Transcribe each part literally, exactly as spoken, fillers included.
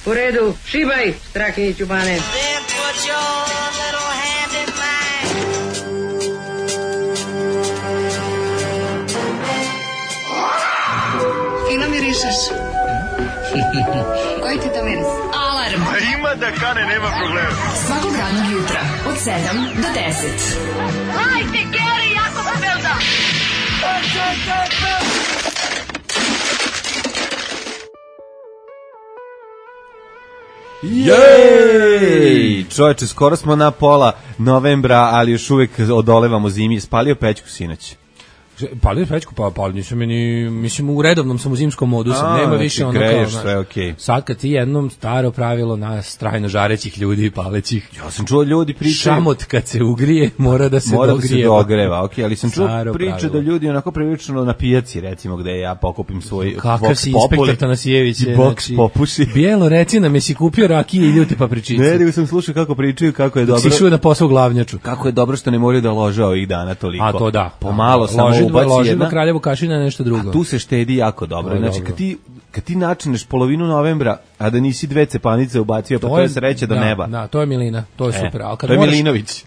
U redu, šibaj, Strahinjić u bane. Fino mirišeš. Koji ti to miris? Alarm. Ima da kane, nema problema. Svakog radnog jutra, od sedam do deset. Hajde, Geri, jako se velda. Jej! Čovječe, skoro smo na pola novembra, ali još uvijek odolevamo zimi. Spalio pećku sinoć. Palio pećku, pa palio nisam ni, mislim u redovnom sam u zimskom modu, sam, nema znači, više ono greješ, kao, sve okay. Sad kad ti jednom staro pravilo nas trajno žarećih ljudi i palećih. Ja sam čuo ljudi pričaju. Šamot kad se ugrije, mora da se mora dogrijeva. Da se dogreva, okej, okay, ali sam čuo Staro priče pravilo. da ljudi onako prilično na pijaci, recimo, gde ja pokupim svoj kakav si inspektor Tanasijević i boks znači, popuši. Bijelo, reci nam, jesi kupio rakije i ljuti papričice? Ne, nego sam slušao kako pričaju, kako je dok dobro. Si šuo na posao glavnjaču. Kako je dobro što ne moraju da lože ovih dana toliko. A to da. Pomalo samo loži, ubaci loži jedna. do Kraljevu kašina nešto drugo. A tu se štedi jako dobro. Znači, dobro. kad ti kad ti načineš polovinu novembra, a da nisi dve cepanice ubacio, pa to je sreća do da, neba. Da, to je Milina, to je e, super. Al kad to je moraš, Milinović.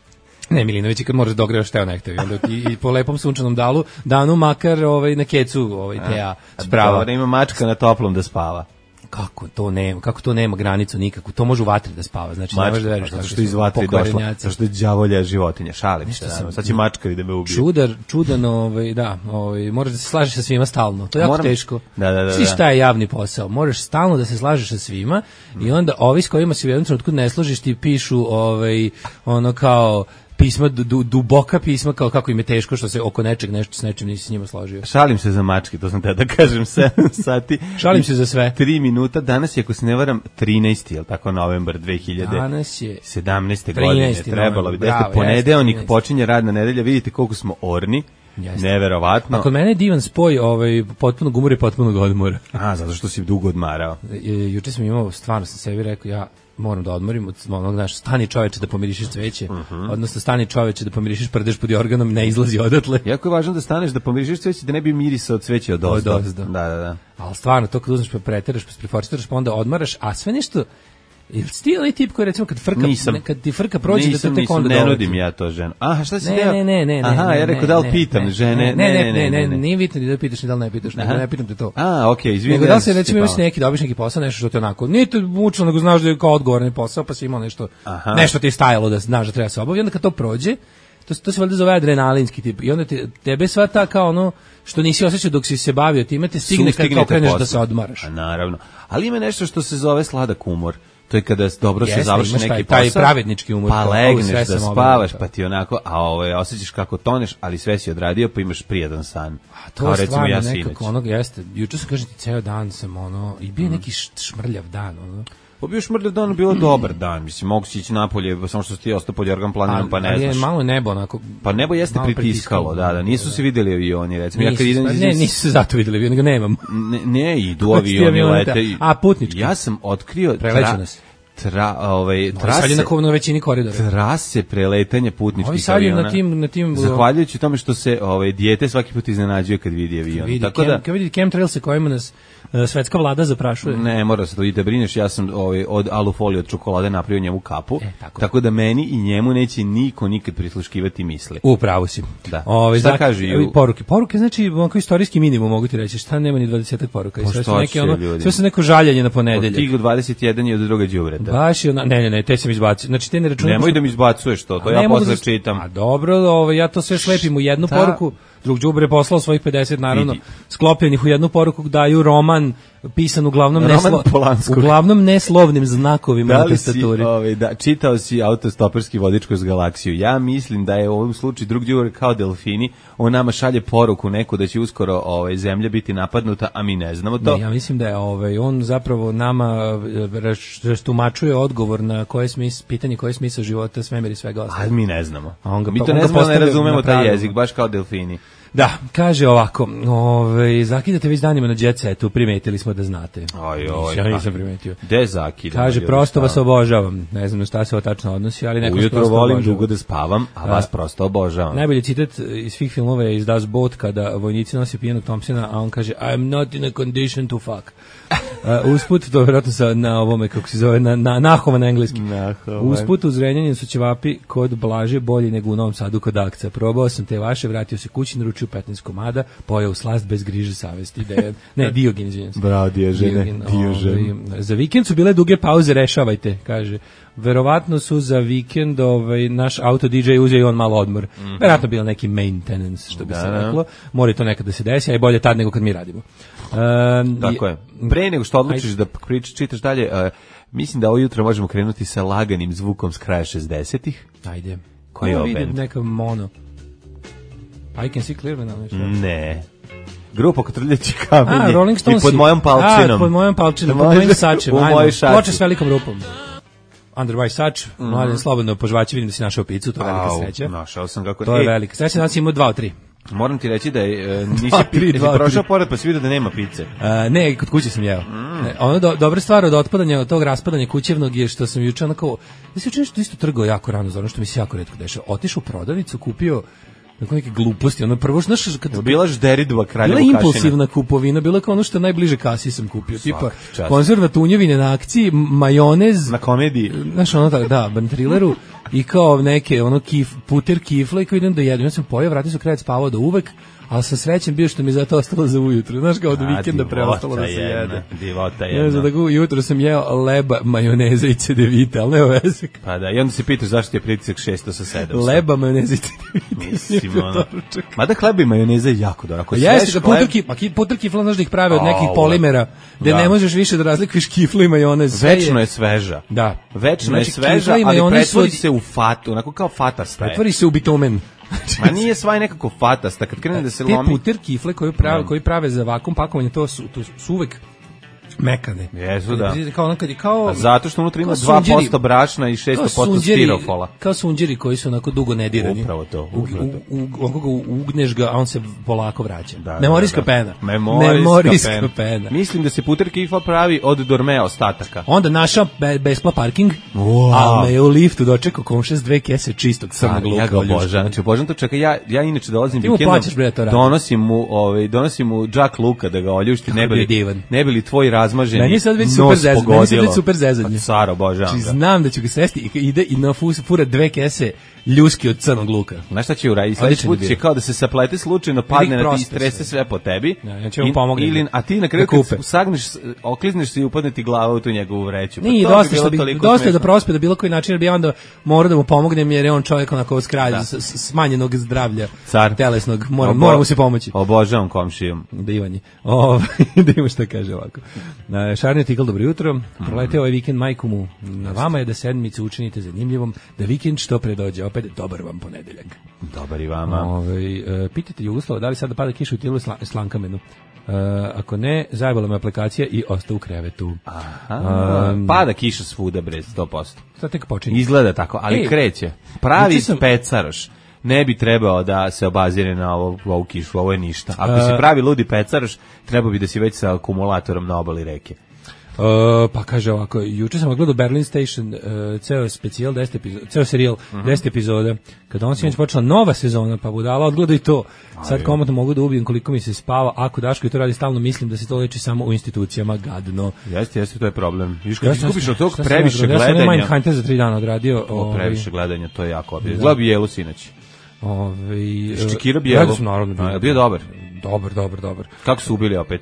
Ne, Milinović, kad možeš dogrevaš teo nektavi, onda ti i po lepom sunčanom dalu, danu makar ovaj, na kecu ovaj, teja sprava. Da ima mačka na toplom da spava. Kako to nema, kako to nema granicu nikakvu. To može u vatri da spava. Znači mačka, ne možeš da veruješ zato što iz vatri došla. Zato što je đavolja životinja, šalim se. Sam, sad će mačka da me ubije. Čudar, čudan, ovaj, da, ovaj, moraš da se slažeš sa svima stalno. To je jako Moram, teško. Da, da, da. Svi šta je javni posao. Moraš stalno da se slažeš sa svima mm. i onda ovi s kojima se u jednom trenutku ne složiš ti pišu ovaj, ono kao pisma, du, duboka pisma, kao kako im je teško što se oko nečeg nešto s nečim nisi s njima složio. Šalim se za mačke, to sam te da kažem, sedam sati. Šalim se za sve. tri minuta, danas je, ako se ne varam, trinaesti, je li tako, novembar dve hiljade sedamnaeste. godine. Trebalo bi, da ponedeljnik počinje radna nedelja, vidite koliko smo orni. Jeste. Neverovatno. A kod mene je divan spoj ovaj, potpunog umora i potpunog odmora. A, zato što si dugo odmarao. Juče sam imao, stvarno sam sebi rekao, ja moram da odmorim od onog, znaš, stani čoveče da pomirišiš cveće, uh-huh. odnosno stani čoveče da pomirišiš prdež pod jorganom, ne izlazi odatle. Jako je važno da staneš da pomirišiš cveće, da ne bi mirisa od cveća od ozdo. Od ozdo. Da, da, da. Ali stvarno, to kad uzmeš pa preteraš, pa spriforciraš, pa onda odmaraš, a sve nešto, ili ti onaj tip koji recimo kad frka, nisam, ne, kad ti frka prođe nisam, da te tek onda ne nudim ja to ženu. Aha, šta si deo? Ne, ne, ne, ne. Aha, ne, ja rekao da li pitam ne, žene. Ne, ne, ne, ne, ne, nije bitno da pitaš ni da li ne pitaš, nego ne pitam te to. A, okej, okay, izvinite. Nego da li se recimo imaš neki, dobiš neki posao, nešto što te onako, nije to mučno, nego znaš da je kao odgovorni posao, pa si imao nešto, Aha. nešto ti je stajalo da znaš da treba se obaviti, onda kad to prođe, to, to se valjda zove adrenalinski tip, i onda te, tebe sva ta kao ono, što nisi osjećao dok si se bavio time, te stigne kad kao kreneš da se odmaraš. A naravno, ali ima nešto što se zove sladak umor. To je kada dobro Jeste, se završi neki taj, posao, taj pravednički umor, pa legneš da spavaš, obavio, pa ti onako, a ovaj, osjećaš kako toneš, ali sve si odradio, pa imaš prijatan san. A to je stvarno ja nekako onog, jeste, juče sam kažem ti, ceo dan sam ono, i bio mm. neki šmrljav dan, ono. Pa bio šmrljav dan, bilo dobar dan, mislim, mogu si ići napolje, samo što si ti ostao pod jorgan planinom, pa ne ali znaš. Je malo nebo, onako. Pa nebo jeste pritiskalo, da, da, nisu se videli avioni, recimo. Nisu, ja kad idem, ne, nisu se zato videli avioni, nego nemam. Ne, ne idu avioni, lete. A, putnički. Ja sam otkrio... Prelećeno se. Tra, ovaj, trase, sad je na, na većini koridora. Trase preletanja putničkih Ovi sad aviona. Na tim, na tim, zahvaljujući tome što se ovaj, dijete svaki put iznenađuje kad vidi avion. Vidi, Tako kem, da, kad vidi chemtrail se kojima nas uh, svetska vlada zaprašuje. Ne, mora se to i te brineš, ja sam ovaj, od alufolije od čokolade napravio njemu kapu, e, tako. tako da meni i njemu neće niko nikad prisluškivati misli. Upravo si. Da. Ove, šta znak, kaže ju? Poruke. Poruke, znači, onako istorijski minimum, mogu ti reći, šta nema ni dvadeset poruka. Po sve su što neke, će, ono, ljudi? sve su neko žaljenje na ponedeljak. Od tih dvadeset jedan i od druga đubreta. Baš je, ona, ne, ne, ne, te sam izbacio. Znači, te ne računam. Nemoj da mi izbacuješ to, to ja posle da, čitam. A dobro, ovaj, ja to sve slepim u jednu Šta? poruku. Drug đubre poslao svojih pedeset, naravno, Vidi. sklopljenih u jednu poruku, daju roman pisan uglavnom, neslo, uglavnom neslovnim znakovima da na tastaturi. Ovaj, da, čitao si autostoperski vodič kroz galaksiju. Ja mislim da je u ovom slučaju drug đubre kao delfini, on nama šalje poruku neku da će uskoro ovaj, zemlja biti napadnuta, a mi ne znamo to. Ne, ja mislim da je ovaj, on zapravo nama rastumačuje odgovor na koje smis, pitanje koje je smisao života, svemir i svega ostalo. A mi ne znamo. A on ga, mi to on ne znamo, ne razumemo taj jezik, pravilu. baš kao delfini. Da, kaže ovako, ovaj, zakidate već danima na Jet Setu, primetili smo da znate. Oj, oj, ja nisam primetio. Gde zakidamo? Kaže, prosto vas obožavam. Ne znam na šta se ovo tačno odnosi, ali neko ujutro volim obožavam. Dugo da spavam, a vas prosto obožavam. Najbolji citat iz svih filmova je iz Das Boot, kada vojnici nosi pijenog Thompsona, a on kaže, I'm not in a condition to fuck. Uh, usput, to je vjerojatno sa, na ovome, kako se zove, na, na, Nahova na engleskim. Usput u Zrenjaninu su ćevapi kod Blaže bolji nego u Novom Sadu kod Akca. Probao sam te vaše, vratio se kući, naručio petnaest komada, pojeo slast bez griže savesti. De, ne, Diogen, izvinjam se. Bravo, Diožene. Diožen. Za vikend su bile duge pauze, rešavajte, kaže. Verovatno su za vikend ovaj, naš auto D J uzeo i on malo odmor. Mm-hmm. Verovatno bilo neki maintenance, što bi da, se reklo. Mora to nekad da se desi, a i bolje tad nego kad mi radimo. Um, Tako je. Pre nego što odlučiš aj, da pričaš, čitaš dalje, uh, mislim da ovo jutro možemo krenuti sa laganim zvukom s kraja šezdesetih. Ajde. Koji je ovo band? Neka mono. I can see clearly now. Ne. Grupa Kotrljači kamenje. A, Rolling Stones. I pod mojom palčinom. A, pod mojom palčinom. Pod mojim sačem. U mojoj šači. Ploče s velikom rupom. Under my sač. Mm. Mladen, slobodno požvaći, vidim da si našao picu, to je velika sreća. Našao sam kako... To je velika sreća, znači imao dva od tri. Moram ti reći da je, uh, nisi, dva, tri, dva, si prošao pored pa si vidio da nema pice. Uh, ne, kod kuće sam jeo. Mm. Ono do, dobra stvar od otpadanja, od tog raspadanja kućevnog je što sam juče onako... Ja sam juče nešto isto trgao jako rano, za ono što mi se jako retko dešava. Otišao u prodavnicu, kupio tako neke gluposti, ono prvo što znaš kad bila žderidova kraljevo kašina. Bila impulsivna kupovina, bila kao ono što najbliže kasi sam kupio, tipa konzerva tunjevine na akciji, majonez na komediji. Znaš ono tako, da, bantrileru i kao neke ono kif, puter kifle i kao idem da jedem. Ja sam pojeo, vratio sam krevet spavao do uvek, ali sa srećem bio što mi zato ostalo za ujutru. Znaš kao od vikenda preostalo da se jede. Divota jedna. Ja, tako jutro sam jeo leba, majoneza i cedevita, ali nema veze. Pa da, i onda se pitaš zašto ti je pritisak šesto sa sedam. Leba, majoneza i cedevita. Mislim, ono. Mada hleba i majoneza je jako dobro. Pa jeste, da puter kifla, puter kifla znaš da ih prave od nekih polimera, gde ne možeš više da razlikuješ kiflu i majonez. Večno je sveža. Da. Večno je sveža, ali pretvori se u fatu, onako kao fatasta. Pretvori se u bitumen. Ma nije svaj nekako fatasta, kad krene da se lomi. Te puter kifle koji prave, koji prave za vakuum pakovanje, to su, to su uvek mekane. Jesu, da. Kao onakad, kao, a zato što unutra ima dva posto brašna i šest posto stirofola. Kao sunđeri koji su onako dugo nedirani. Upravo to. Upravo to. U, u, u, ugneš ga, a on se polako vraća. Da, Memorijska da, da. pena. Memorijska, Memorijska pena. pena. Mislim da se puter kifla pravi od dormea ostataka. Onda naša be, bespla parking, wow. A me je u liftu dočekao komšija s dve kese čistog crnog luka. Ja ga obožavam. Znači, obožavam to čeka. Ja, ja inače dolazim vikendom, donosim mu, ovaj, donosim mu džak luka da ga oljušti, ne bili, ne bili tvoj razmaženi super zezanje, meni se već super zezanje. Car, obožavam ga. Znam da ću ga sresti i ide i na fura dve kese ljuski od crnog luka. Znaš šta će uraditi? Sljedeći put će kao da se saplete slučajno, padne na ti i strese sve po tebi. Ja, ja ću vam pomognem. Ili, a ti na kraju kad sagneš, oklizneš se i upadne ti glava u tu njegovu vreću. Pa nije, dosta, što bi, dosta je da prospe da bilo koji način, jer bi onda morao da mu pomognem, jer je on čovjek onako skralj, smanjenog zdravlja, car telesnog, mora, Obo, mora mu se pomoći. Obožavam komšijom. Divanje. O, da ima šta kaže ovako. Šarni Tikl, dobro jutro. Proleteo ovaj vikend majku mu. Na vama je da sedmicu učinite zanimljivom, da vikend što pre dođe. Opet dobar vam ponedeljak. Dobar i vama. Ove, e, pitajte Jugoslava da li sada pada kiša u Tilu sla, Slankamenu. E, ako ne, zajebala me aplikacija i ostao u krevetu. Aha, um, pada kiša svuda, bre, sto posto. Sad tek počinje. Izgleda tako, ali Ej, kreće. Pravi sam... pecaroš ne bi trebao da se obazire na ovo, ovu kišu, ovo je ništa. Ako si pravi ludi pecaroš, trebao bi da si već sa akumulatorom na obali reke. Uh, pa kaže ovako, juče sam gledao Berlin Station, uh, ceo specijal, deset epizoda, ceo serijal, uh-huh. deset epizoda, kada on sinoć počela nova sezona, pa budala, odgledao i to. Sad komotno mogu da ubijem koliko mi se spava, ako Daško i to radi stalno, mislim da se to leči samo u institucijama, gadno. Jeste, jeste, to je problem. Viš kad ti skupiš od tog previše gledanja. Ja sam Mindhunter za tri dana odradio. O, previše gledanja, to je jako obje. Gledao bi Jelu sinoć. Ove, Ščekira bi Jelu. Naravno, bio dobar. Dobar, dobar, dobar. Kako su ubili opet?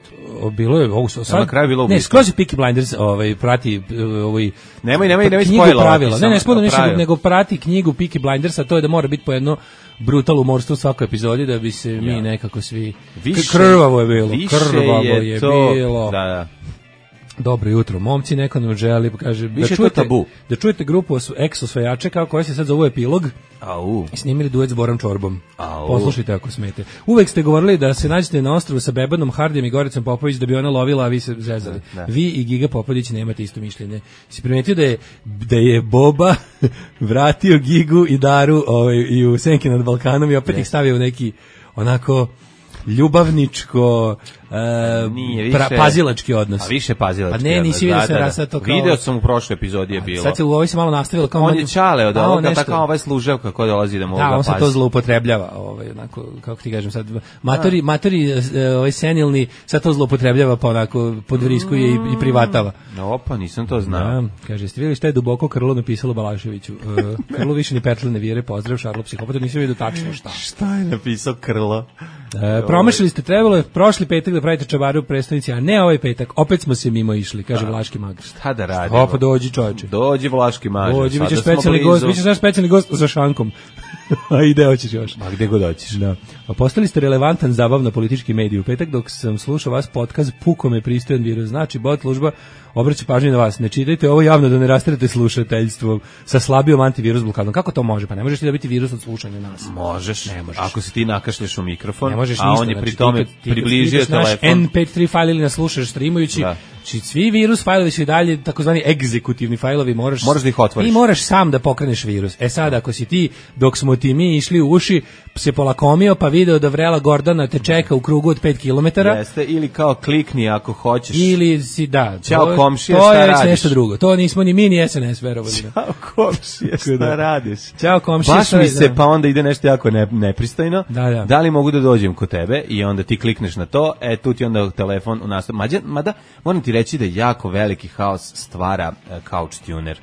Bilo je ovo sad. Na kraju bilo ne, skroz Peaky Blinders, ovaj prati ovaj Nemoj, nemoj, nemoj spojlovati. Ne, ne, spojlo ništa, nego prati knjigu Peaky Blinders, a to je da mora biti po jedno brutal umorstvo u svakoj epizodi da bi se ja. mi nekako svi više, krvavo je bilo, krvavo je, je to, bilo. Da, da. Dobro jutro, momci, neko nam želi, kaže, da čujete, tabu. da čujete grupu ex-osvajače kao koja se sad zove Epilog. Au. I snimili duet s Borom Čorbom. Au. Poslušajte ako smete. Uvek ste govorili da se nađete na ostrvu sa Bebanom Hardijem i Goricom Popović da bi ona lovila, a vi se zezali. Ne, ne. Vi i Giga Popović nemate isto mišljenje. Si primetio da je, da je Boba vratio Gigu i Daru ovaj, i u Senke nad Balkanom i opet ne. ih stavio u neki onako ljubavničko Uh, nije, više, pra, pazilački odnos. A više pazilački. Pa ne, nisi vidio da, se da, da. To kao... Video sam u prošloj epizodi je bilo. Sad se u ovoj se malo nastavilo kao on je čale od ovoga, tako ovaj služevka ko dolazi da mu da, ga on pazi. se to zloupotrebljava, ovaj onako kako ti kažem sad matori da. matori ovaj senilni sad to zloupotrebljava pa onako podvriskuje mm. i, i privatava. No, opa, nisam to znao. Da, kaže, ste vidjeli šta je duboko Krlo napisalo Balaševiću? Uh, Krlo više ni petle ne vire, pozdrav Šarlo psihopata, nisam vidio tačno šta. Šta je napisao Krlo? E, promašili ste, trebalo je prošli petak da pravite čabaru u predstavnici, a ne ovaj petak. Opet smo se mimo išli, kaže Vlaški mag. Šta da radimo? Opa, dođi čoveče. Dođi Vlaški mag. Dođi, bićeš specijalni gost, bićeš naš specijalni gost za šankom. A ide hoćeš još. Ma gde god hoćeš. Da. A postali ste relevantan zabavno politički medij. U petak dok sam slušao vas podcast, puko me pristojan virus. Znači, bot služba obraća pažnju na vas. Ne čitajte ovo javno da ne rasterete slušateljstvo sa slabijom antivirus blokadom. Kako to može? Pa ne možeš ti dobiti virus od slušanja nas. Možeš. Ne možeš. Ako se ti nakašlješ u mikrofon, ne možeš a ništa, on je znači, pri tome približio telefon. en pe tri fajl ili nas slušaš streamujući, da. Či svi virus fajlovi su i dalje takozvani egzekutivni fajlovi, moraš, moraš da ih otvoriš. Ti moraš sam da pokreneš virus. E sad, ako si ti, dok smo ti mi išli u uši, se polakomio pa video da vrela Gordana te čeka u krugu od pet kilometara. Jeste, ili kao klikni ako hoćeš. Ili si, da. Ćao komšije, šta radiš? To je već nešto drugo. To nismo ni mi ni es en es verovali. Ćao komšije, šta radiš? Ćao komšije. Baš mi se, pa onda ide nešto jako ne, nepristojno. Da, da. Da li mogu da dođem kod tebe i onda ti klikneš na to, e tu ti onda telefon u nastavu. Mađa, mada, moram ti reći da jako veliki haos stvara uh, Couch Tuner.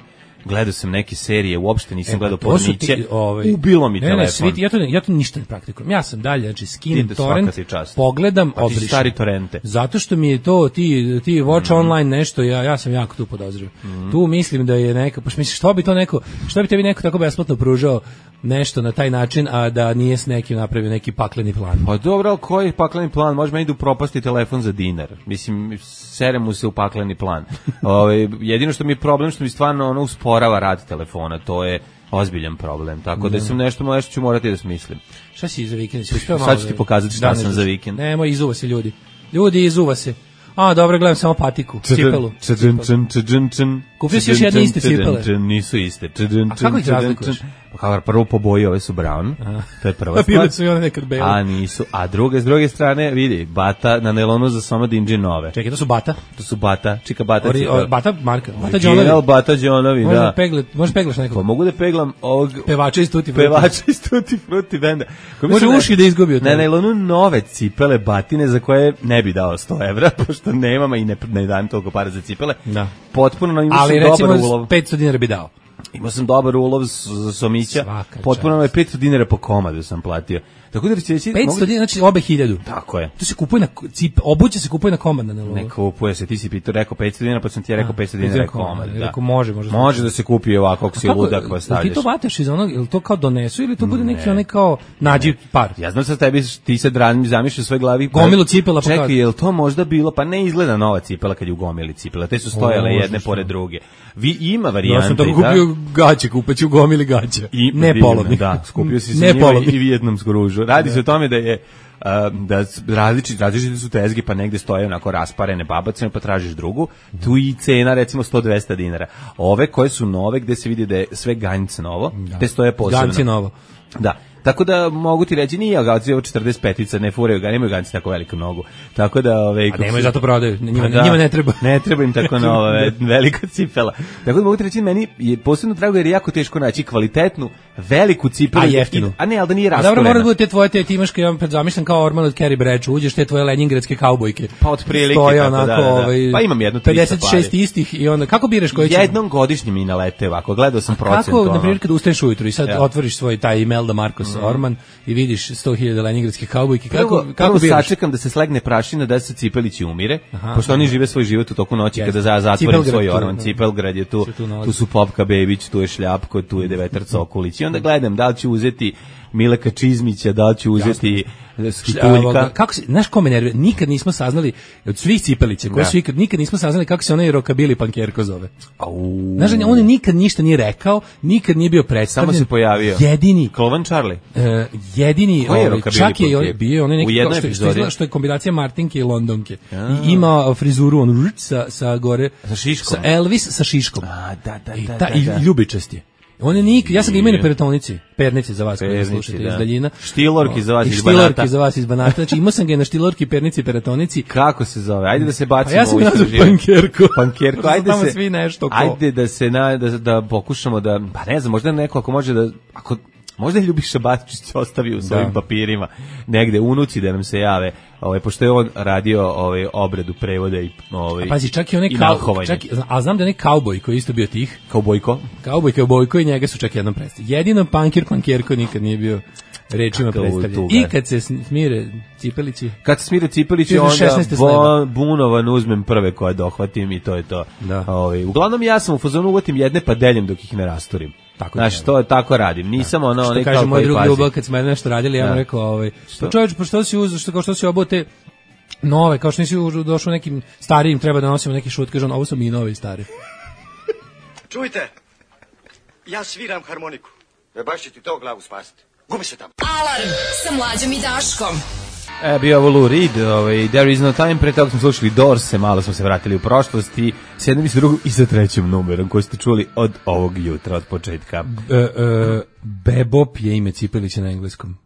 Gledao sam neke serije, uopšte nisam e, gledao porniće, ovaj, ubilo mi ne, telefon. Ne, svi, ja, to, ja to ništa ne praktikujem. Ja sam dalje, znači skinem torrent, pogledam, pa obrišem. Stari torrente. Zato što mi je to, ti, ti watch mm. online nešto, ja, ja sam jako tu podozrio. Mm. Tu mislim da je neka, pa misliš, što bi to neko, što bi tebi neko tako besplatno pružao nešto na taj način, a da nije s nekim napravio neki pakleni plan. Pa dobro, koji pakleni plan? Može meni da upropasti telefon za dinar. Mislim, sere mu se u pakleni plan. Ove, jedino što mi je problem, što mi stvarno ono usporava rad telefona, to je ozbiljan problem. Tako da, da sam nešto, nešto ću morati da smislim. Šta si za vikend? Sad ću ti pokazati šta sam za vikend. Nemoj, izuva se ljudi. Ljudi, izuva se. A, dobro, gledam samo patiku, cipelu. Kupio si još jedne iste cipele. Nisu iste. A kako ih razlikuješ? Pa prvo po boji, ove su brown. To je prva stvar. Bile su i one nekad bele. A nisu. A druge, s druge strane, vidi, Bata na nelonu za Soma Dinđi nove. Čekaj, to su Bata? To su Bata, čika Bata Ori, cipele. O, Bata marka, Bata Đonovi. Bata Đonovi, da. Pegle, možeš peglaš nekog? Pa mogu da peglam ovog... Pevača iz Tutti Frutti. Pevača iz Tutti Frutti benda. Može uši da izgubi od toga. Na nelonu nove cipele Batine za koje ne bi dao sto evra, pošto nemam i ne, ne dajem toliko para za cipele. Da. Potpuno imao sam dobar ulov. Ali recimo petsto dinara bi dao. Imao sam dobar ulov za Somića, potpuno je petsto dinara po komadu sam platio. Tako da će reći petsto dinara, znači obe hiljadu. Tako je. To se kupuje na cip, obuće se kupuje na komad na ne kupuje se, ti si pitao rekao petsto dinara, pa sam ti ja rekao petsto dinara komad, da. Rekao može, može. Može da se kupi ovako ako si ludak pa stavljaš. Ti to vataš iz onog, ili to kao donesu ili to bude neki onaj kao nađi par. Ja znam sa tebi ti se dranim zamišljaš u svojoj glavi. Gomilu cipela pokazuje. Čekaj, jel to možda bilo, pa ne izgleda nova cipela kad je u gomili cipela. Te su stojale jedne pored druge. Vi ima varijante, ja sam tako kupio gaće, kupeću gomili gaće. Ne polovni. Da, skupio si se njima i vijetnamsku ružu. Radi se o tome da je Uh, da različiti, različiti su tezge, pa negde stoje onako rasparene babacine, pa tražiš drugu, tu i cena recimo sto do dvesta dinara. Ove koje su nove, gde se vidi da je sve ganjce novo, da. Te stoje posebno. Ganjce novo. Da. Tako da mogu ti reći nije ganjce, ovo četrdeset petica, ne furaju ga, nemaju ganjce tako veliku nogu. Tako da ove a nemaju zato prodaju, njima, da, njima ne treba. Ne treba im tako nova velika cipela. Tako da mogu ti reći meni je posebno drago jer je jako teško naći kvalitetnu veliku cipelu, a jeftinu. A ne, al da nije rasturena. Dobro, mora da bude te tvoje te timaške, ja zamišljam kao Orman od Carrie Bradshaw, uđeš te tvoje lenjingradske kaubojke. Pa otprilike tako onako, da, da, da. Ovaj, pa imam jedno pedeset šest istih i onda kako biraš koji će? Jednom godišnje mi nalete ovako, gledao sam procent. Kako na primjer kad ustaneš ujutro i sad ja. Otvoriš svoj taj Imelda Marcos mm. Orman i vidiš sto hiljada leningradskih kaubojki, kako prvo, kako biraš? Sačekam da se slegne prašina da se Cipelići umire, aha, pošto aha. Oni žive svoj život u toku noći. Yes. Kada za zatvorim svoj Orman. Cipelgrad je tu, tu, tu su Popka Bebić, tu je Šljapko, tu je Devetar Cokulić i onda gledam da li ću uzeti Mileka Čizmića, da li ću uzeti Skituljka. Kako se, znaš ko me nervira? Nikad nismo saznali od svih Cipelića, koji su ikad, nikad nismo saznali kako se onaj rokabili pankerko zove. Au. Znaš, on nikad ništa nije rekao, nikad nije bio predstavljen. Samo se pojavio. Jedini. Klovan Charlie. Uh, jedini, ovaj, čak je bio onaj neki kao što, što, što je kombinacija Martinke i Londonke. Ja. I ima frizuru on sa, sa gore. Sa šiškom. Sa Elvis sa šiškom. A, da, da, I, da, ta, da, i da. ljubičast je. On je nik, ja sam ga imao na peritonici, pernici za vas koji slušate iz daljina. Štilorki za vas iz Banata. Štilorki za vas iz Banata. Znači imao sam ga na štilorki, pernici, peritonici. Kako se zove? Ajde da se bacimo. A ja sam ga nazvao pankerko. Pankerko. Ajde se svi nešto ko. Ajde da se na, da, da pokušamo da, pa ne znam, možda neko ako može da, ako možda je Ljubiša Batičić ostavio u svojim da. papirima negde unuci da nam se jave, ovaj pošto je on radio ovaj obradu prevoda i ovaj. A pazi, čak i onaj kao, čak, a znam da je onaj kauboj koji isto bio tih, kaubojko. Kauboj, kaubojko i njega su čak jednom predstavili. Jedino pankir, pankerko nikad nije bio rečima predstavljen. I kad se smire Cipelići, kad se smire Cipelići onda bo, bunovan uzmem prve koje dohvatim i to je to. Da. Ovaj uglavnom ja sam u fazonu uvatim jedne pa deljem dok ih ne rasturim. Tako znači to je tako radim. Nisam ono onaj kao kaže moj drug Ljubav kad smo nešto radili, ja mu rekao ovaj pa čovjek pa što si uzeo što kao što si obote nove, kao što nisi došao nekim starijim, treba da nosimo neki šut, kaže on, ovo su mi novi stari. Čujte, ja sviram harmoniku. E baš će ti to glavu spasiti. Gubi se tamo. Alarm sa Mlađom i Daškom. E, bio ovo Lou Reed, ovaj, There is no time, pre toga smo slušali Doors, malo smo se vratili u prošlost i s jednom i s drugom i sa trećim numerom koji ste čuli od ovog jutra, od početka. E, e, Bebop je ime Cipelića na engleskom.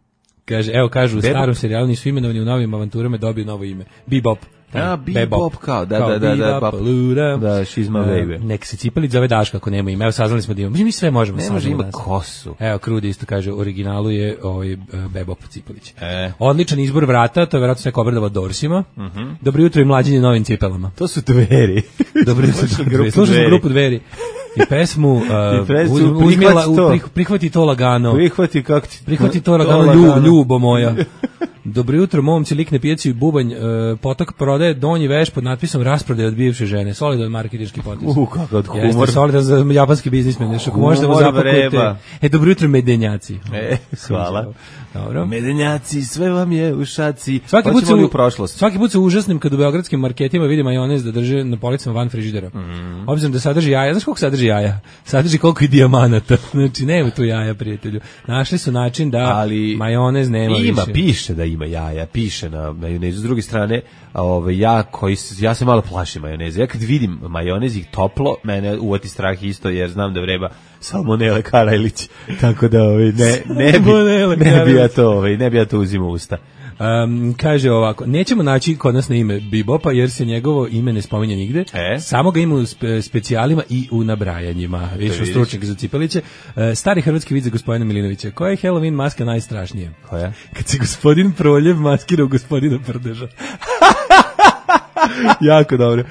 Kaže, evo kažu, u Bebop? Starom serijalu nisu imenovani, u novim avanturama dobiju novo ime. Bebop. A, Bebop kao, da, da, da, da, da, da, she's my baby. Nek se Cipelić zove Daška ako nema ime, evo saznali smo da imamo, mi sve možemo saznati. Ne može, ima kosu. Evo, Krudi isto kaže, u originalu je ovaj Bebop Cipelić. E. Odličan izbor vrata, to je vjerojatno sve obradava Dorsima. Uh -huh. Dobro jutro i mlađenje novim cipelama. To su Dveri. Dobro jutro, Dveri. Slušamo grupu Dveri. I pesmu, uh, I pesmu uz, uzmila, to. Prih, prihvati to lagano. Prihvati kako ti. Prihvati to lagano, ljub, ljubo moja. Dobro jutro, momci, lik na pijaci bubanj, uh, potok prodaje donji veš pod natpisom rasprodaje od bivše žene. Solidan marketinški potez. U, kako od humor. Jeste solidan za japanski biznismen, nešto ko možete da zapakujete. E, dobro jutro, medenjaci. E, hvala. Dobro. Medenjaci, sve vam je u šaci. Svaki put, u, prošlost. svaki put se užasnim kad u beogradskim marketima vidim majonez da drže na policama van frižidera. Mm. Obzirom da sadrži jaja, znaš koliko sadrži jaja? Sadrži koliko i dijamanata. Znači, nema tu jaja, prijatelju. Našli su način da ali majonez nema ima, više. Piše da ima jaja, piše na majonezu. S druge strane, ove, ja, koji, ja se malo plašim majoneze. Ja kad vidim majonez i toplo, mene uvati strah isto, jer znam da vreba salmonele Karajlić. Tako da ove, ne, ne, bi, ne bi ja to, ove, ne bi ja to uzimao usta. Um, kaže ovako, nećemo naći kod nas na ime Bebopa jer se njegovo ime ne spominje nigde, e? samo ga ima u spe, specijalima i u nabrajanjima. Vidiš, stručnjak za Cipeliće. Uh, stari hrvatski vid za gospodina Milinovića. Koja je Halloween maska najstrašnija? Koja? Kad se gospodin Proljev maskira u gospodina Prdeža. Jako dobro.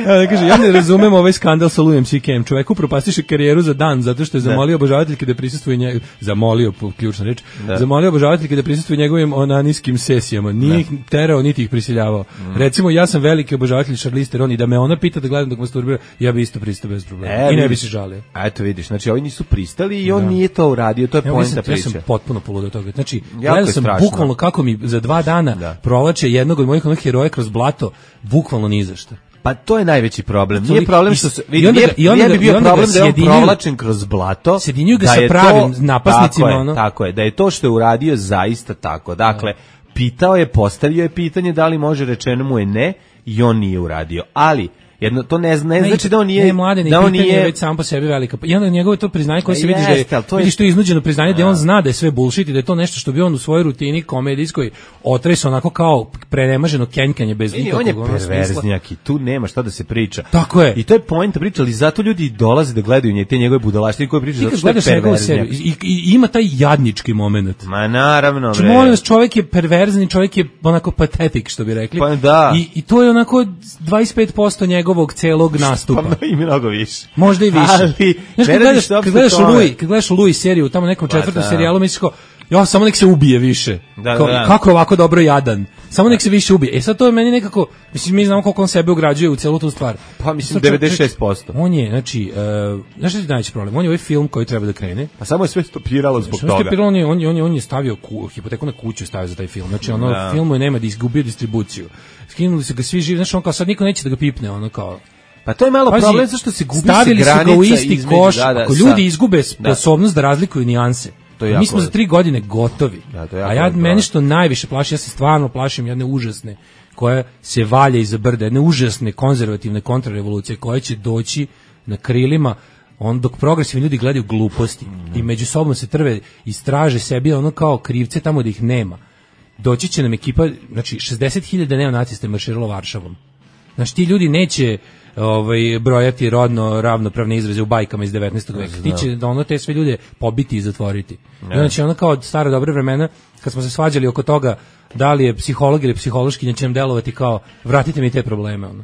Ja, kaže, ja ne razumem ovaj skandal sa Louis C K-em. Čovjek upropastiše karijeru za dan zato što je zamolio obožavateljke da prisustvuje njegov, zamolio, ključna reč, da. zamolio obožavateljke da prisustvuje njegovim onanijskim sesijama. Nije ih terao, niti ih prisiljavao. Mm. Recimo, ja sam veliki obožavatelj Charlize Theron i da me ona pita da gledam dok masturbira, ja bi isto pristao bez problema. E, I ne bi se žalio. A eto vidiš, znači ovi nisu pristali i on da. nije to uradio, to je ja, poenta priče. Ja sam potpuno poludeo toga. Znači, gledao sam bukvalno kako mi za dva dana da. provlače jednog od mojih onih heroja kroz blato, bukvalno ni za šta. Pa to je najveći problem. Nije problem što se i onda, i onda, nije bi bio problem da je on provlačen kroz blato. Sjedinjuju ga sa pravim to, napasnicima. Tako je, ono. tako je, da je to što je uradio zaista tako. Dakle, pitao je, postavio je pitanje da li može, rečeno mu je ne i on nije uradio. Ali jedno to ne, ne, ne znači da on nije ne mladen, da on nije već sam po sebi velika. I onda njegovo to priznanje koje se vidi da je, to je vidiš to je iznuđeno priznanje da on zna da je sve bullshit i da je to nešto što bi on u svojoj rutini komedijskoj otresao onako kao prenemaženo kenjkanje bez nikakvog smisla. On je perverznjak i tu nema šta da se priča. Tako je. I to je point priče, ali zato ljudi dolaze da gledaju nje te njegove budalaštine koje pričaju zato što je perverznjak. I, i ima taj jadnički momenat. Ma naravno. Če molim vas, čovjek je perverzni, čovjek je onako patetik što bi rekli. Pa da. I, i to je onako dvadeset pet posto njegovog celog nastupa. Pa i mnogo više. Možda i više. Ali, znaš, kad gledaš, kad gledaš Louis, kad gledaš Louis seriju, tamo nekom četvrtom pa, serijalu, misliš kao, jo, samo nek se ubije više. Da, kao, da. Kako je ovako dobro jadan. Samo nek se više ubije. E sad to je meni nekako, mislim, mi znamo koliko on sebe ugrađuje u celu tu stvar. Pa mislim devedeset šest posto. On je, znači, uh, znaš što je najveći problem? On je ovaj film koji treba da krene. A samo je sve stopiralo zbog toga. Stopiralo, on je, on je, on je, on je stavio ku, hipoteku na kuću, stavio za taj film. Znači, ono, da. filmu je nema da izgubio distribuciju. Skinuli su ga svi živi, znači on kao sad niko neće da ga pipne, ono kao. Pa to je malo pazi, problem zašto se gubi se granica. Stavili su ga u isti između, koš, da, da, ako ljudi izgube sposobnost da, da razlikuju nijanse. Mi smo za tri godine gotovi. Da, a ja meni što najviše plaši, ja se stvarno plašim jedne užasne koja se valja iza brda, jedne užasne konzervativne kontrarevolucije koja će doći na krilima on dok progresivni ljudi gledaju gluposti mm. i među sobom se trve i straže sebi ono kao krivce tamo da ih nema. Doći će nam ekipa, znači šezdeset hiljada neonacista je marširalo Varšavom. Znači ti ljudi neće ovaj brojati rodno ravnopravne izraze u bajkama iz devetnaestog veka. Ti će da ono te sve ljude pobiti i zatvoriti. I onda će ono kao od stare dobre vremena kad smo se svađali oko toga da li je psiholog ili psihološkinja će nam delovati kao vratite mi te probleme ono.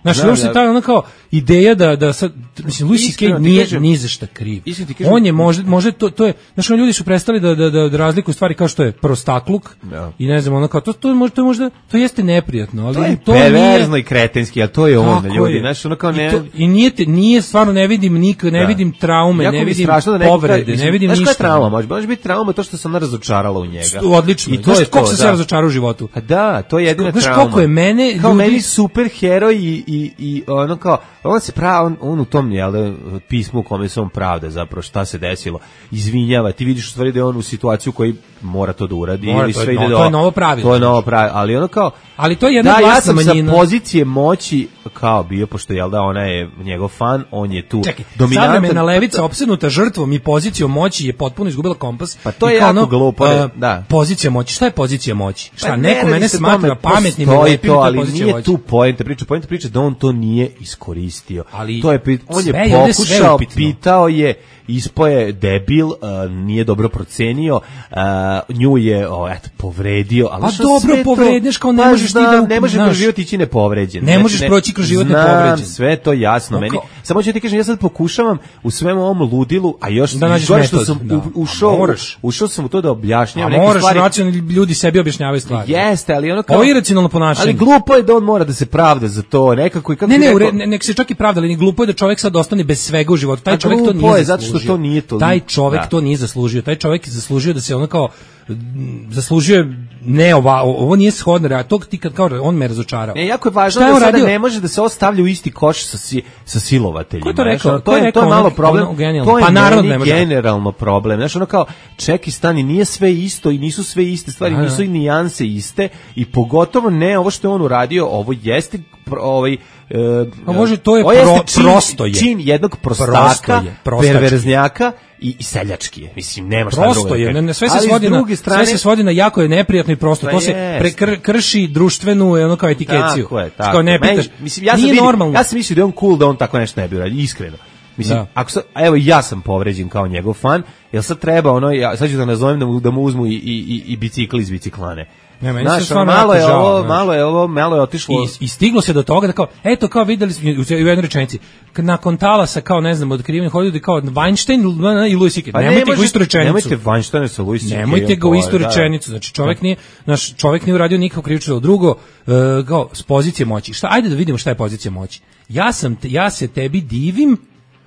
Znači, da, uopšte ta ona kao ideja da da sad mislim Louis C K nije ni za šta kriv. On je možda možda to to je znači ljudi su prestali da da da razlikuju stvari kao što je prostakluk da. I ne znam ono kao to to možda to možda to jeste neprijatno, ali to je to perverzno i kretenski, al to je on ljudi, znači ono kao ne i, to, i nije te, nije stvarno ne vidim nik ne da. Vidim traume, jako ne vidim povrede, mislim, ne vidim ništa. Znaš trauma, može može biti trauma to što se ona razočarala u njega. Odlično. I to je kako se sve razočarao u životu. A da, to je jedina trauma. Znaš koliko je mene kao meni super heroj i i i ono kao on se pravi on, on u tom jel pismu u kome se on pravda zapravo šta se desilo izvinjava, ti vidiš u stvari da je on u situaciju koji mora to da uradi mora, ili sve to, ide no, do to je novo pravilo to je novo pravilo, ali ono kao ali to je jedna da, glasna ja sam manjina sa pozicije moći kao bio pošto jel da ona je njegov fan, on je tu čekaj, dominantan. Savremena levica opsednuta žrtvom i pozicijom moći je potpuno izgubila kompas. Pa to je jako ono, glupo, uh, da. Pozicija moći, šta je pozicija moći? Šta pa neko mene smatra pametnim i lepim, to ali nije moći. Tu poenta priča, poenta priča da on to nije iskoristio. Ali to je on je pokušao, pitao je, ispoje debil, uh, nije dobro procenio, uh, nju je oh, eto, povredio, ali pa dobro povredneš kao ne možeš ti da ne možeš kroz život ići nepovređen. Ne možeš ne, proći kroz život nepovređen. Sve to jasno meni. Samo ću ti kažem, ja sad pokušavam u svemu ovom ludilu, a još da gore što sam da. ušao, ušao sam u to da objašnjavam neke moraš, stvari. Racionalni ljudi sebi objašnjavaju stvari. Jeste, ali ono kao ovo je iracionalno ponašanje. Ali glupo je da on mora da se pravda za to, nekako i kako ne, ne, neko... ne, nek se čak i pravda, ali ni glupo je da čovjek sad ostane bez svega u životu. Taj čovjek to nije zato što to nije to. Taj čovjek da. to nije zaslužio. Taj čovjek je zaslužio da se ono kao zaslužuje ne ova, ovo nije shodno, a to ti kad kao on me razočarao. Ne, jako je važno da sada ne može da se ostavlja u isti koš sa si, sa silovateljima. Ko je to rekao? To je to je malo problem. To je pa naravno ne generalno problem. Znači ono kao čeki stani nije sve isto i nisu sve iste stvari, nisu i nijanse iste i pogotovo ne ovo što je on uradio, ovo jeste ovaj a može to je pro, čin, prosto je čin jednog prostaka, perverznjaka i, i seljački je. Mislim nema šta drugo. Prosto je, ne, sve se svodi na strane, sve se svodi na jako je neprijatno i prosto. To se prekrši društvenu ono kao etikaciju. Tako je, tako. Kao ne pitaš. Mislim ja sam vidio, ja sam mislio da je on cool da on tako nešto ne bi uradio, iskreno. Mislim, da. Ako sad, evo ja sam povređen kao njegov fan, jel sad treba ono, ja, sad ću da nazovem da mu, da mu uzmu i, i, i bicikl iz biciklane. Ne, meni znaš, se stvarno malo je žao, ovo, malo je ovo, malo je otišlo. I, I stiglo se do toga da kao, eto kao videli smo u jednoj rečenici, nakon talasa kao ne znam, otkriveni hodili kao Weinstein i Louis C K. Pa nemojte ga u istu rečenicu. Nemojte Weinsteina sa Louis C K. Nemojte ga u istu rečenicu. Znači čovjek nije, naš čovjek nije uradio nikakvo krivično delo. Drugo, uh, kao s pozicije moći. Šta, ajde da vidimo šta je pozicija moći. Ja sam, ja se tebi divim.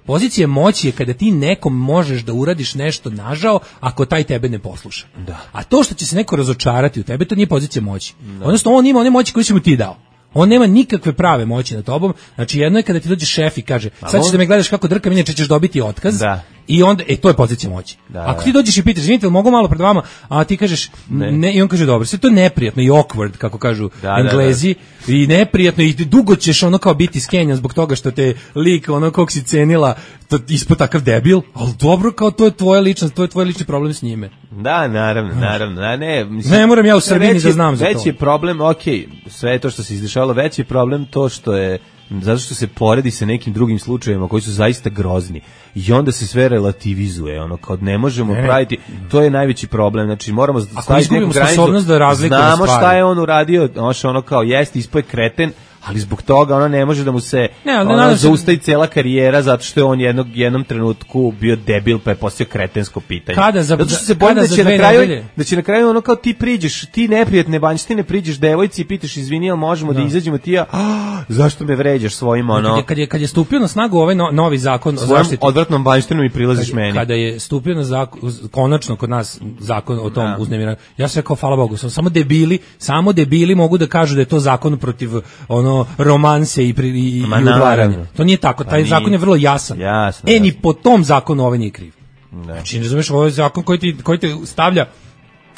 Pozicija moći je kada ti nekom možeš da uradiš nešto nažao ako taj tebe ne posluša. Da. A to što će se neko razočarati u tebe, to nije pozicija moći. Da. Odnosno, on ima one moći koje si mu ti dao. On nema nikakve prave moći nad tobom. Znači, jedno je kada ti dođe šef i kaže, sad ćeš da me gledaš kako drkam, inače ćeš dobiti otkaz. Da. I onda, e, to je pozicija moći. Da, ako ti dođeš i pitaš, izvinite, mogu malo pred vama, a ti kažeš, ne, ne i on kaže, dobro, sve to je neprijatno i awkward, kako kažu da, Englezi, da, da. I neprijatno i dugo ćeš ono kao biti skenjan zbog toga što te lik, ono kog si cenila, to, ispod takav debil, ali dobro, kao to je tvoja ličnost, to je tvoj lični problem s njime. Da, naravno, naravno, da, ne, mislim, ne moram ja u Srbiji da znam za to. Veći je problem, okej, okay, sve to što se izdešavalo, veći je problem to što je zato što se poredi sa nekim drugim slučajevima koji su zaista grozni i onda se sve relativizuje, ono kao ne možemo ne, praviti, to je najveći problem, znači moramo staviti neku granicu, da znamo šta je on uradio, ono kao jeste, ispoje kreten, ali zbog toga ona ne može da mu se ne, ono, zaustavi cela karijera zato što je on jednog, jednom trenutku bio debil pa je postao kretensko pitanje. Kada za, zato što se bojim da će na kraju nedelje? Da će na kraju ono kao ti priđeš, ti neprijatne Banjštine priđeš devojci i pitaš izvini, jel možemo da, da izađemo ti ja, ah, zašto me vređaš svojim ono. Kad je, kad je, kad je stupio na snagu ovaj no, novi zakon o zaštiti. Odvratnom Banjštinu i prilaziš kad, meni. Kada je stupio na zakon, konačno kod nas zakon o tom da. uznemiranju, ja sam rekao hvala Bogu, sam samo debili, samo debili mogu da kažu da je to zakon protiv ono romanse i pri, i, i udvaranja. To nije tako, taj nije. Zakon je vrlo jasan. Jasno, e, jasno. ni po tom zakonu ovaj nije kriv. Ne. Znači, ne razumiješ, ovo je zakon koji ti, koji te stavlja,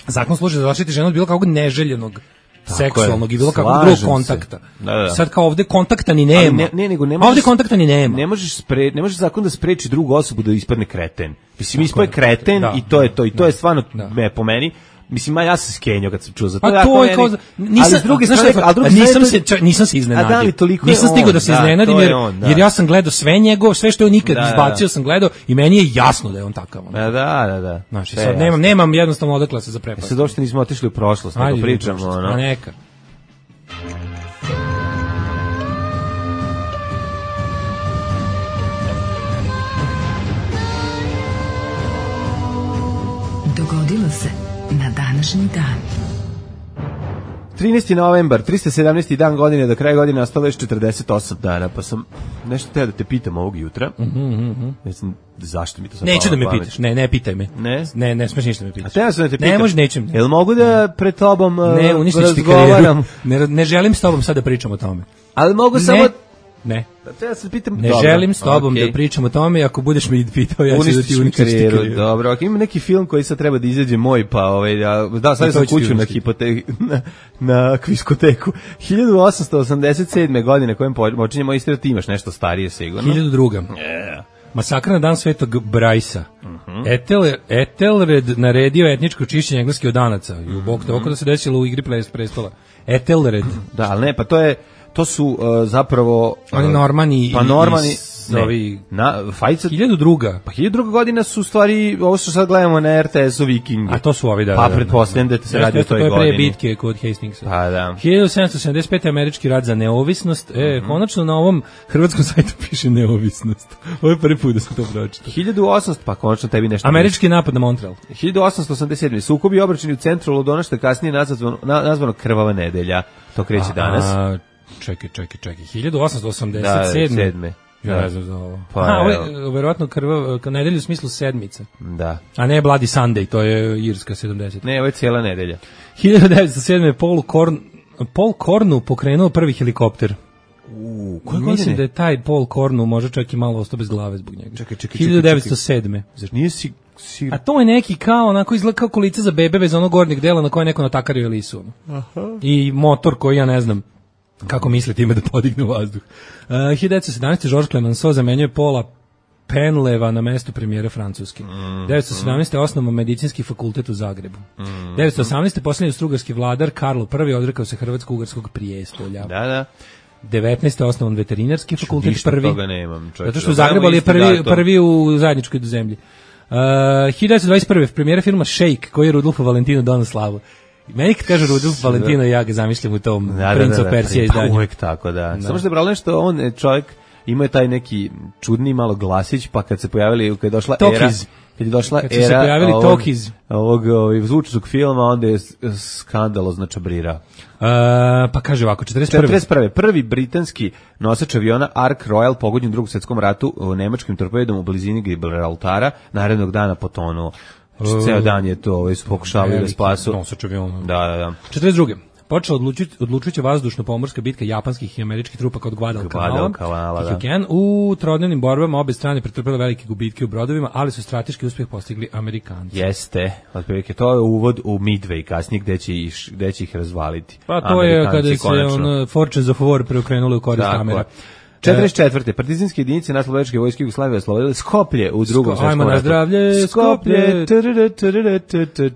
zakon služi za zaštiti ženu od bilo kakvog neželjenog seksualnog i bilo kakvog drugog kontakta. Da, da. Sad kao ovde kontakta ni nema. Ne, ne, nego ne možeš, ovde kontakta ni nema. Ne možeš spre, ne možeš zakon da spreči drugu osobu da ispadne kreten. Mislim, ispadne kreten da, i to je to i to da, je stvarno da. me po meni. Mislim, ja sam skenio kad sam čuo za to. A to je kao, nisam, ali s druge strane, ali druge nisam se, čak, nisam se iznenadio. A da li toliko nisam stigao da se da, iznenadim, jer, on, da. jer ja sam gledao sve njegov, sve što je on nikad da, izbacio da. sam gledao i meni je jasno da je on takav. On. Da, da, da. da. Znači, sad nemam, nemam jednostavno odakle se za prepast. Sad došto nismo otišli u prošlost, nego pričamo. A neka. Dogodilo se na današnji dan. trinaesti novembar, tristo sedamnaesti dan godine, do kraja godine ostalo još četrdeset osam dana, pa sam nešto teo da te pitam ovog jutra. Mhm, mhm. Ne znam zašto mi to sad neću da me pamet. Pitaš, ne, ne pitaj me. Ne? Ne, ne smiješ ništa me pitaš. A teo sam da te pitam. Ne, može, nećem. Jel mogu da pred tobom ne, uništiš ti karijeru. Ne, ne želim s tobom sad da pričam o tome. Ali mogu ne. samo... Ne. Da se pitam, ne dobro. želim s tobom okay. da pričam o tome, ako budeš me pitao, ja ću da ti uništiš karijeru. karijeru. Dobro, ako ima neki film koji sad treba da izađe moj, pa ovaj, ja, da, stavio sam kuću na, hipote, na, na kviskoteku. hiljadu osamsto osamdeset sedme godine kojem počinjemo istra, ti imaš nešto starije sigurno. hiljadu druga. Yeah. Masakr na dan Svetog Brajsa. Uh-huh. Etel, Etelred naredio etničko čišćenje engleskih odanaca. I u bok to oko da se desilo u igri prestola. Etelred. Da, ali ne, pa to je to su uh, zapravo uh, oni Normani pa Normani ne, ovi na fajca hiljadu druga pa hiljadu druga godina su stvari ovo što sad gledamo na R T S-u Vikingi, a to su ovi da pa pretpostavljam da se radi o toj godini, to je pre bitke kod Hastingsa. Pa da. hiljadu sedamsto sedamdeset pete američki rat za neovisnost. E, mm-hmm. konačno na ovom hrvatskom sajtu piše neovisnost. Ovo je prvi put da sam to pročitao. hiljadu osamsto pa konačno tebi nešto. Američki napad na Montreal. hiljadu osamsto osamdeset sedme sukobi obračuni u centru Londona, što je kasnije nazvano, nazvano Krvava nedelja. To kreće danas. A, čekaj, čekaj, čekaj. hiljadu osamsto osamdeset sedme. Da, ja ne znam za ovo. Pa, a, ovo je verovatno krva, nedelju u smislu sedmice. Da. A ne Bloody Sunday, to je irska sedamdeset. Ne, ovo je cijela nedelja. hiljadu devetsto sedme. Paul Korn, Paul Kornu pokrenuo prvi helikopter. U, koje godine? Mislim da je taj Paul Kornu može čak i malo ostao bez glave zbog njega. Čekaj, čekaj, hiljadu devetsto sedme. Zar nije si... si... A to je neki kao, onako izgleda kao kolica za bebe bez onog gornjeg dela na koje neko natakario lisu. Aha. I motor koji ja ne znam kako misli time da podigne u vazduh. Uh, hiljadu devetsto sedamnaeste. Georges Clemenceau zamenjuje Paula Penleva na mesto premijera Francuske. Mm, devetsto sedamnaeste. osnovno medicinski fakultet u Zagrebu. Mm, devetsto osamnaeste. posljednji strugarski vladar Karlo prvi odrekao se hrvatsko-ugarskog prijestolja. Da, da. devetnaeste. osnovan veterinarski fakultet Ništa prvi. Toga nemam, čovječ. Zato što u Zagrebu je prvi, prvi u zajedničkoj zemlji. Uh, hiljadu devetsto dvadeset prve. premijera filma Shake, koji je Rudolfo Valentino donao slavu. Meni kad kaže Rudolf Valentino, ja ga zamišljam u tom da, Prince da, da, of Persia izdanju. Pa uvek tako, da. da. Samo što je bralo nešto, on čovjek imao je taj neki čudni malo glasić, pa kad se pojavili, kad je došla Tokiz. era... Kad je došla kad era se pojavili ovog, Tokiz. ovog, ovog zvučnog filma, onda je skandalozno čabrira. Uh, pa kaže ovako, četrdeset prve. četrdeset prve. Prvi britanski nosač aviona Ark Royal pogođen u Drugom svjetskom ratu u nemačkim torpedom u blizini Gibraltara, narednog dana potonuo. Znači, ceo dan je to, ovaj su pokušavali da spasu. Nosač aviona. Da, da, da. četrdeset druge. Počela odlučujuća odlučujuća vazdušno-pomorska bitka japanskih i američkih trupa kod Guadalcanala. Da. U trodnevnim borbama obe strane pretrpele velike gubitke u brodovima, ali su strateški uspjeh postigli Amerikanci. Jeste, otprilike to je uvod u Midway kasnije gde će ih, gde će ih razvaliti. Pa to je kada se on Fortunes of War preokrenuli u korist Amera. četrdeset četvrte. Partizanske jedinice naslovačke vojske Jugoslavije oslobodile Skoplje u Drugom svjetskom ratu. Ajmo na zdravlje, Skoplje.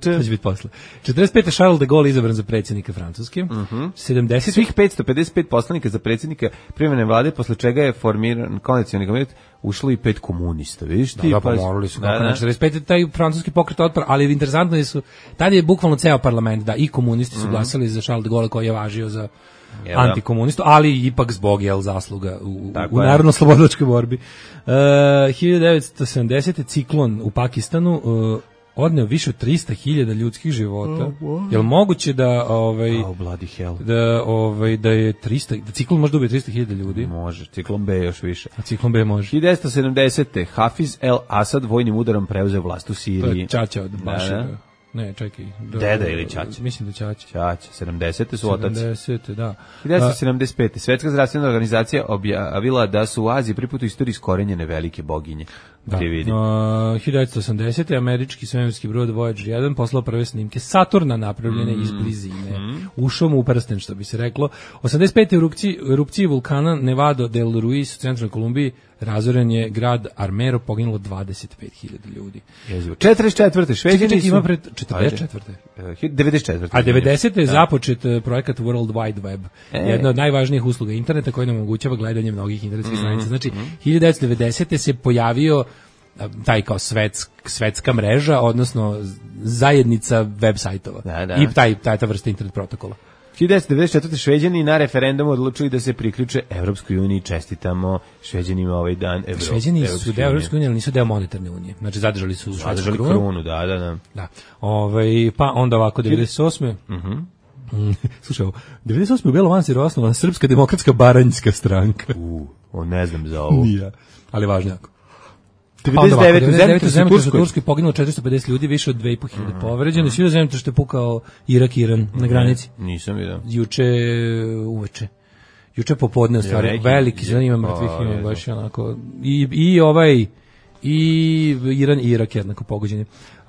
To će biti posle. četrdeset pete. Charles de Gaulle izabran za predsjednika Francuske. sedamdeset. Svih petsto pedeset pet poslanika za predsjednika privremene vlade, posle čega je formiran koalicioni komitet, ušlo i pet komunista, vidiš ti? Da, pa morali su kako na četrdeset pete. taj francuski pokret otpora, ali interesantno je su, tad je bukvalno ceo parlament, da, i komunisti su glasali za Charles de Gaulle koji je važio za antikomunistu, ali ipak zbog jel zasluga u, u narodno-slobodilačkoj borbi. Uh, hiljadu devetsto sedamdesete. ciklon u Pakistanu uh, odneo više od trista hiljada ljudskih života. Oh, wow. Jel moguće da ovaj oh, bloody hell. da ovaj da je trista da ciklon može da ubije trista hiljada ljudi? Može, ciklon B još više. A ciklon B može. hiljadu devetsto sedamdesete. Hafiz el Asad vojnim udarom preuzeo vlast u Siriji. To je čača od Bašara. Ne, čekaj. Da, Deda ili Ćaća? Mislim da Ćaća. Ćaća, sedamdesete su otac. sedamdesete, da. hiljadu devetsto sedamdeset pete. Svetska zdravstvena organizacija objavila da su u Aziji prvi put u istoriji iskorenjene velike boginje. Da. Uh, hiljadu devetsto osamdesete. američki svemirski brod Voyager jedan poslao prve snimke Saturna napravljene mm. iz blizine. Mm. Ušao mu u prsten, što bi se reklo. osamdeset pete. u erupciji, erupciji vulkana Nevado del Ruiz u centralnoj Kolumbiji razoren je grad Armero, poginulo dvadeset pet hiljada ljudi. četrdeset četvrte. Šveđani su... ima pred četrdeset četvrte. devedeset četvrte. A devedesete. je započet projekat World Wide Web. E. Jedna od najvažnijih usluga interneta koja nam omogućava gledanje mnogih internetskih mm. stranica. Znači, mm. hiljadu devetsto devedesete. se pojavio taj kao svetsk, svetska mreža, odnosno zajednica web sajtova. Da, da. I taj, taj ta vrsta internet protokola. hiljadu devetsto devedeset četvrte. Šveđani na referendumu odlučili da se priključe Evropskoj uniji. Čestitamo Šveđanima ovaj dan Evropske. Šveđani su deo Evropske unije, ali nisu deo monetarne unije. Znači zadržali su zadržali krunu. krunu, da, da, da. Da. Ovaj pa onda ovako devedeset osme. Mhm. Slušaj, devedeset osme. u Belom Manstiru osnovana Srpska demokratska baranjska stranka. U, on ne znam za ovo. Nije, ali važno jako. devedeset devete. u Zemljotres u Turskoj poginulo četiristo pedeset ljudi, više od dve i po hiljade povređeno. Svi u Zemljotres što je pukao Irak, Iran na granici. Nisam vidio. Juče uveče. Juče popodne u stvari, veliki zelen ima mrtvih, ima baš onako. I, i ovaj, i Iran i Irak jednako pogođeni. Uh,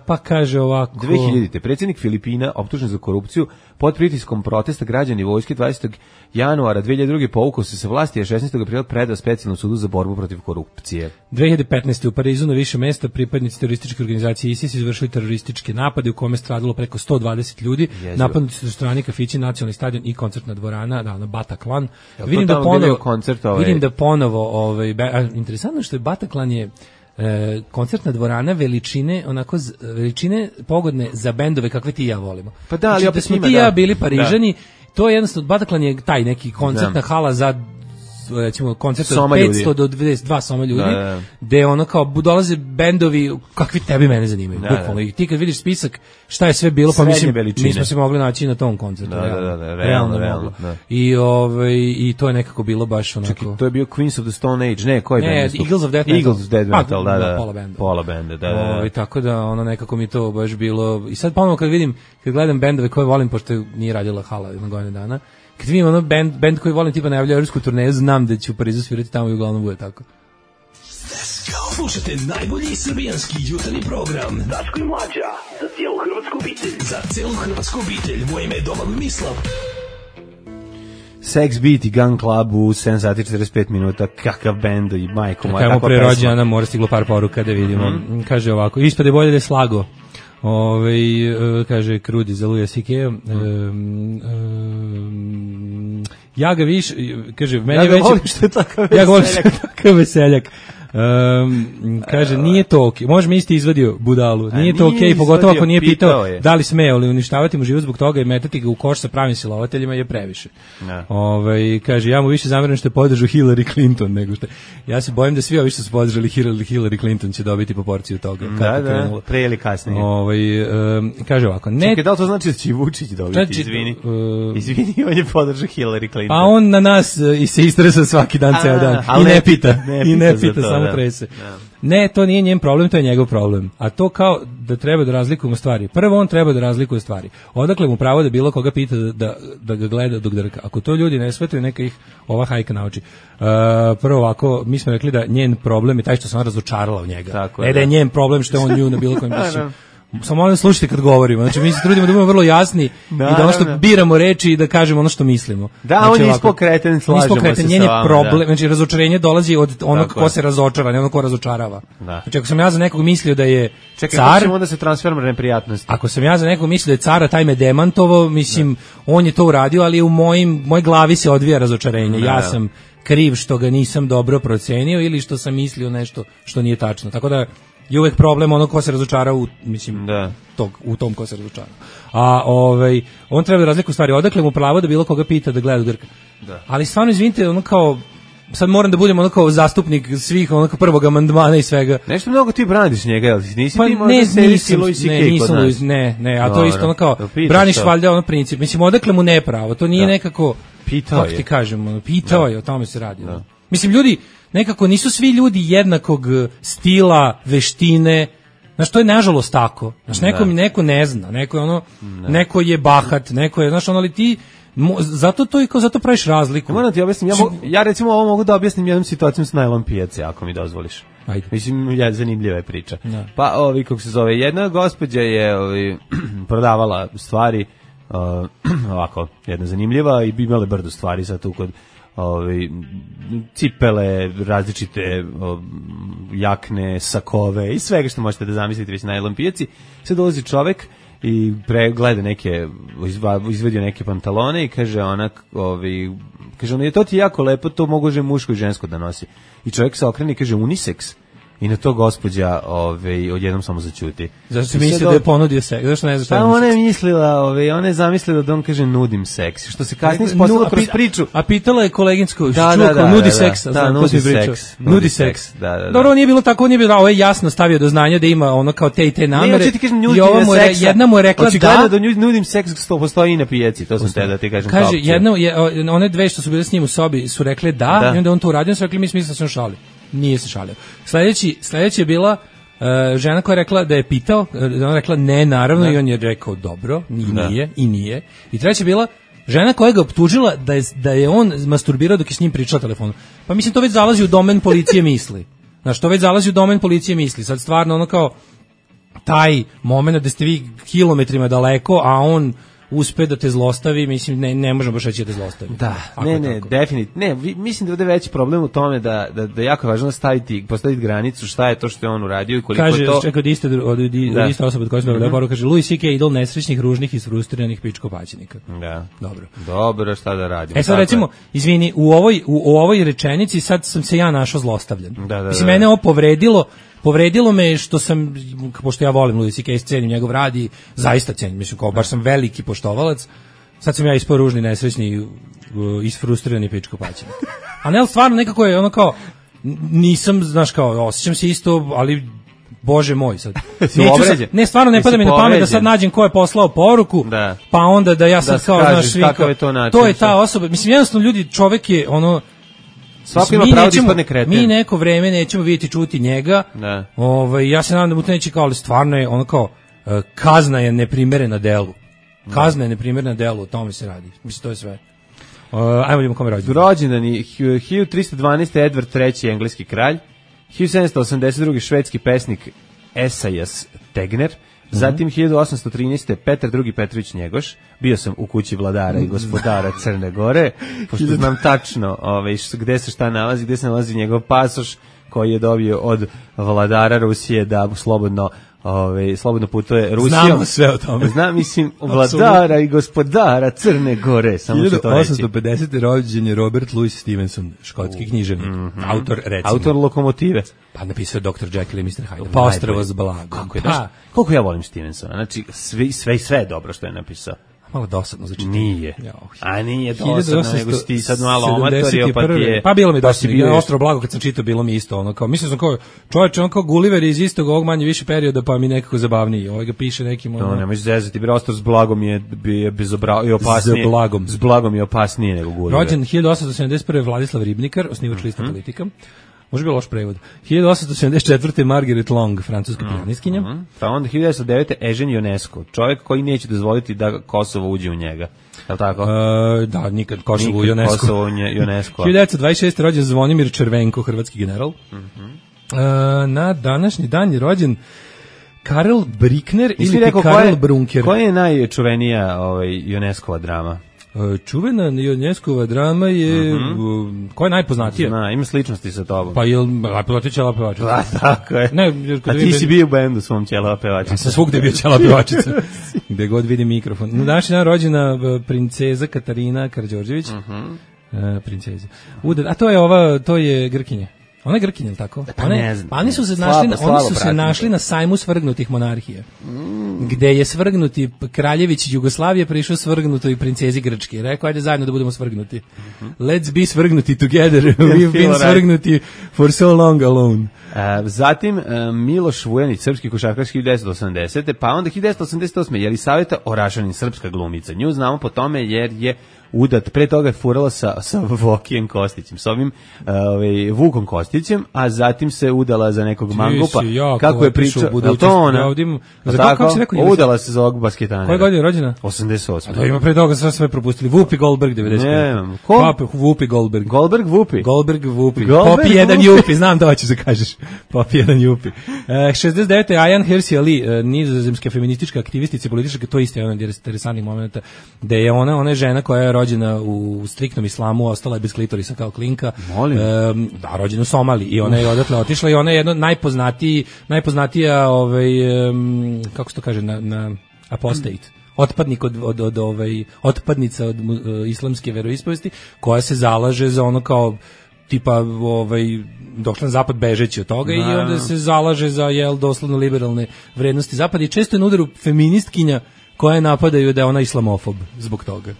pa kaže ovako... dve hiljadite. predsjednik Filipina optužen za korupciju pod pritiskom protesta građani vojske dvadesetog januara dve hiljade druge povukao se sa vlasti, a šesnaestog aprila predao specijalnom sudu za borbu protiv korupcije. dve hiljade petnaeste. u Parizu na više mesta pripadnici terorističke organizacije ISIS izvršili terorističke napade u kome stradalo preko sto dvadeset ljudi. Napadnuti su restorani, kafići, nacionalni stadion i koncertna dvorana, da, na Bataclan. Ja, vidim, da ponovo, koncert, ovaj... vidim da ponovo, ovaj, a, interesantno što je Bataclan je E, koncertna dvorana veličine, onako z, veličine pogodne za bendove kakve ti i ja volimo. Pa da, ali znači, da smo njima, ti i ja da. bili Parižani, da. To je jednostavno, Bataclan je taj neki koncertna da. hala za recimo koncert od petsto do dvadeset dva soma ljudi, da, da. Gde ono kao dolaze bendovi kakvi tebi mene zanimaju, da, bukvalno. I ti kad vidiš spisak šta je sve bilo, pa mislim, mi smo se mogli naći na tom koncertu. Da, realno, da, da, realno, realno, realno da. I, ovaj, I to je nekako bilo baš onako... Čekaj, to je bio Queens of the Stone Age, ne, koji ne, band? Eagles of Death Metal. Eagles of Death Metal, pa, da, da. Pola benda. Pola benda, da, da. O, i tako da, ono, nekako mi to baš bilo... I sad ponovno kad vidim, kad gledam bendove koje volim, pošto nije radila hala na godine dana, kad vidim ono band, band koji volim tipa najavlja evropsku turneju, znam da ću u Parizu svirati tamo i uglavnom bude tako. Slušajte najbolji srbijanski jutarnji program Daško i Mlađa, za cijelu hrvatsku obitelj. Za cijelu hrvatsku obitelj, moje ime je Domagoj Mislav. Sex Beat i Gun Club u sedam sati i četrdeset pet minuta, kakav bend i majko moja, kakva pesma. Kajmo prerođena, mora stiglo par poruka da vidimo. Mm-hmm. Kaže ovako, ispade bolje da je slago. Ove, kaže Krudi za Luja Sikeja. Um, um, ja ga viš, kaže, meni ja ga već... volim što je takav veseljak. Ja ga volim što je takav veseljak. Um, kaže, nije to okej. Okay. Može mi isti izvadio budalu. Nije to okej, okay, pogotovo ako nije pitao je. Da li sme ili uništavati mu život zbog toga i metati ga u koš sa pravim silovateljima je previše. Ove, kaže, ja mu više zameram što je podržao Hillary Clinton nego što... Ja se bojim da svi ovi što su podržali Hillary Clinton će dobiti po porciju toga. Da, da, pre ili kasnije. Ove, um, kaže ovako... Ne... Čekaj, da li to znači da će Vučić dobiti? Znači, izvini. Uh, izvini, on je podržao Hillary Clinton. Pa on na nas uh, i se istresa svaki dan, ceo dan. I ne pita. Ne I ne pita, samo trese. Ne, to nije njen problem, to je njegov problem. A to kao da treba da razlikujemo stvari. Prvo on treba da razlikuje stvari. Odakle mu pravo da bilo koga pita da, da, da ga gleda dok drka. Ako to ljudi ne shvataju, neka ih ova hajka nauči. Uh, prvo ovako, mi smo rekli da njen problem je taj što sam razočarala u njega. Tako ne da je njen problem što je on nju na bilo kojem pišu. Samo molim slušajte kad govorimo. Znači mi se trudimo da budemo vrlo jasni da, i da ono što biramo reči i da kažemo ono što mislimo. Da, znači, on je ispokreten, slažemo se njen je sa vama. Problem, da. Znači razočarenje dolazi od onog tako ko je. Se razočara, ne onog ko razočarava. Da. Znači ako sam ja za nekog mislio da je čekaj, car, čekaj, onda se transferma neprijatnosti. Ako sam ja za nekog mislio da je cara, taj me demantovao, mislim, da. On je to uradio, ali u mojim, moj glavi se odvija razočarenje. Da, ja sam kriv što ga nisam dobro procenio ili što sam mislio nešto što nije tačno. Tako da je uvek problem ono ko se razočara u, mislim, da. Tog, u tom ko se razočara. A ovaj, on treba da razliku stvari, odakle mu pravo da bilo koga pita da gleda Grka. Da. Ali stvarno, izvinite, ono kao, sad moram da budem ono kao zastupnik svih ono kao prvog amandmana i svega. Nešto mnogo ti braniš njega, jel nisi pa ti možda ne, serisi Louis C K ne, nisam Louis, ne, ne, a to je isto ono kao, braniš to. Valjda ono princip. Mislim, odakle mu ne pravo, to nije da. Nekako, pitao kako ti kažem, ono, pitao da. Je, o tome se radi. Da. Mislim, ljudi, nekako nisu svi ljudi jednakog stila, veštine, Znaš, to je nažalost tako. Znaš, neko mi neko ne zna, neko je ono, ne. neko je bahat, neko je, znaš, ono, ali ti, mo, zato to i kao, zato praviš razliku. Moram ti objasnim, ja, mo, ja recimo ovo mogu da objasnim jednom situacijom s najlon pijace, ako mi dozvoliš. Ajde. Mislim, ja, zanimljiva je priča. Da. Pa, ovi, kako se zove, jedna gospođa je ovi, prodavala stvari, uh, ovako, jedna zanimljiva i bi imale brdo stvari sad tu kod ovi, cipele, različite o, jakne, sakove i svega što možete da zamislite već na najlon pijaci. Sad dolazi čovek i pregleda neke, izvedio neke pantalone i kaže ona, ovi, kaže ona, je to ti jako lepo, to može muško i žensko da nosi. I čovjek se okrene i kaže unisex. I na to gospođa ove, odjednom samo zaćuti. Zašto se misli da je ponudio seks? Zašto ne znaš šta je unisex? Ona je mislila, ove, ona je zamislila da on kaže nudim seks. Što se kasnije ispostavilo kroz priču. A pitala je koleginsku, da, da, da, nudi da, seks. Da, da, nudi seks. Nudi seks. Da, da, da. Dobro, nije bilo tako, nije bilo, ovo je jasno stavio do znanja da ima ono kao te i te namere. Ne, ti kažem, I ova mu je, jedna mu je rekla da. da nudim seks što postoji i na pijaci, to sam te da ti kažem. Kaže, jedna, one dve što su bile s njim u sobi su rekle da, i onda on to uradio, su rekli mi smisla se on šali. Nije se šalio. Sledeći, sledeći je bila uh, žena koja je rekla da je pitao, ona je rekla ne, naravno, da. I on je rekao dobro, i da. Nije, i nije. I treća je bila žena koja ga optužila da je, da je on masturbirao dok je s njim pričao telefonu. Pa mislim, to već zalazi u domen policije misli. Znaš, to već zalazi u domen policije misli. Sad stvarno ono kao taj moment da ste vi kilometrima daleko, a on uspe da te zlostavi, mislim, ne, ne možemo baš reći da te zlostavi. Da, ne, ne, definitivno. Ne, vi, mislim da ovdje veći problem u tome da, da, da je jako važno staviti, postaviti granicu šta je to što je on uradio i koliko kaže, je to... Kaže, čekaj, od iste, od, od iste osobe od koje smo mm-hmm. poruku, kaže, Louis C K idol nesrećnih, ružnih i frustriranih pičkopaćenika. Da. Dobro. Dobro, šta da radimo? E sad recimo, izvini, u ovoj, u, u ovoj rečenici sad sam se ja našao zlostavljan. Da, da, mislim, da. mene ovo povredilo, povredilo me što sam, pošto ja volim Louis C K, cenim njegov rad i zaista cenim, mislim, kao baš sam veliki poštovalac. Sad sam ja ispao ružni, nesrećni, isfrustrirani pičkopaćenik. A ne, stvarno nekako je ono kao, nisam, znaš kao, osjećam se isto, ali bože moj sad. Sad, ne, stvarno ne pada mi na pamet da sad nađem ko je poslao poruku, da. Pa onda da ja sad da kao, znaš, svi, kao, je to, način, to je ta osoba, mislim, jednostavno ljudi, čovek je ono, svako ima pravo da ispadne kreten. Mi neko vreme nećemo vidjeti čuti njega, da. Ovaj, ja se nadam da mu to neće kao, ali stvarno je ono kao, kazna je neprimerena delu. Kazna je neprimerna delu, o tome se radi. Mislim, to je sve. Uh, ajmo vidimo kome rođendan. Rođendani, hiljadu tristo dvanaeste. Edward treći. engleski kralj, hiljadu sedamsto osamdeset druge. švedski pesnik Esaias Tegner, mm-hmm. zatim hiljadu osamsto trinaeste. Petar drugi. Petrović Njegoš, bio sam u kući vladara i gospodara Crne Gore, pošto znam tačno ove, gde se šta nalazi, gde se nalazi njegov pasoš koji je dobio od vladara Rusije da slobodno Ove, slobodno putuje Rusijom. Znamo sve o tome. Znam, mislim, vladara i gospodara Crne Gore, samo ću to reći. hiljadu osamsto pedesete. rođen je Robert Louis Stevenson, škotski književnik, mm-hmm. autor, recimo. Autor Lokomotive. Pa napisao doktor Jekyll i mister Hyde. Pa Ostrvo s blagom. Kako je, pa. Koliko ja volim Stevensona, znači sve, sve, sve je dobro što je napisao. Malo dosadno za čitanje. Nije. A nije dosadno, nego si ti sad malo omatorio, pa ti je... Pa bilo mi dosadno, ja Ostro blago kad sam čitao, bilo mi isto, ono kao, mislim sam kao, čovječe, on kao Gulliver iz istog ovog manje više perioda, pa mi nekako zabavniji, ovaj ga piše nekim... Ono... No, nemaš zezati, bre, Ostro s blagom je, je bezobra... i opasnije. S blagom. S blagom je opasnije nego Gulliver. Rođen hiljadu osamsto sedamdeset prve. Vladislav Ribnikar, osnivač mm-hmm. lista Politika. Može bilo loš prevod. hiljadu osamsto sedamdeset četvrte. Margaret Long, francuska mm-hmm. pijaniskinja. Mm-hmm. Pa onda hiljadu devetsto devete. Ežen Ionesco, čovjek koji neće dozvoliti da Kosovo uđe u njega. Je li tako? E, da, nikad Kosovo u UNESCO. Kosovo UNESCO. hiljadu devetsto dvadeset šeste. rođen Zvonimir Červenko, hrvatski general. Mm-hmm. e, na današnji dan je rođen Karel Brickner ili ti Karel Brunker. Koja je najčuvenija ovaj, UNESCO-va drama? Čuvena UNESCO-va drama je, mm-hmm. koja je najpoznatija? Zna, ima sličnosti sa tobom. Pa je Lepa Ćela pevačica. Da, tako je. Ne, a ti si bio u bendu svom Ćela pevačica. Ja sam svugde bio Ćela pevačica. Gde god vidim mikrofon. Na današnji dan rođena princeza Katarina Karađorđević. Mm-hmm. Uh, princeza. Uda, a to je ova, to je Grkinja. Ona je Grkinja, ili tako? Pa one, ne znam. Pa oni su se našli, slabo, slabo oni su se našli na sajmu svrgnutih monarhija. Mm. Gde je svrgnuti kraljević Jugoslavije prišao svrgnutoj princezi Grčke. Rekao, ajde zajedno da budemo svrgnuti. Mm-hmm. Let's be svrgnuti together. We've been right. svrgnuti for so long alone. Uh, zatim uh, Miloš Vujanić, srpski košarkaš hiljadu devetsto osamdesete. Pa onda hiljadu devetsto osamdeset osme. Jelisaveta Orašanin, srpska glumica. Nju znamo po tome jer je udat, pre toga je furala sa, sa Vokijem Kostićem, s ovim ovaj, Vukom Kostićem, a zatim se udala za nekog mangupa. Kako je pričao, je to ona? Ja ovdje, za tako, kako si rekao? Udala se za ovog basketanera. Koje godine je rođena? osamdeset osme. A da ima pre toga sve sve propustili. Whoopi Goldberg devedeset pet. Ne, ko? Whoopi Goldberg. Goldberg Whoopi. Goldberg Whoopi. Popi jedan Jupi, znam da hoćeš da kažeš. Popi jedan Jupi. E, šezdeset devete. Ayan Hirsi Ali, e, nizozemska feministička aktivistica i politička, to isto je jedan od interesantnih momenta, da je ona, ona je žena koja je rođena u striktnom islamu, ostala je bez klitorisa kao klinka. Molim. E, da, rođena u Somaliji i ona je odatle otišla i ona je jedna najpoznatiji, najpoznatija, ovaj, um, kako se to kaže, na, na apostate. Otpadnik od, od, od ovaj, otpadnica od uh, islamske veroispovesti, koja se zalaže za ono kao tipa ovaj došla na zapad bežeći od toga. No. I onda se zalaže za jel doslovno liberalne vrednosti zapada i često je na udaru feministkinja koje napadaju da je ona islamofob zbog toga.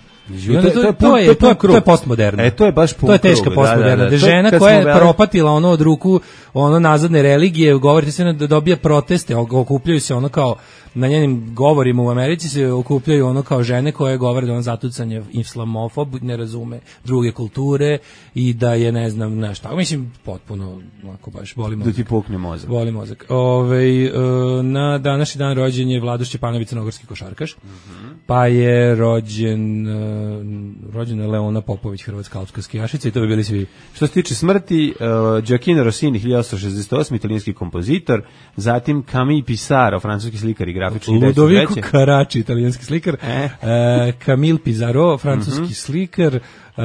I onda to, to, to, je, to, je, to je postmoderno. E, to je baš pun to je teška krug, postmoderna. Da, da, da. Žena koja je propatila ono od ruku ono nazadne religije, govorite se da dobija proteste, okupljaju se ono kao na njenim govorima u Americi se okupljaju ono kao žene koje govore da on zatucanje islamofob, ne razume druge kulture i da je ne znam nešto. Mislim potpuno onako baš boli mozak. Da ti pukne mozak. Boli mozak. Ovaj na današnji dan rođen je Vlado Šćepanović, crnogorski košarkaš. Mm-hmm. Pa je rođen rođena je Leona Popović, hrvatska alpska skijašica i to bi bili svi. Što se tiče smrti, uh, Gioacchino Rossini, hiljadu osamsto šezdeset osmi, italijanski kompozitor, zatim Camille Pissarro, francuski slikar i grafički. Ludovico Carracci, italijanski slikar, eh. uh, Camille Pissarro, francuski mm-hmm. slikar, uh,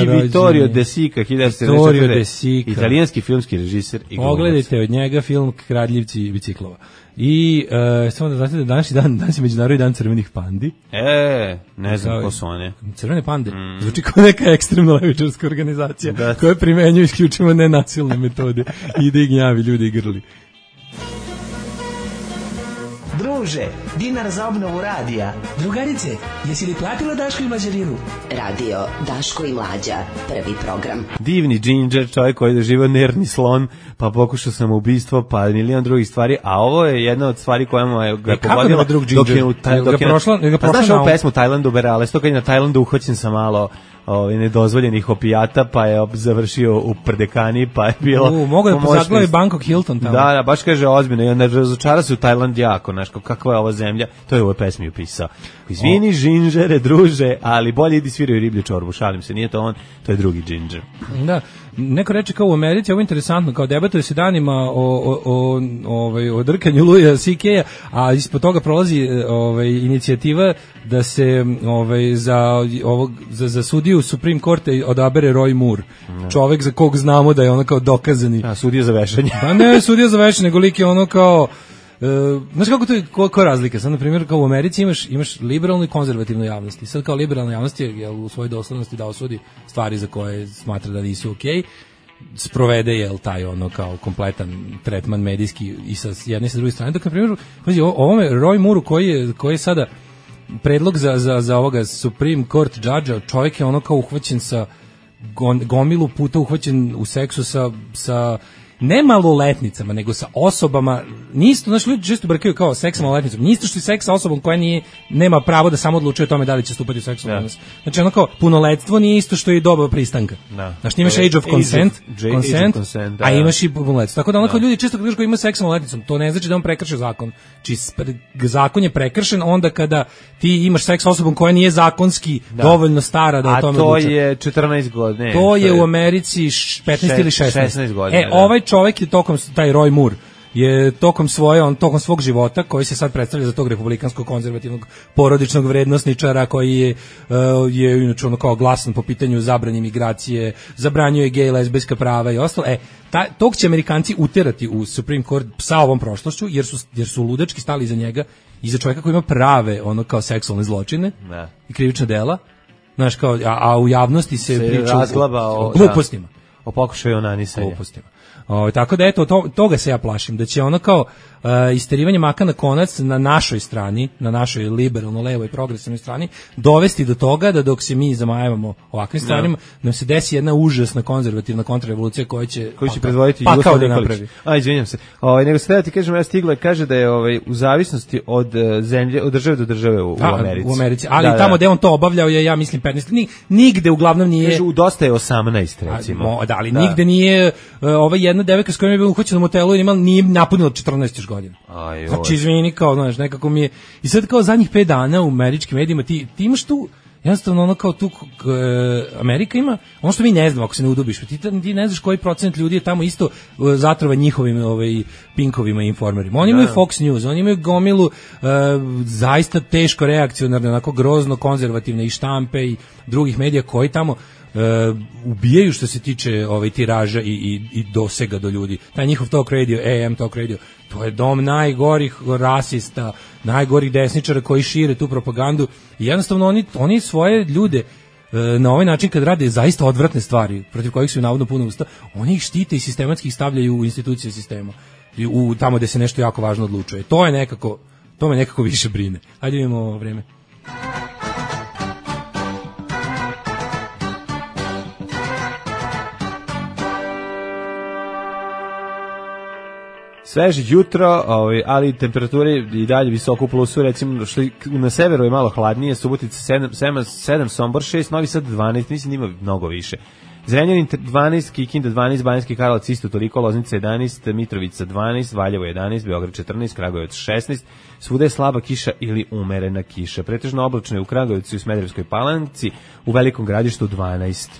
i Vittorio De Sica, Vittorio De Sica, italijanski filmski režiser i glumac. Pogledajte od njega film Kradljivci biciklova. I uh, samo da znate da današnji dan, danas je Međunarodni dan crvenih pandi. E, ne znam ko su one. Crvene pande? Mm. Zvuči kao neka ekstremna levičarska organizacija da. Koja primenjuje isključivo nenasilne metode i da ih gnjavi ljudi i grli. Druže, dinar za obnovu radija. Drugarice, jesi li platila Daško i Mlađarinu? Radio Daško i Mlađa, prvi program. Divni džindžer, čovjek koji je doživio nervni slon, pa pokušao sam ubistvo, pa milion drugih stvari, a ovo je jedna od stvari koja mu je ga pogodila dok je u Tajlandu. Znaš ovu pesmu Tajlandu Berale, sto kad je na Tajlandu uhvaćen sa malo ovaj nedozvoljenih opijata, pa je završio u Prdekani, pa je bilo U, mogu da pozaglavi Bangkok Hilton tamo. Da, da, baš kaže ozbiljno, i onda razočara se u Tajland jako, znaš, kakva je ova zemlja, to je u ovoj pesmi upisao. Izvini, žinžere, druže, ali bolje idi sviraju riblju čorbu, šalim se, nije to on, to je drugi džinđer. Da, neko reče kao u Americi, ovo je interesantno, kao debatuje se danima o, o, o, ovaj, o drkanju Luja C K-a, a ispod toga prolazi ovaj, inicijativa da se ovaj, za, ovog, za, za sudiju Supreme Courte odabere Roy Moore, ne. Čovek za kog znamo da je ono kao dokazani. A, sudija za vešanje. Pa ne, sudija za vešanje, nego lik je ono kao Uh, znaš kako to je, ko, ko razlika? Sad, na primjer, kao u Americi imaš, imaš liberalnu i konzervativnu javnost. I sad kao liberalna javnost je, je u svojoj doslednosti da osudi stvari za koje smatra da nisu okej. Okay. Sprovede je taj ono kao kompletan tretman medijski i sa jedne i sa druge strane. Dok, na primjer, pazi, o, ovome Roy Moore koji je, koji je sada predlog za, za, za ovoga Supreme Court judge-a, čovjek je ono kao uhvaćen sa gomilu puta uhvaćen u seksu sa, sa ne maloletnicama, nego sa osobama, nisto, znači ljudi često brkaju kao seks sa maloletnicom, nisto što je seks sa osobom koja nije, nema pravo da samo odlučuje o tome da li će stupati u seksualni odnos. Znači ono kao, punoletstvo nije isto što je doba pristanka. Da. Znači imaš age of consent, age of, consent, consent da, a imaš i punoletstvo. Tako da ono kao ljudi često kad kažu ima seks sa maloletnicom, to ne znači da on prekršio zakon. Či zakon je prekršen onda kada ti imaš seks sa osobom koja nije zakonski da. Dovoljno stara da o tome odlučuje. A to je četrnaest godina. To, to je u Americi petnaest ili šesnaest. šesnaest godina. E, ovaj čovjek je tokom, taj Roy Moore, je tokom svoje, on tokom svog života, koji se sad predstavlja za tog republikanskog konzervativnog porodičnog vrednosničara, koji je, uh, je inače ono kao glasan po pitanju zabrane imigracije, zabranjuje gej, lezbijska prava i ostalo. E, ta, tog će Amerikanci uterati u Supreme Court sa ovom prošlošću, jer su, jer su ludački stali iza njega, iza čovjeka koji ima prave, ono kao seksualne zločine ne. I krivična dela, znaš, kao, a, a u javnosti se, se priča o, o glupostima. O pokušaju onanisanja. Glupostima. O, tako da eto to, toga se ja plašim da će ono kao uh, isterivanje maka na konac na našoj strani, na našoj liberalno levoj progresivnoj strani, dovesti do toga da dok se mi zamajavamo ovakvim stvarima, nam se desi jedna užasna konzervativna kontrarevolucija koja će koji će predvoditi pa, Jugoslav da Nikolić. A izvinjavam se. Ovaj nego sada ti kažem, ja stigla kaže da je ovaj u zavisnosti od uh, zemlje, od države do države u, da, u Americi. U Americi, ali da, tamo da. gde on to obavljao je, ja mislim, petnaest. Ni, nigde uglavnom nije. Kažu, dosta je osamnaest recimo. A, mo, da, ali da. Nigde nije uh, ova jedna devojka s kojom je bio uhoćen u motelu i imala nije napunila četrnaest još godina. Aj, znači izvini, kao znaš, nekako mi je i sad kao zadnjih pet dana u američkim medijima ti ti imaš tu jednostavno ono kao tu k, Amerika ima ono što mi ne znamo ako se ne udubiš, ti, ti ne znaš koji procent ljudi je tamo isto uh, zatrova njihovim ovaj pinkovima i informerima. Oni imaju Fox News, oni imaju gomilu uh, zaista teško reakcionarne, onako grozno konzervativne i štampe i drugih medija koji tamo Uh, ubijaju što se tiče ovaj tiraža i, i, i dosega do ljudi. Taj njihov talk radio, A M talk radio, to je dom najgorih rasista, najgorih desničara koji šire tu propagandu i jednostavno oni, oni svoje ljude uh, na ovaj način kad rade zaista odvratne stvari protiv kojih su navodno puno usta, oni ih štite i sistematski ih stavljaju u institucije sistema i u, tamo gde se nešto jako važno odlučuje. To je nekako, to me nekako više brine. Hajde vidimo ovo vreme. Sveže jutro, ovaj, ali temperature i dalje visoko u plusu, recimo što na severu je malo hladnije, Subotica sedam, Sombor šest, Novi Sad dvanaest, mislim da ima mnogo više. Zrenjanin dvanaest, Kikinda dvanaest, Banjski Karlovac isto toliko, Loznica jedanaest, Mitrovica dvanaest, Valjevo jedanaest, Beograd četrnaest, Kragujevac šesnaest, svuda je slaba kiša ili umerena kiša. Pretežno oblačno je u Kragujevcu i u Smederevskoj Palanci, u Velikom Gradištu dvanaest.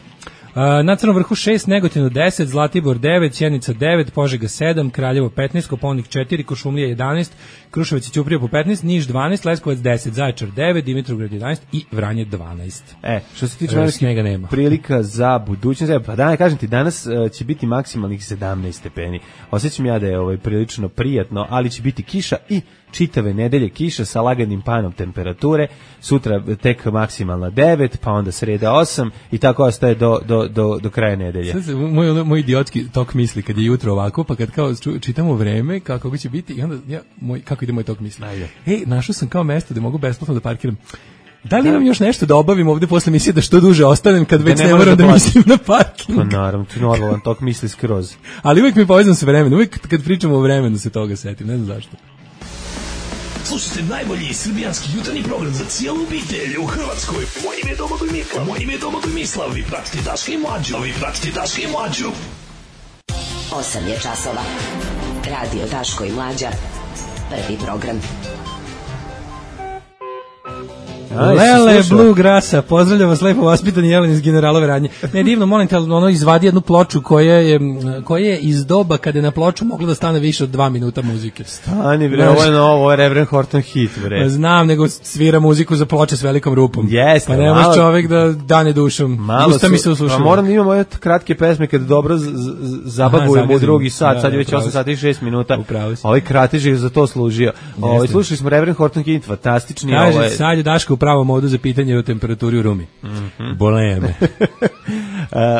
Uh, na Crnom vrhu šest, Negotinu deset, Zlatibor devet, Sjenica devet, Požega sedam, Kraljevo petnaest, Kopaonik četiri, Kuršumlija jedanaest, Kruševac i Ćuprija po petnaest, Niš dvanaest, Leskovac deset, Zaječar devet, Dimitrovgrad jedanaest i Vranje dvanaest. E, što se tiče vremenskih prilika za budućnost, pa da, kažem ti, danas uh, će biti maksimalnih sedamnaest stepeni. Osjećam ja da je ovaj prilično prijatno, ali će biti kiša i čitave nedelje kiša sa laganim panom temperature, sutra tek maksimalna devet, pa onda sreda osam i tako ostaje do, do, do, do kraja nedelje. Sad, moj, moj idiotski tok misli kad je jutro ovako, pa kad kao čitamo vreme, kako će biti, i onda ja, moj, kako ide moj tok misli? Ajde. Ej, našao sam kao mesto da mogu besplatno da parkiram. Da li imam još nešto da obavim ovde posle emisije da što duže ostanem kad već ne, ne moram da, da mislim na parking? Pa naravno, ti normalan tok misli skroz. Ali uvijek mi povezam sa vremenom, uvijek kad pričamo o vremenu se toga setim, ne znam zašto. Slušajte najbolji srbijanski jutarnji program za cijelu obitelj u Hrvatskoj. Moje ime je Domagoj Mislav. Moje ime je Domagoj Mislav. Vi pratite Daška i Mlađu. Vi pratite Daška i Mlađu. osam je časova. Radio Daško i Mlađa. Prvi program. Aj, Lele Bluegrassa, pozdravljam vas lepo vaspitani Jelen iz Generalove radnje. Ne, divno, molim te, ono izvadi jednu ploču koja je, koja je iz doba kada je na ploču moglo da stane više od dva minuta muzike. Stani bre, ovo je novo, ovo je Reverend Horton hit bre. Znam, nego svira muziku za ploče s velikom rupom. Jeste, pa nemaš malo, čovjek da dane dušom. Malo Usta mi se uslušava. Pa moram da imamo ove kratke pesme kad dobro zabavujemo u drugi sat, da, sad je već osam sati i šest minuta. Ovaj kratež je za to služio. Ovaj slušali smo Reverend Horton hit, fantastični. Kaže, ovaj... sad je Daško u pravom modu za pitanje o temperaturi u Rumi. Mm-hmm. Bole me.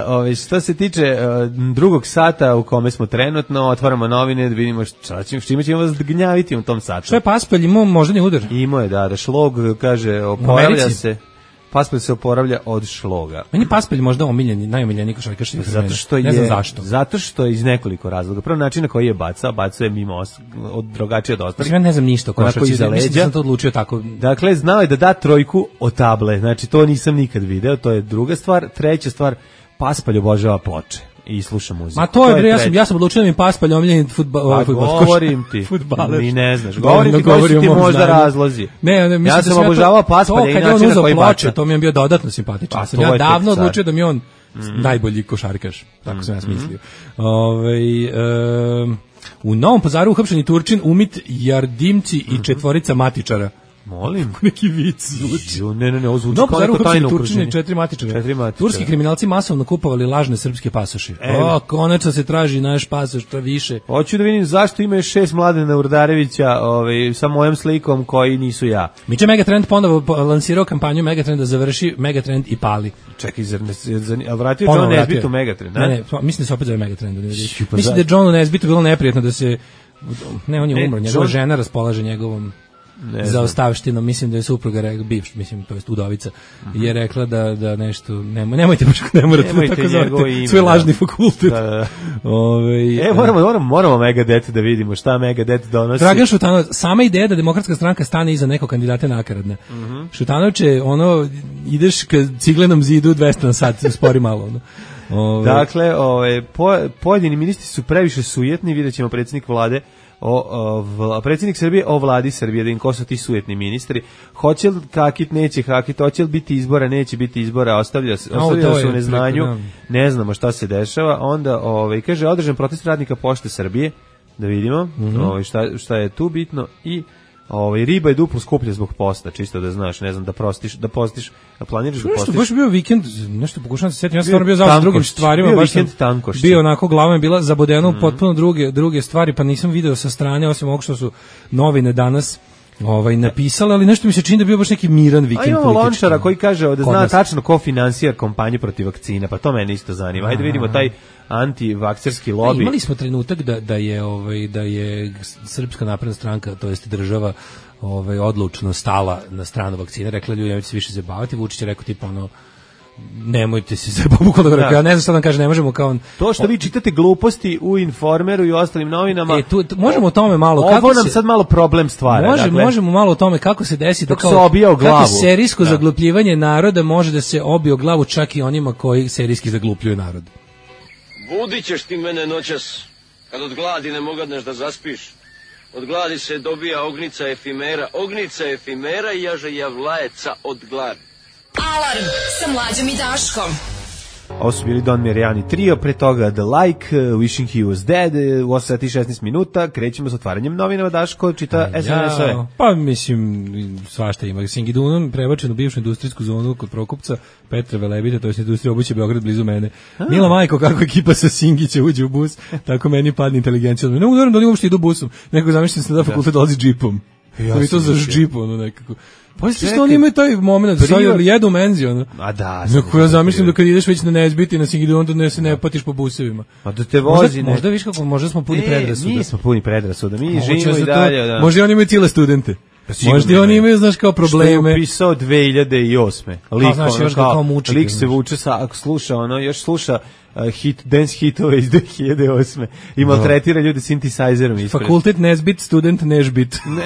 Ove, što se tiče uh, drugog sata u kome smo trenutno, otvaramo novine da vidimo šta ćemo, čime ćemo vas gnjaviti u tom satu. Što je Paspalj imao moždani udar? Imao je, da, da šlog, kaže, oporavlja se. Paspalj se oporavlja od šloga. Meni Paspalj možda omiljeni, najomiljeni košarkaš. Zato što je, ne znam zašto. Zato što je iz nekoliko razloga. Prvo način na koji je bacao, bacao je mimo os, od drugačije od ostalih. Ja ne znam ništa o košarci, mislim da sam to odlučio tako. Dakle, znao je da da trojku od table. Znači, to nisam nikad video, to je druga stvar. Treća stvar, Paspalj obožava ploče i sluša muziku. Ma to je, bre, ja sam, ja sam odlučio da mi Paspalj omiljeni fudbal. Pa govorim ti, futbaler. Mi ne znaš. Govorim ti koji su ti možda razlozi. Ne, ne, ja sam obožavao Paspalja i način na koji bača. To mi je bio dodatno simpatičan. Pa, ja davno odlučio da mi on mm. najbolji košarkaš. Tako sam ja smislio. Mm. Ove, um, u Novom Pazaru uhapšeni Turčin, Umit, Jardimci i četvorica matičara. Molim. Neki vic zvuči. Ne, ne, ne, ovo zvuči kao neko tajno okruženje. Četiri matičara. Četiri matičara. Turski kriminalci masovno kupovali lažne srpske pasoše. O, konačno se traži naš pasoš, to više. Hoću da vidim zašto ima šest Mladena Urdarevića ovaj, sa mojom slikom koji nisu ja. Miče Megatrend ponovo lansirao kampanju Megatrend da završi Megatrend i pali. Čekaj, zar ne, zar, ali vratio John Nesbitt u Megatrend, ne? Ne, ne, mislim da se opet zove Megatrend. Mislim da je Johnu Nesbittu bilo neprijatno da se Ne, on je umro, njegova žena raspolaže njegovom za ostavštinom, mislim da je supruga rekla, bivš, mislim, to jest udovica, uh-huh. je rekla da, da nešto, nemoj, nemojte baš, ne morate da tako zovete, svoj lažni fakultet. Da, da. Ove, e, moramo, moramo, moramo Megadeth da vidimo šta Megadeth donosi. Dragan Šutanović, sama ideja da demokratska stranka stane iza nekog kandidata nakaradne. Uh-huh. Šutanović je, ono, ideš ka ciglenom zidu dvesta na sat, spori malo, ono. Ove. Dakle, ove, po, pojedini ministri su previše sujetni, vidjet ćemo predsjednik vlade O, o, predsjednik Srbije o vladi Srbije, da im ko su ti sujetni ministri. Hoće li kakit, neće kakit, hoće li biti izbora, neće biti izbora, ostavlja, ostavlja se u neznanju, ne znamo šta se dešava. Onda, ovaj, kaže, održan protest radnika Pošte Srbije, da vidimo mm-hmm. ovaj, šta, šta je tu bitno i ovaj, riba je duplo skuplja zbog posta, čisto da znaš, ne znam, da prostiš, da postiš, da planiraš da postiš. Nešto, baš bio vikend, nešto pokušavam se sjetiti, ja sam stvarno bio završi drugim stvarima, bio baš sam bio onako, glava je bila zabodena u mm. potpuno druge, druge stvari, pa nisam video sa strane, osim ovog što su novine danas ovaj, napisale, ali nešto mi se čini da bio baš neki miran vikend. A imamo Lončara koji kaže da zna tačno ko finansira kampanju protiv vakcina, pa to mene isto zanima. Ajde vidimo taj antivakcerski lobby. Imali smo trenutak da, da je ovaj da je Srpska napredna stranka, to jest država, ovaj odlučno stala na stranu vakcine, rekla ljudi nemojte se više zabaviti, Vučić je rekao tipa ono nemojte se zabaviti, da. Ja ne znam šta da kaže, ne možemo kao on, to što vi čitate gluposti u Informeru i ostalim novinama. E, tu, tu možemo o tome malo ovo kako nam se, sad malo problem stvara. Može, dakle, možemo malo o tome kako se desi da kao kako serijsko da. zaglupljivanje naroda može da se obije o glavu čak i onima koji serijski zaglupljuju narod. Budit ćeš ti mene noćas, kad od gladi ne mogadneš da zaspiš. Od gladi se dobija ognica efimera, ognica efimera i jaže javlajeca od gladi. Alarm sa Mlađom i Daškom. Ovo su bili Don Marijani trio, pre toga The Like, Wishing He Was Dead, u osam sati i šesnaest minuta, krećemo s otvaranjem novinama, Daško čita es em es-ove. Pa mislim, svašta ima. Singidunom prebačen u bivšu industrijsku zonu kod Prokupca, Petra Velebita, to je industrija obuće Beograd blizu mene. A. Mila majko, kako ekipa sa Singića uđe u bus, tako meni padne inteligencija. Ne udaram da li uopšte idu busom, nekako zamišljam se da fakultet dolazi džipom. Ja mi to za džip, ono nekako. Pa isto što oni imaju taj moment da stavljaju jedu menzi, ono. A da. Neko ja zamišljam da kad ideš već na Nezbiti, na Singidu, onda ne se ne patiš po busevima. A da te vozi, možda, ne. Možda viš kako, možda smo puni e, predrasuda. Mi smo puni predrasuda, mi živimo i dalje. Da. Možda oni imaju cijele studente. Pa možda oni imaju, znaš, kao probleme. Što je upisao dve hiljade osme. Lik, a, znaš, ono, još ga kao muči. Lik se vuče sa, ako sluša, ono, još sluša uh, hit, dance hitove iz dve hiljade osme. I maltretira ljude synthesizerom ispred. Fakultet Nezbit, student Nežbit. Ne.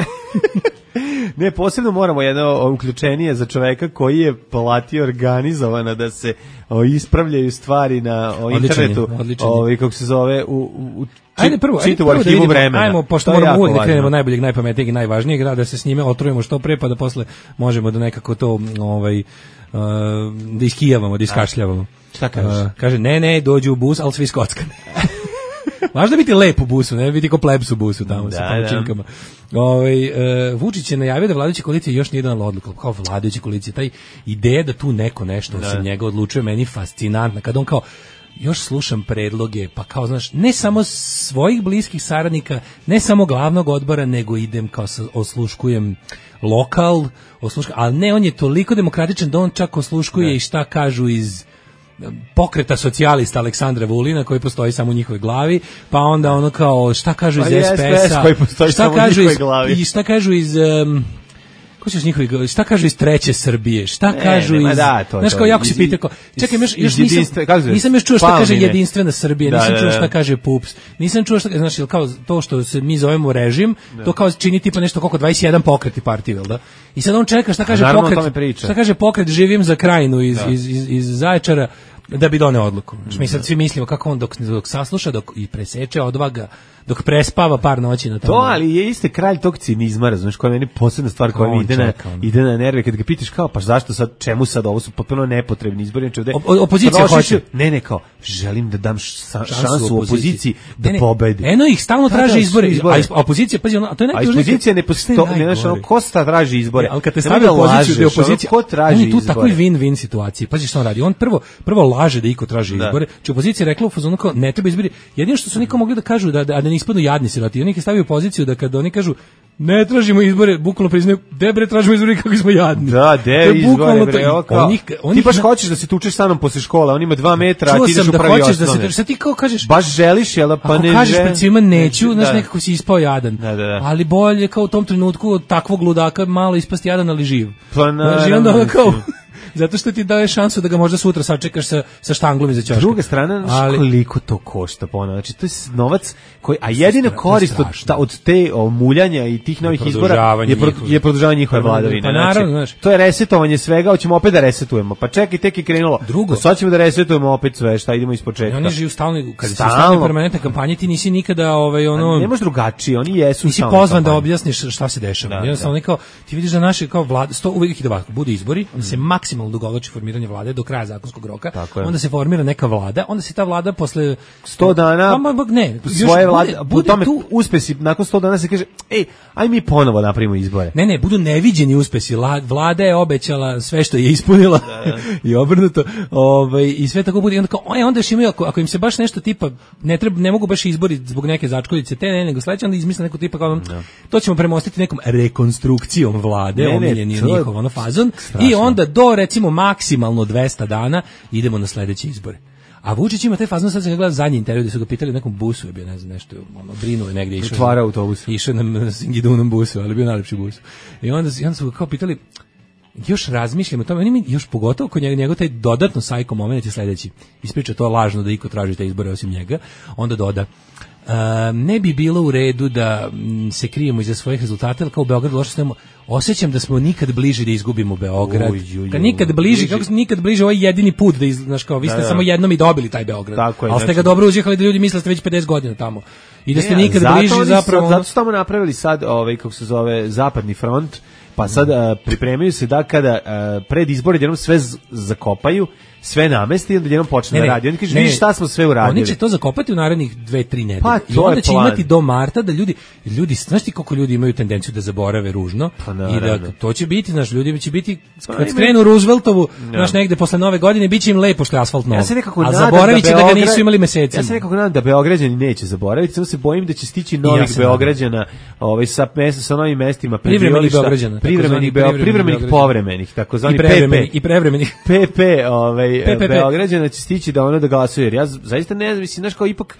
Ne, posebno moramo jedno uključenije za čoveka koji je platio organizovano da se o, ispravljaju stvari na o, internetu, ovaj kako se zove u, u ajde prvo, ajde prvo da vidimo, vremena. Ajmo, pošto moramo uvijek da krenemo najboljeg, najpametnijeg i najvažnijeg, da se s njime otrujemo što pre, pa da posle možemo da nekako to ovaj, uh, da iskijavamo, da iskašljavamo. Šta kažeš? Uh, kaže, ne, ne, dođu u bus, ali svi skockane. Važno biti lep u busu, ne biti ko plebs u busu tamo da, sa pomoćinkama. Ovaj e, Vučić je najavio da vladajuća koalicija još nije donela odluku, kao vladajuća koalicija, taj ideja da tu neko nešto da. osim njega odlučuje, meni fascinantna, kad on kao još slušam predloge, pa kao znaš, ne samo svojih bliskih saradnika, ne samo glavnog odbora, nego idem kao sa, osluškujem lokal, osluškujem, ali ne, on je toliko demokratičan da on čak osluškuje da. i šta kažu iz pokreta socijalista Aleksandra Vulina koji postoji samo u njihovoj glavi, pa onda ono kao šta kažu iz pa es pe es-a, koji postoji šta samo kažu iz glavi. I šta kažu iz um, ko ćeš njihovi, šta kažu iz treće Srbije, šta ne, kažu ne, iz da, to, znaš kao jako se pita kao čekaj još, još nisam, nisam još čuo šta kaže jedinstvena Srbija, nisam da, čuo šta kaže PUPS, nisam čuo šta znači kao to što se mi zovemo režim, da. to kao čini tipa nešto koliko dvadeset jedan pokreti partije, vel da? I sad on čeka šta kaže pokret, šta kaže pokret živim za Krajinu iz, iz, iz, iz Zaječara da bi doneo odluku. Znači mi sad svi mislimo kako on dok, dok sasluša, dok i preseče odvaga, dok prespava par noći na tamo. To, ali je isti kralj tog cinizma, razumiješ, koja je meni posebna stvar koja mi ide na, ide na nerve, kad ga pitaš kao, pa zašto sad, čemu sad, ovo su potpuno nepotrebni izbori. Ovde, o, opozicija hoće. Ne, ne, kao, želim da dam ša, šansu u opoziciji da pobedi. Eno ih stalno traže izbore, izbore. A opozicija, pazi, a to je najtužnije. A opozicija ne postoji, ne znaš, ono, ko sta traži izbore. Ali kad te stavlja opoziciju da je opozicija, ko traži izbore. On je tu takvoj win-win situaciji. Pazi što on radi. On prvo, prvo laže da iko traži izbore. Či opozicija rekla u fazonu kao ne treba izbori. Jedino što su niko mogli da kažu da da, da ne ispadnu jadni siroti. Oni ih stavljaju u poziciju da kad oni kažu ne tražimo izbore, bukvalno priznaju, debre tražimo izbore kako smo jadni. Da, de izbore, bre, kao, onih, onih, ti baš hoćeš da se tučeš sa mnom posle škole, on ima dva metra, a ti ideš u prvi osnovne. Da se, sad ti kao kažeš, baš želiš, jel, pa ne želiš. Ako kažeš pred svima neću, znaš, nekako si ispao jadan. Da, da, da. Ali bolje kao u tom trenutku od takvog ludaka malo ispasti jadan, ali živ. Pa naravno. Zato što ti daje šansu da ga možda sutra sačekaš sa, sa štanglom iza ćoška. Druga strana, ali, koliko to košta ponovno. Znači, to je novac koji, a jedina korist od, ta, od te o, muljanja i tih novih izbora je, pro, je produžavanje njihove vladavine. Pa naravno, znači, to je resetovanje svega, hoćemo opet da resetujemo. Pa čekaj, tek je krenulo. Drugo, sad ćemo da resetujemo opet sve, šta idemo iz početka. Oni žive stalno, kad se stavljaju permanentne kampanje, ti nisi nikada ovaj ono. Ne možeš drugačije, oni jesu. Nisi pozvan da objasniš šta se dešava. Da, jednostavno da. Kao ti vidiš da naše kao vlada, sto uvek ide ovako, bude izbori, onda se maksimalno dugovlači formiranje vlade do kraja zakonskog roka, onda se formira neka vlada, onda se ta vlada posle sto dana pa, ne, svoje vlade, bude tome tu uspesi, nakon sto dana se kaže, ej, aj mi ponovo napravimo izbore. Ne, ne, budu neviđeni uspesi, vlada je obećala sve što je ispunila i obrnuto, ovaj, i sve tako bude, i onda kao, oj, onda još imaju, ako, ako im se baš nešto tipa, ne treba, ne mogu baš izbori zbog neke začkoljice, te ne, nego sledeće, onda izmisle neko tipa kao, no. To ćemo premostiti nekom rekonstrukcijom vlade, omiljeni je njihov ono fazon, strašno. I onda do, recimo, maksimalno dvesta dana idemo na sledeće izbore. A Vučić ima taj fazon, sad sam ga gledao zadnji intervju gde su ga pitali u nekom busu, je bio, ne znam, nešto, ono, brinuo je negdje, išao, otvara autobus. Išao na Singidunom busu, ali bio najlepši bus. I onda, i onda su ga kao pitali, još razmišljamo o tome, oni mi još pogotovo kod njega, njegov taj dodatno sajko moment je sledeći. Ispriča to lažno da iko traži te izbore osim njega, onda doda, Uh, ne bi bilo u redu da m, se krijemo iza svojih rezultata, ali kao u Beogradu loše snemo, osjećam da smo nikad bliži da izgubimo Beograd. Uj, uj, uj, kad nikad bliži, kako smo nikad bliži, ovo je jedini put da, iz, znaš, kao, vi ste da, da. samo jednom i dobili taj Beograd. Tako je, ali ste ga dobro uzjehali da ljudi misle da ste već pedeset godina tamo. I da ste ne, nikad bliži zapravo. Zato su tamo napravili sad, ovaj, kako se zove, zapadni front, pa sad uh, pripremaju se da kada uh, pred izbore jednom sve z- zakopaju, sve namesti i onda jednom počne da radi. Oni kažu, vidi šta smo sve uradili. Oni će to zakopati u narednih dve, tri nedelje. Pa, i onda će plan. Imati do marta da ljudi, ljudi, znaš ti koliko ljudi imaju tendenciju da zaborave ružno pa, i da to će biti, znaš, ljudi će biti, kad pa, skrenu Rooseveltovu, no. znaš, negde posle nove godine, bit će im lepo što je asfalt nov. Ja se nekako a zaboravit će da, da ga nisu imali mesecima. Ja se nekako nadam da Beograđani neće zaboraviti, samo se bojim da će stići novih ja Beograđana ovaj, sa, mesta, sa novim mestima. Privremenih Beograđana. Privremenih, privremenih povremenih, takozvani P P. I prevremenih. P P, ovaj, Beograđana će stići da ono da glasuje, jer ja zaista ne znam, mislim, znaš, kao ipak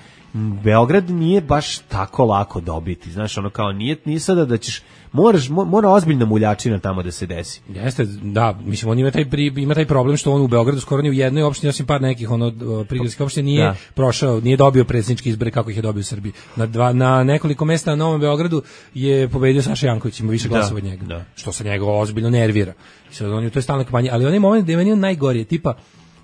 Beograd nije baš tako lako dobiti, znaš, ono kao nije, nije sada da ćeš, moraš, mora ozbiljna muljačina tamo da se desi. Jeste, da, mislim, on ima taj, pri, ima taj problem što on u Beogradu skoro ni u jednoj opštini, osim par nekih ono, prigradskih opština nije da. prošao, nije dobio predsjedničke izbore kako ih je dobio u Srbiji. Na, dva, na nekoliko mesta na Novom Beogradu je pobedio Saša Janković, ima više glasova od njega, da. Što se njega ozbiljno nervira. I sad on je u toj stalnoj kampanji, ali onaj moment da je meni on najgorije, tipa,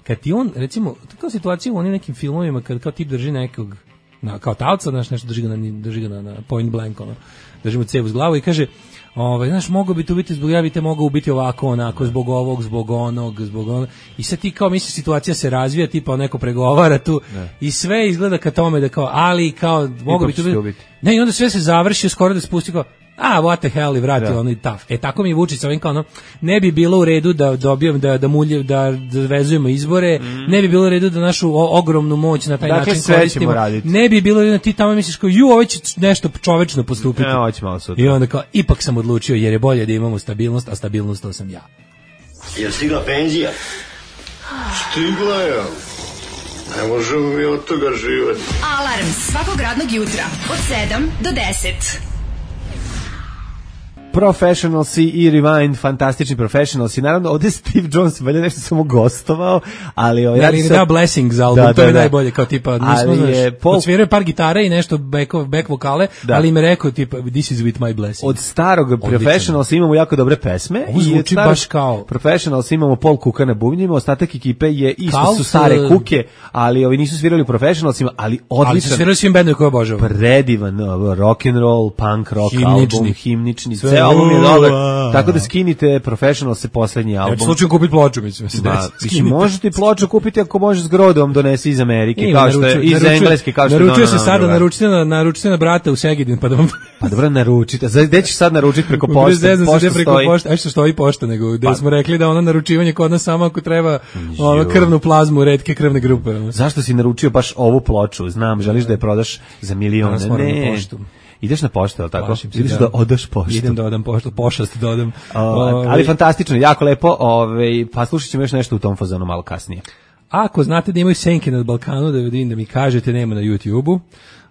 kad ti on, recimo, kao situacija u onim nekim filmovima, kad kao tip drži nekog, na, kao talca, znaš, nešto drži ga na, drži ga na, na point blank, ono, drži mu cev uz glavu i kaže, ovaj, znaš, mogu bi to biti zbog javite, mogu biti ovako, onako, zbog ovog, zbog onog, zbog onog, i sad ti kao misliš, situacija se razvija, tipa neko pregovara tu, ne. I sve izgleda ka tome da kao, ali kao, mogu bi to biti, ne, i onda sve se završi, skoro da spusti kao, a, what the hell, i vrati ono i taf. E, tako mi je Vučić, ovim kao ono, ne bi bilo u redu da dobijem, da, da, mulje, da, da vezujemo izbore, mm. ne bi bilo u redu da našu o, ogromnu moć na taj dakle, način koristimo, ne bi bilo u redu da ti tamo misliš kao, ju, ovo će nešto čovečno postupiti. Ne, ovo će malo sutra. I onda kao, ipak sam odlučio, jer je bolje da imamo stabilnost, a stabilnost to sam ja. Jel stigla penzija? Stigla je. Ne možemo mi od toga živati. Alarm svakog radnog jutra od sedam do deset. Professionalsi i Rewind, fantastični Professionalsi. Naravno, ovdje Steve Jones valjda nešto samo gostovao, ali... Ovaj, ali ne da Blessing za album, da, to da, je da. najbolje, kao tipa, nismo, znaš, Paul... odsvirao par gitare i nešto back, back vokale, da. Ali im je rekao, tipa, this is with my blessing. Od starog Professionalsa imamo jako dobre pesme. Ovo zvuči baš kao... Professionals imamo Paul Kuka na bubnjima, ostatak ekipe je isto Kalt, su stare kuke, ali ovi nisu svirali u Professionalsima, ali odličan... Ali su svirali svim bendom koje obožavam. Predivan rock and roll, punk rock himnični. album, himnični, album je dobar, tako da skinite Professional se poslednji album. Ja slučajno kupiti ploču, mislim se da. Mislim, možete ploču kupiti ako može s grodom donesi iz Amerike, kao što je, iz Engleske, kao što je. Naručio se sada, naručite na, naručite na brata u Segedin, pa da vam... Pa dobro, naručite. Gde ćeš sad naručiti preko pošte? Pošta stoji. Aj što stoji pošta, nego gde pa. Smo rekli da ono naručivanje kod nas samo ako treba ono krvnu plazmu, retke krvne grupe. Zašto si naručio baš ovu ploču? Znam, želiš da je prodaš za milione. Ne. Ideš na poštu, al tako? Plašim se, Ideš da. da odaš poštu. Idem da odam poštu, pošast da odam. O, Ovaj, ali fantastično, jako lepo, ovaj, pa slušat ćemo još nešto u tom fazonu malo kasnije. Ako znate da imaju senke na Balkanu, da vidim da mi kažete, nema na YouTubeu.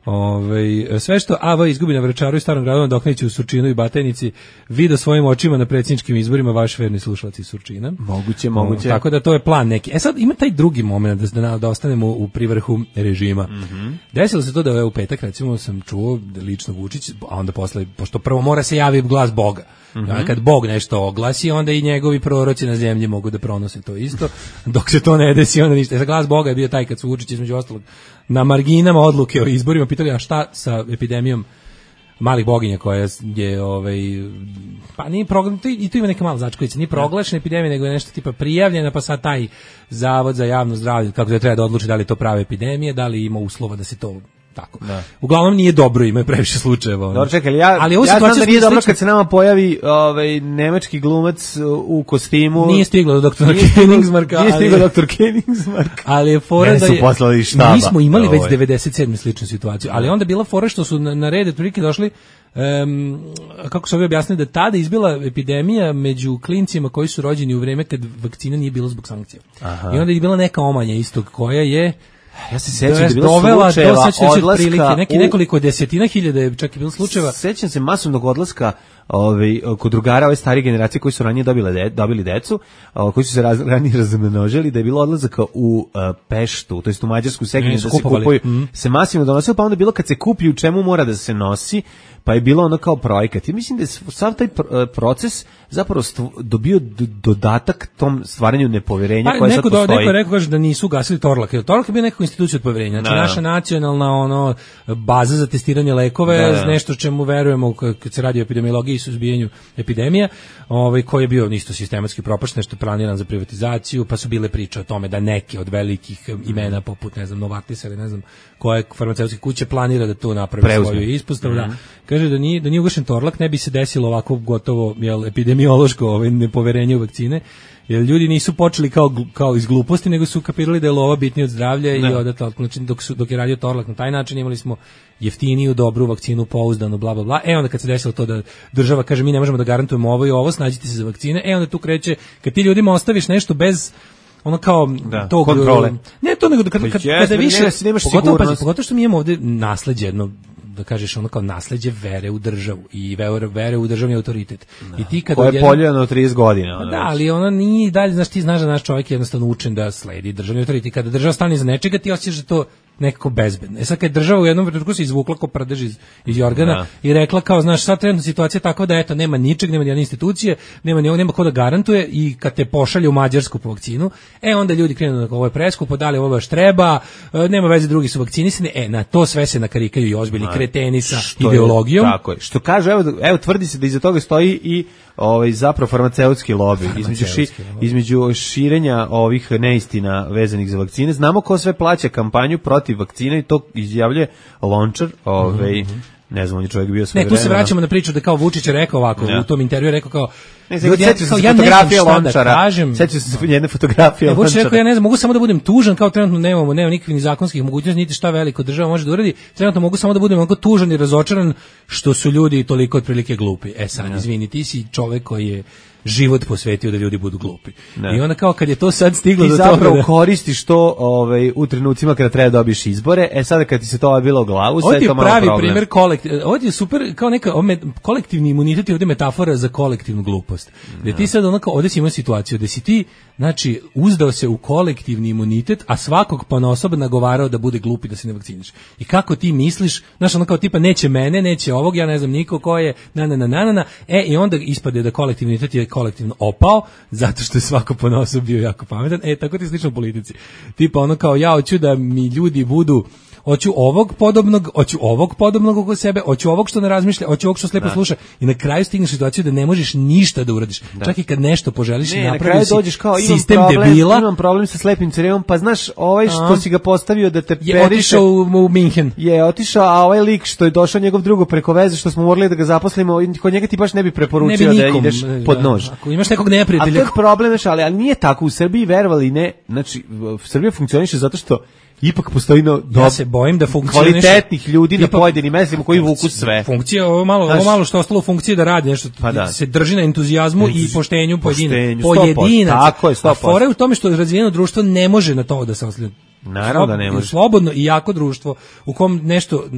Ove, sve što A V izgubi na Vračaru i Starom Gradu, Dokniću u Surčinu i Batajnici, vide svojim očima na predsjedničkim izborima, vaš verni slušalac iz Surčina. Moguće, moguće. O, tako da to je plan neki. E sad ima taj drugi moment da, da, da ostanemo u privrhu režima. Mm-hmm. Desilo se to da je u petak, recimo, sam čuo da lično Vučić, a onda posle, pošto prvo mora se javi glas Boga. Mm-hmm. A kad Bog nešto oglasi, onda i njegovi proroci na zemlji mogu da pronose to isto. Dok se to ne desi, onda ništa. E, glas Boga je bio taj kad su Vučić između ostalog na marginama odluke o izborima pitali, a šta sa epidemijom malih boginja koja je ovaj pa nije proglašena, i tu ima neka mala začkovica, nije proglašena epidemija, nego je nešto tipa prijavljena, pa sad taj Zavod za javno zdravlje kako da treba da odluči da li je to prava epidemija, da li ima uslova da se to tako. Da. Uglavnom nije dobro, ima previše slučajeva. Dobro, čekaj, ja, ali ja znam da nije dobro kad se nama pojavi ovaj, nemački glumac u kostimu. Nije stiglo do doktora Koenigsmarka. Nije stiglo doktor Koenigsmark. Ali je fora Mene da su je... poslali iz štaba. Mi smo imali ovaj. već devedeset sedme sličnu situaciju, ali onda bila fora što su na, na red otprilike došli Um, kako se ovi objasnili da tada izbila epidemija među klincima koji su rođeni u vreme kad vakcina nije bilo zbog sankcija. Aha. I onda je bila neka omanja istog koja je ja se sećam da je bilo slučajeva odlaska neki, nekoliko desetina hiljada je čak i bilo slučajeva. Sećam se masovnog odlaska ovaj, kod drugara ove starije generacije koji su ranije dobile de, dobili decu, koji su se raz, ranije razmnožili, da je bilo odlazaka u uh, Peštu, to jest u Mađarsku Segedin, da se kupuju, mm. se masivno donosilo, pa onda bilo kad se kupi u čemu mora da se nosi, pa je bilo ono kao projekat. I mislim da je sav taj proces zapravo dobio dodatak tom stvaranju nepoverenja pa, koje neko sad postoji. Do, neko je rekao kaže da nisu gasili Torlak. Torlak je bio nekako institucija od poverenja. Znači, no. naša nacionalna ono, baza za testiranje lekove, da, da. nešto čemu verujemo kad se radi o epidemiologiji i suzbijanju epidemija, ovaj, koji je bio isto sistematski propašten, nešto planiran za privatizaciju, pa su bile priče o tome da neki od velikih imena, poput, ne znam, Novartisa ili ne znam koje farmaceutske kuće planira da to napravi Preuzme. svoju ispostavu. Mm-hmm. Da. Kaže da nije, da nije ugašen Torlak, ne bi se desilo ovako gotovo jel, epidemiološko ovaj, nepoverenje u vakcine, jer ljudi nisu počeli kao, kao iz gluposti, nego su kapirali da je lova bitnija od zdravlja ne. i odatle, znači, dok, su, dok je radio Torlak na taj način, imali smo jeftiniju, dobru vakcinu, pouzdanu, bla, bla, bla. E onda kad se desilo to da država kaže mi ne možemo da garantujemo ovo i ovo, snađite se za vakcine, e onda tu kreće, kad ti ljudima ostaviš nešto bez ono kao da, tog kontrole. Ne to nego kad, kad, kad, yes, kada više, nemaš pogotovo, pazi, pogotovo što mi imamo ovde nasleđe jedno, da kažeš ono kao nasleđe vere u državu i vere, vere u državni autoritet. Da. I ti kad koje je poljeno trideset godina. Ono da, ali ono nije dalje, znaš, ti znaš da naš čovjek je jednostavno učen da sledi državni autoritet. Kada država stane iza nečega, ti osjećaš da to nekako bezbedno. E sad kad država u jednom trenutku se izvukla ko prdež iz, iz Jorgana da. i rekla kao, znaš, sad trenutna situacija je takva da eto, nema ničeg, nema nijedne institucije, nema ni ovo, nema ko da garantuje i kad te pošalje u Mađarsku po vakcinu, e onda ljudi krenu da ovo je preskupo, da li ovo baš treba, nema veze, drugi su vakcinisani, e na to sve se nakarikaju i ozbiljni kreteni sa ideologijom. Je, tako je. Što kaže, evo, evo tvrdi se da iza toga stoji i ovaj zapravo farmaceutski lobi između ši, između širenja ovih neistina vezanih za vakcine. Znamo ko sve plaća kampanju protiv vakcine i to izjavljuje Lončar, ovaj mm-hmm. ne znam, on je čovjek bio sve vreme. Ne, tu se vraćamo na priču da kao Vučić je rekao ovako, ja. u tom intervju je rekao kao ne znam, ja, kao, ja fotografije Lončara. Sećam se jedne fotografije Lončara. Vučić rekao, ja ne znam, mogu samo da budem tužan, kao trenutno nemamo, nema nikakvih ni zakonskih mogućnosti, niti šta veliko država može da uradi. Trenutno mogu samo da budem onako tužan i razočaran što su ljudi toliko otprilike glupi. E sad, ja. izvini, ti si čovek koji je život posvetio da ljudi budu glupi. Ne. I onda kao kad je to sad stiglo ti do toga... Ti zapravo koristiš to ovaj, u trenucima kada treba dobiješ izbore, e sada kad ti se to obilo u glavu, sve je to malo problem. Ovo je pravi primjer kolektiv... Ovo je super, kao neka kolektivni imunitet je ovdje metafora za kolektivnu glupost. Da ti sad onako, ovdje si imao situaciju da si ti, znači, uzdao se u kolektivni imunitet, a svakog ponaosob nagovarao da bude glupi da se ne vakciniš. I kako ti misliš, znaš, ono kao tipa neće mene, neće ovog, ja ne znam niko ko je, na na na na na, e i onda ispade da kolektivni imunitet je kolektivno opao, zato što je svako ponaosob bio jako pametan. E, tako ti slično u politici. Tipa ono kao, ja hoću da mi ljudi budu, hoću ovog podobnog, hoću ovog podobnog oko sebe, hoću ovog što ne razmišlja, hoću ovog što slepo da. sluša i na kraju stigneš situaciju da ne možeš ništa da uradiš. Da. Čak i kad nešto poželiš i napraviš sistem problem, debila. Imam problem sa slepim crevom, pa znaš, ovaj što A. si ga postavio da te je otišao u, u Minhen. Je otišao, a ovaj lik što je došao njegov drugo preko veze, što smo morali da ga zaposlimo, kod njega ti baš ne bi preporučio ne bi nikom, da ideš pod nož. Ako imaš nekog neprijatelja. A to je problem, ali, ali nije tako. U Srbiji, verovali ne, znači, Srbija funkcioniše zato što ipak postoji no, do, ja se bojim da kvalitetnih nešto, ljudi na pojedinim mestima koji vuku sve. Funkcija, ovo malo, ovo malo što ostalo funkcije da radi nešto, pa da. se drži na entuzijazmu Entuz... i poštenju pojedina. Pojedinac. Tako je, sto posto. A fora je u tome što razvijeno društvo ne može na to da se oslanja. Naravno da ne može. Slobodno i jako društvo u kom nešto e,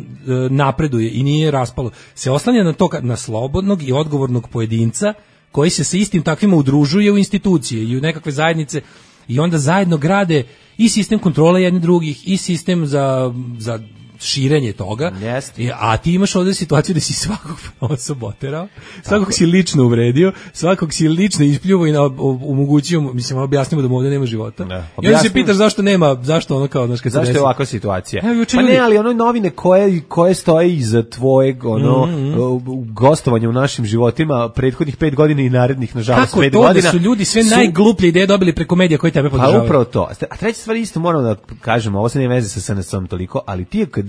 napreduje i nije raspalo, se oslanja na to, na slobodnog i odgovornog pojedinca koji se sa istim takvima udružuje u institucije i u nekakve zajednice i onda zajedno grade i sistem kontrole jednih drugih i sistem za, za širenje toga. Yes. A ti imaš ovdje situaciju da si svakog osoba oterao, svakog si lično uvredio, svakog si lično ispljuvao i na, omogućio, mislim, objasnimo da mu ovdje nema života. Da. I onda se pitaš zašto nema, zašto ono kao, znaš, kad se zašto desi. je ovakva situacija? Evo, pa ne, ali ono novine koje, koje stoje iza tvojeg ono, mm-hmm. gostovanja u našim životima prethodnih pet godina i narednih, nažalost, kako pet to godina. Kako to da su ljudi sve su... najgluplje ideje dobili preko medija koji tebe podržavaju? Pa upravo to. A treća stvar isto moram da kažem, ovo se ne veze sa S N S-om toliko, ali ti kad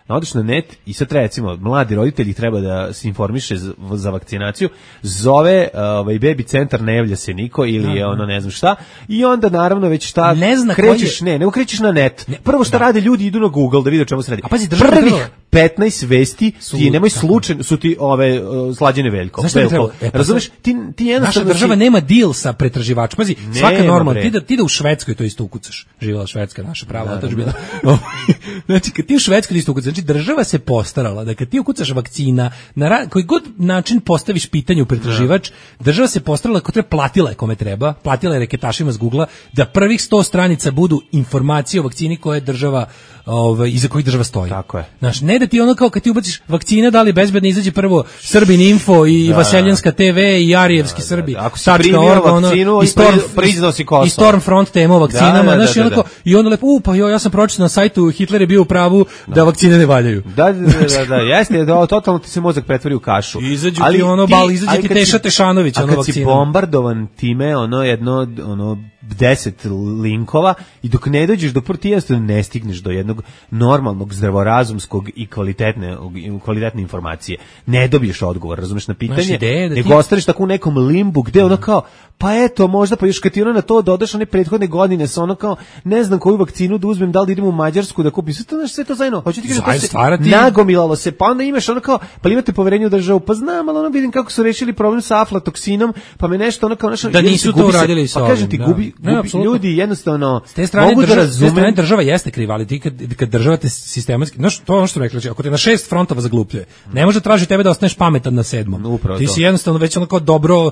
odeš na net i sad recimo mladi roditelji treba da se informiše za, za vakcinaciju, zove ovaj baby centar, ne javlja se niko ili je ono ne znam šta i onda naravno već šta ne zna krećeš je... ne, nego krećeš na net. Ne, prvo šta da. rade ljudi idu na Google da vide o čemu se radi. A pazi, prvih petnaest vesti su, ti nemoj slučajno su ti ove uh, Slađene Veljko. Veljko. E, pa razumeš? Ti ti jednostavno naša država si... nema deal sa pretraživačima. Pazi, svaka normalna ti da ti da u Švedskoj to isto ukucaš. Živela Švedska, naša prava otadžbina. Znači kad ti u Švedskoj isto ukucaš, znači država se postarala da kad ti ukucaš vakcina, na ra- koji god način postaviš pitanje u pretraživač, država se postarala kako treba, platila je kome treba, platila je reketašima s Googlea da prvih sto stranica budu informacije o vakcini koje država, ovaj, iza kojih država stoji. Tako je. Znaš, ne da ti ono kao kad ti ubaciš vakcina, da li bezbedno izađe prvo Srbin Info i da, Vaseljanska te ve i Arijevski da, Srbi. Da, da. Ako si primio vakcinu i Storm, priznao si Kosovo. I Stormfront tema o vakcinama, da, da, znaš, da, da, da. I onda lepo, u, pa jo, ja sam pročitao na sajtu, Hitler je bio u pravu da, da vakcine ne valjaju. Da, da, da, da, jeste, da, totalno ti se mozak pretvori u kašu. Izađu ali ti ono, bal, izađe ti Teša Tešanović, ono vakcina. A kad si bombardovan time, ono, jedno, ono, deset linkova i dok ne dođeš, dok prvo ti jednostavno ne stigneš do jednog normalnog, zdravorazumskog i kvalitetne, kvalitetne informacije. Ne dobiješ odgovor, razumeš, na pitanje, da nego ti... ostaneš tako u nekom limbu gde ono kao, pa eto, možda, pa još kad ti ono na to dodaš one prethodne godine sa ono kao, ne znam koju vakcinu da uzmem, da li da idem u Mađarsku da kupim, sve to, znaš, sve to zajedno, hoću ti kažem, to se stvarati... nagomilalo se, pa onda imaš ono kao, pa imate poverenje u državu, pa znam, ali ono vidim kako su rešili problem sa aflatoksinom, pa me nešto ono kao, nešto, da nisu to uradili sa pa kažem ti, da. gubi, ne, gubi ljudi jednostavno s te strane mogu država, da razumem. S te strane država jeste kriva, ali ti kad, kad država te sistematski, znaš, to je ono što rekla, ako te na šest frontova zaglupljuje, ne može traži tebe da ostaneš pametan na sedmom. Upravo ti to. Si jednostavno već ono kao dobro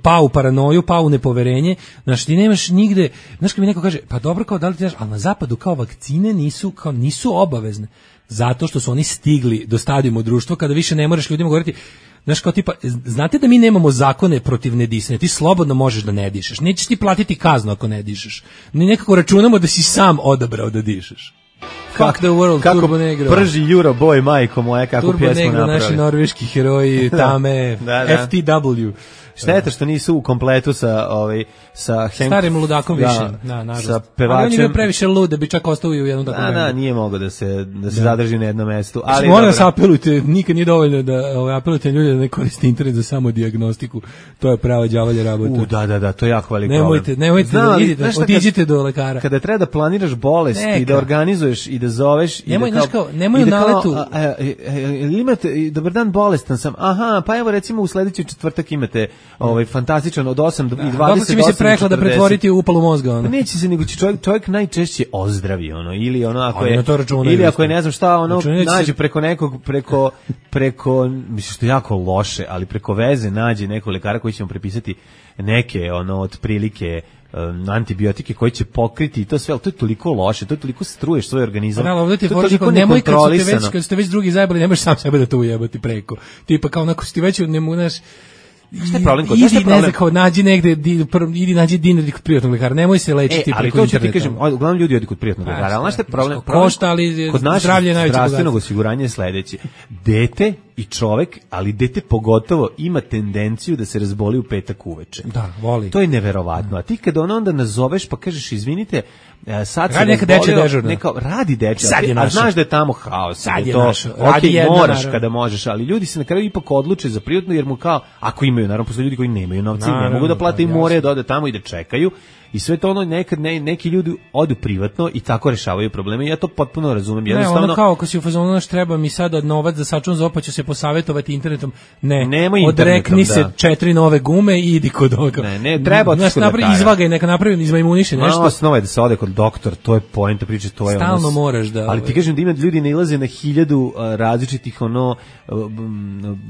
pao u paranoju, pao u nepoverenje, znaš, ti nemaš nigde, znaš kad mi neko kaže, pa dobro, kao da li ti znaš, ali na zapadu kao vakcine nisu, kao nisu obavezne, zato što su oni stigli do stadijuma društva kada više ne moraš ljudima govoriti. Znaš, kao tipa, znate da mi nemamo zakone protiv nedisanja, ti slobodno možeš da ne dišeš, nećeš ti platiti kaznu ako ne dišeš, mi nekako računamo da si sam odabrao da dišeš. Fuck the world, kako Turbo Negro. Prži Euroboy, majko moja, kako Turbo pjesmu Negro, napravi. naši norveški heroji, Tame, da, da. F T W. Šteta što nisu u kompletu sa ovaj sa Hank, starim ludakom da, više, da, nažalost. Sa pevačem. Ali on je bio previše lud da bi čak ostao u jednom takvom. Da, da, nije mogao da se da se da. zadrži na jednom mestu, ali moram se apelujte, nikad nije dovoljno da ovaj apelujte ljudi da ne koriste internet za samo dijagnostiku. To je prava đavolja rabota. U, da, da, da, to je jako veliki problem. Nemojte, nemojte Zna, da idite, otiđite kad, do lekara. Kada treba da planiraš bolest Neka. i da organizuješ i da zoveš nemoj, i da kao, kao nemoj u naletu. Imate dobar dan, bolestan sam. Aha, pa evo recimo u sledeći četvrtak imate ovaj fantastičan od osam do dvadeset. Kako će mi se prekla da pretvoriti u upalu mozga, ono. Neće se, nego će čovjek, čovjek najčešće ozdravi, ono, ili ono, ako je, računa, ili ako je ne znam šta, ono, računa, nađe se... preko nekog, preko, preko, mislim što je jako loše, ali preko veze nađe nekog lekara koji će mu prepisati neke, ono, otprilike, um, antibiotike koji će pokriti i to sve, ali to je toliko loše, to je toliko struješ svoj organizam. Da, ali to je toliko nemoj kad ste već, kad ste već drugi zajebali, nemaš sam sebe da to ujebati preko. Tipa kao onako si ti već ne mogu, šta je problem kod idi, ne znam, kao nađi negde, di, pr, idi nađi dinar kod privatnog lekara, nemoj se lečiti e, preko interneta. Ali to ću ti kažem, uglavnom ljudi odi kod privatnog lekara, ali znaš šta je problem? Košta, ali kod našeg zdravstvenog osiguranja je sledeće. Dete i čovek, ali dete pogotovo, ima tendenciju da se razboli u petak uveče. Da, voli. To je neverovatno. A ti kada ono onda nazoveš pa kažeš, izvinite, sad se radi neka dečja dežurna. Neka, radi dečja, a, a znaš da je tamo haos. Sad je to, naša. Ok, moraš naravno. Kada možeš, ali ljudi se na kraju ipak odluče za privatno, jer mu kao, ako imaju, naravno, postoje ljudi koji nemaju novci, ne mogu da plate i moraju da ode tamo i da čekaju. i sve to ono nekad ne, neki ljudi odu privatno i tako rešavaju probleme. Ja to potpuno razumem. Jednostavno, ne, ono kao ako si u fazonu naš treba mi sada novac za sačun za ću se posavetovati internetom. Ne, nema odrekni internetom, se da. četiri nove gume i idi kod ovoga. Ne, ne, treba znaš, napravi izvagaj, neka napravi izmajmuniše nešto. No, osnova je da se ode kod doktor, to je poenta priče, to je stalno ono, moraš da. Ali ti kažem da ima ljudi nailaze na hiljadu uh, različitih ono uh,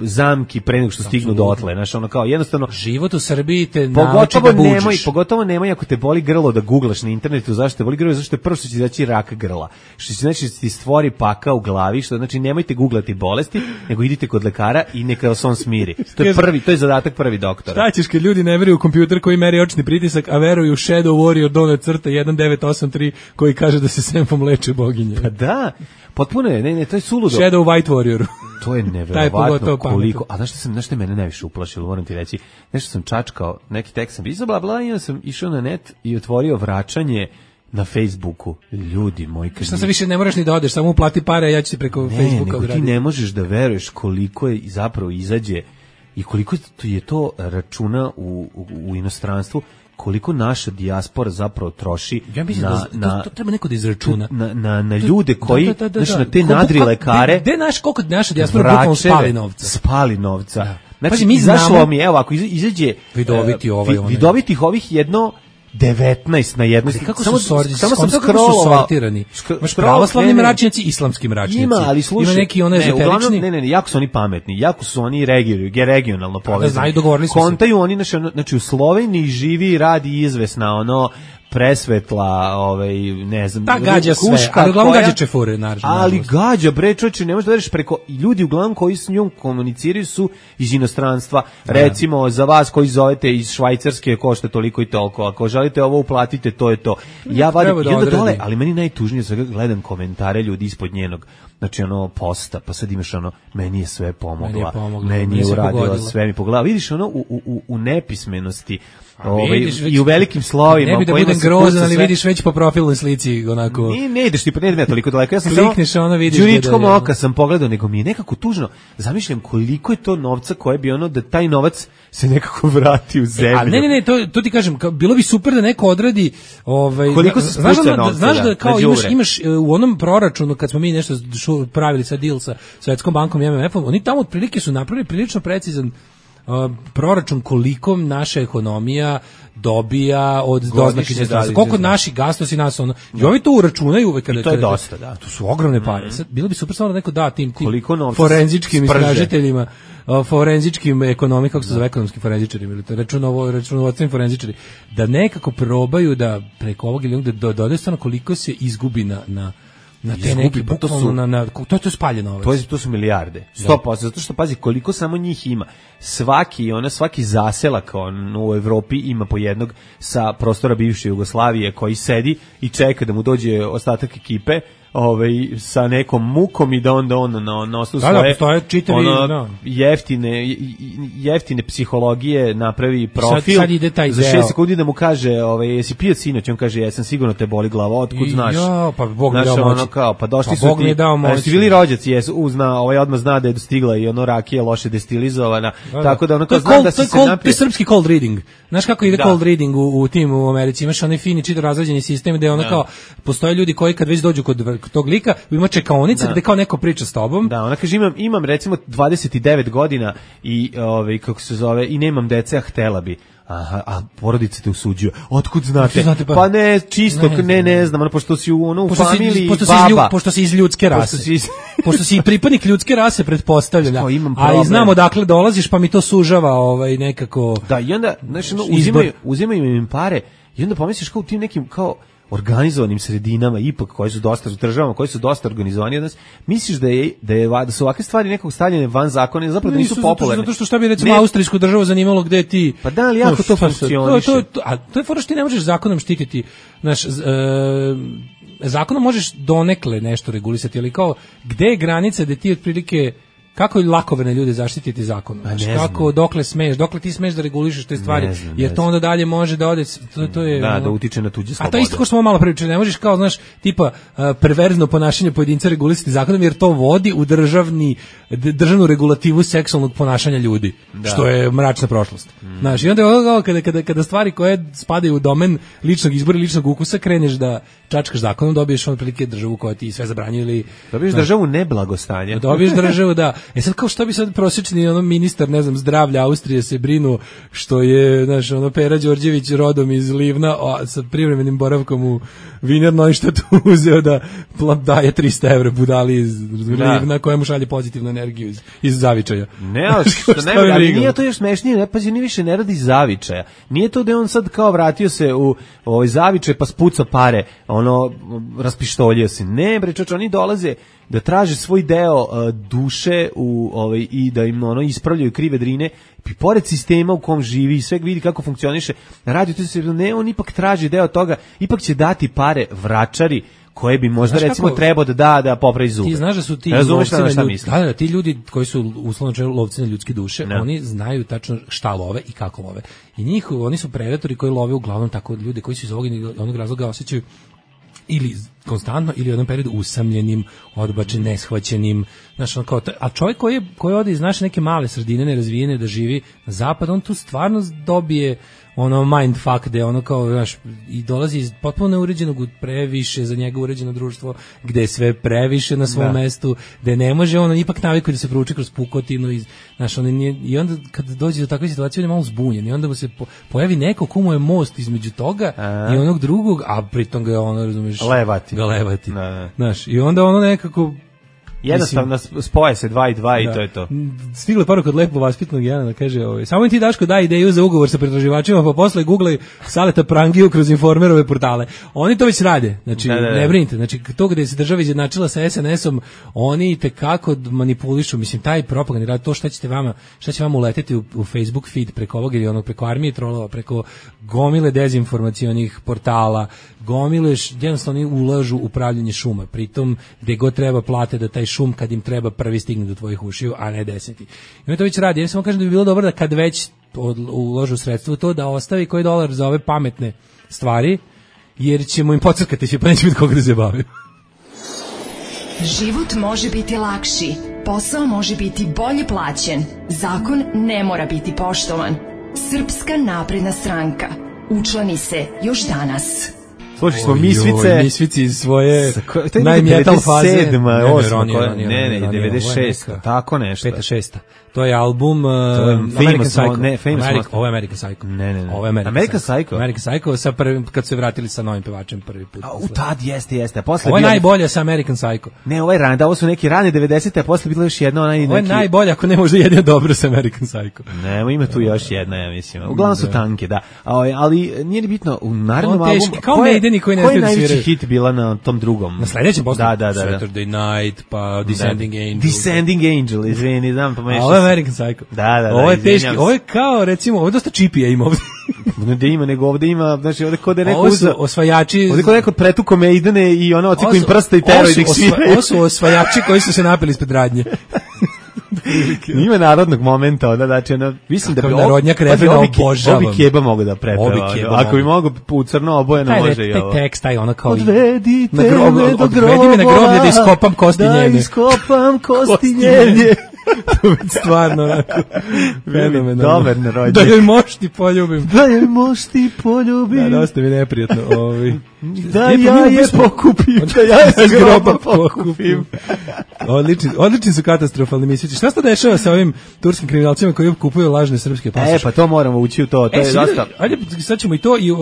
zamki pre nego što stignu dotle, znaš, ono kao jednostavno život u Srbiji te nauči da buđiš. Nemoj, pogotovo nemoj ako te boli grlo da guglaš na internetu zašto te boli grlo, zašto je prvo što će izaći rak grla. Što će znači ti stvori paka u glavi, što znači nemojte guglati bolesti, nego idite kod lekara i neka vas on smiri. To je prvi, to je zadatak prvi doktora. Šta ćeš kad ljudi ne veruju u kompjuter koji meri očni pritisak, a veruju u Shadow Warrior donut crta jedan devet osam tri koji kaže da se senfom leče boginje. Pa da, potpuno je, ne, ne, to je suludo. Shadow White Warrior. To je neverovatno koliko. A znaš što sam, znaš što mene najviše uplašilo, moram ti reći. Nešto sam čačkao, neki tekst sam pisao, bla bla, i onda sam išao na net i otvorio vraćanje na Facebooku. Ljudi moji, kad šta se više ne moraš ni da odeš, samo uplati pare, a ja ću ti preko ne, Facebooka odraditi. Ti ne možeš da veruješ koliko je zapravo izađe i koliko je to računa u, u, u inostranstvu, koliko naša dijaspora zapravo troši ja mislim na, da to, na, to treba neko da izračuna na, na, na ljude koji, da, da, da, da, znači da. na te nadri lekare, gde naš, koliko naša dijaspora bukvalno spali novca. Spali novca. Da. Znači, Pazi, mi izašlo znamo, mi, evo, ako izađe vidoviti ovaj, uh, vidovitih ovih jedno devetnaest na jednoj. Kako samo, su sortirani? Samo sam scrollovao. sortirani. Imaš pravoslavni mračnjaci, islamski mračnjaci. Ima, ali slušaj, ima neki one ezoterični. Ne, ne, ne, jako su oni pametni, jako su oni regionalno, regionalno povezani. Da znaju, dogovorili smo se. Kontaju oni, znači u Sloveniji živi i radi izvesna ono presvetla, ovaj, ne znam, ta gađa sve, ali uglavnom gađa čefure, naravno. Ali gađa, bre, čoče, ne možeš da veriš preko, ljudi uglavnom koji s njom komuniciraju su iz inostranstva, recimo, za vas koji zovete iz Švajcarske košta toliko i toliko, ako želite ovo uplatite, to je to. Ja vadim, da onda dole, ali meni najtužnije je gledam komentare ljudi ispod njenog, znači ono, posta, pa sad imaš ono, meni je sve pomogla, meni je, pomogla, meni je uradila, sve mi pogledala. Vidiš ono, u, u, u nepismenosti, Ove, vidiš, i u velikim slovima ne bi da budem grozan, ali vidiš već po profilnoj slici onako. Ne, ne ideš ti, pa ne idem ja toliko daleko. Ja sam klikneš, ono vidiš đuričkom oka sam pogledao, nego mi je nekako tužno. Zamišljam koliko je to novca koje bi ono, da taj novac se nekako vrati u zemlju. A ne, ne, ne, to, to ti kažem, kao, bilo bi super da neko odradi ovaj, koliko se znaš da, novca, znaš da kao imaš, đubre. imaš u onom proračunu, kad smo mi nešto pravili sa deal sa Svetskom bankom i M M F-om, oni tamo otprilike su napravili prilično precizan Uh, proračun koliko naša ekonomija dobija od doznake inostranstva. Koliko naši gastosi nas ono. I ovi to uračunaju uvek kada. I to je dosta, da. To su ogromne pare. Sad bilo bi super samo da neko da tim tim koliko forenzičkim istražiteljima, uh, forenzičkim ekonomima, kako se zove, ekonomski forenzičari ili to računovo računovodstveni forenzičari, da nekako probaju da preko ovog ili da dodaju stvarno koliko se izgubi na na na te neki, to su na, na, to je to spaljeno novac. To, je, to su milijarde. sto posto, zato što pazi koliko samo njih ima. Svaki, ona svaki zaselak on u Evropi ima po jednog sa prostora bivše Jugoslavije koji sedi i čeka da mu dođe ostatak ekipe, ovaj sa nekom mukom i da onda on na na osnovu svoje da, čitavi, ono, no. jeftine jeftine psihologije napravi profil sad, sad ide taj za šest sekundi da mu kaže ovaj jesi pio sinoć, on kaže jesam, sigurno te boli glava, otkud znaš? Ja, pa Bog mi dao moć. Ono kao, pa došli pa su Bog ti, mi dao moć. Jesi bili rođaci, jesu, uzna, ovaj odmah zna da je dostigla i ono rakija loše destilizovana, da, tako da ono kao zna da se se napije. To je srpski cold reading. Znaš kako ide da. cold reading u, u tim u Americi, imaš onaj fini čito razrađeni sistem gde ono da. kao postoje ljudi koji kad već dođu kod tog lika ima čekaonica gde kao neko priča s tobom. Da, ona kaže imam imam recimo dvadeset devet godina i ovaj kako se zove i nemam dece, a htela bi. Aha, a porodica te usuđuje. Otkud znate? znate pa, pa ne, čisto, ne, ne, ne znam, ono, pošto si u, ono, u pošto familiji si, pošto baba. Si lju, pošto si iz ljudske rase. Pošto si, iz... pošto si pripadnik ljudske rase, pretpostavljam. A i znamo dakle dolaziš, pa mi to sužava ovaj, nekako. Da, i onda, znaš, ono, uzimaju, uzimaju im pare i onda pomisliš kao u tim nekim, kao, organizovanim sredinama ipak koje su dosta u državama koje su dosta organizovani od nas, misliš da je da je da su ovakve stvari nekog stavljene van zakona, zapravo da nisu popularne. Zato što šta bi recimo ne. austrijsku državu zanimalo gde ti. Pa da, ali jako to funkcioniše. To, to, a to je fora što ti ne možeš zakonom štititi, znaš, e, zakonom možeš donekle nešto regulisati, ali kao gde je granica da ti otprilike kako lakoverne ljude zaštititi zakonom? Znači, kako, dokle smeš, dokle ti smeš da regulišeš te stvari, znam, jer to onda dalje može da ode, to, to je... Da, ono, da utiče na tuđe slobode. A to isto ko što smo malo pričali, ne možeš kao, znaš, tipa uh, perverzno ponašanje pojedinca regulisati zakonom, jer to vodi u državni, državnu regulativu seksualnog ponašanja ljudi, da. Što je mračna prošlost. Mm. Znaš, i onda je kada, kada, kada stvari koje spadaju u domen ličnog izbora i ličnog ukusa, kreneš da čačkaš zakonom, dobiješ on prilike državu koja ti sve zabranjuje ili... Dobiješ znaš, državu neblagostanja. Dobiješ državu, da. E sad kao što bi sad prosječni ono ministar, ne znam, zdravlja Austrije se brinu što je, znaš, ono Pera Đorđević rodom iz Livna, a sa privremenim boravkom u Wiener Neustadt uzeo da daje trista evra budali iz Livna kojemu šalje pozitivnu energiju iz, iz zavičaja. Ne, ali što ne, ali nije to još smešnije, ne, pazi, ni više ne radi iz zavičaja. Nije to da on sad kao vratio se u ovaj zavičaj pa spuca pare, ono, raspištoljio se. Ne, bre, čoč, oni dolaze da traže svoj deo uh, duše u ovaj i da im ono ispravljaju krive drine i pored sistema u kom živi i sve vidi kako funkcioniše. Radio to se ne, on ipak traži deo toga, ipak će dati pare vračari koje bi možda znaš recimo kako, trebao da da da popravi zube. Ti znaš da su ti lovci na ljudi, da, da, ti ljudi koji su uslovno lovci na ljudske duše, ne. Oni znaju tačno šta love i kako love. I njih, oni su predatori koji love uglavnom tako ljude koji su iz ovog onog razloga osjećaju ili konstantno ili u jednom periodu usamljenim, odbačenim, neshvaćenim, znaš, on kao, a čovjek koji, je, koji ode iz naše neke male sredine, nerazvijene, da živi na zapad, on tu stvarno dobije ono mindfuck, da je ono kao, znaš, i dolazi iz potpuno neuređenog u previše za njega uređeno društvo, gde je sve previše na svom da. mestu, gde ne može, ono ipak navikuje da se prouči kroz pukotinu, i, znaš, on nije, i onda kad dođe do takve situacije, on je malo zbunjen, i onda mu se po, pojavi neko komu je most između toga a? i onog drugog, a pritom ga je ono, razumiješ, levati. ga levati, da, da. Znaš, i onda ono nekako... Jednostavno spoje se dva i dva i da. to je to. Stigla poruka od lepo vaspitnog Jana da kaže, ovaj, samo im ti Daško daj ideju za ugovor sa pretraživačima, pa posle googlaj Saleta Prangiju kroz informerove portale. Oni to već rade, znači da, da, da. ne brinite, znači to gde se država izjednačila sa es en esom, oni tekako manipulišu, mislim, taj propagandni rad, to šta ćete vama, šta će vama uleteti u, u Facebook feed preko ovog ili onog, preko armije trolova, preko gomile dezinformacionih portala, gomile, jednostavno oni ulažu u upravljanje šuma, pritom gde god treba plate da taj šum kad im treba prvi stigne do tvojih ušiju, a ne deseti. I on to već radi. Ja samo kažem da bi bilo dobro da kad već uložu sredstvo to da ostavi koji dolar za ove pametne stvari, jer ćemo im pocrkati se, pa neće biti koga da se bavi. Život može biti lakši, posao može biti bolje plaćen, zakon ne mora biti poštovan. Srpska napredna stranka. Učlani se još danas. Slušaj smo Misvice, Misvici iz svoje najmetal faze. Ne, ne, devedeset šesta tako nešto. peta šesta To je album uh, to je American Psycho. Ne, American, ovo je American Psycho. Ne, ne, ne. Ovo je American, American Psycho. Psycho. American Psycho sa prvim, kad su se vratili sa novim pevačem prvi put. A, u tad jeste, jeste. A posle ovo je bio... najbolje sa American Psycho. Ne, ovo je rani, da ovo su neki rani devedesete, a posle bilo još jedno onaj neki... Ovo je najbolje, ako ne možda jedino dobro sa American Psycho. Ne, ima tu još jedna, ja mislim. Uglavnom su tanke, da. Ali nije ni bitno, u narednom albumu... Kao Maideni koji ne znaju da sviraju. Koji je najveći hit bila na tom drugom? Na sledećem poslu? Da, da, da. Saturday Night, pa Descending Angel. Descending Angel, izvini, znam, pomešao. Ovo je American Psycho. Da, da, da. Ovo je teški, ovo je kao, recimo, ovo je dosta čipija ima ovdje. Ne da ima, nego ovdje ima, znači ovdje kod je neko... Ovo su osvajači... Ovdje kod neko pretuko Maidene i ono ociku im prsta i teroj da ih sviraju. Ovo su osvajači koji su se napili ispred radnje. Ima narodnog momenta, onda, znači, ono, mislim Kakav da bi... Narodnjak Refina obožavam. Obi Keba mogu da prepeva. Ako bi mogu u crno obojeno, taj, može i ovo. Taj tekst, taj ono kao... Odvedite me do grobova. Odvedi me na groblje da iskopam kosti njene. Da iskopam kosti njene. To je stvarno onako fenomenalno. Dobar narodnjak. Da joj moš ti poljubim. Da joj moš ti poljubim. Da, dosta mi neprijatno. Ovi. Da ja je pokupim. Da ja je s groba pokupim. Odlični, odlični su katastrofalni mislici. Šta se dešava sa ovim turskim kriminalcima koji kupuju lažne srpske pasoše? E, pa to moramo ući u to. To e, je dosta... Ajde, sad ćemo i to i, uh,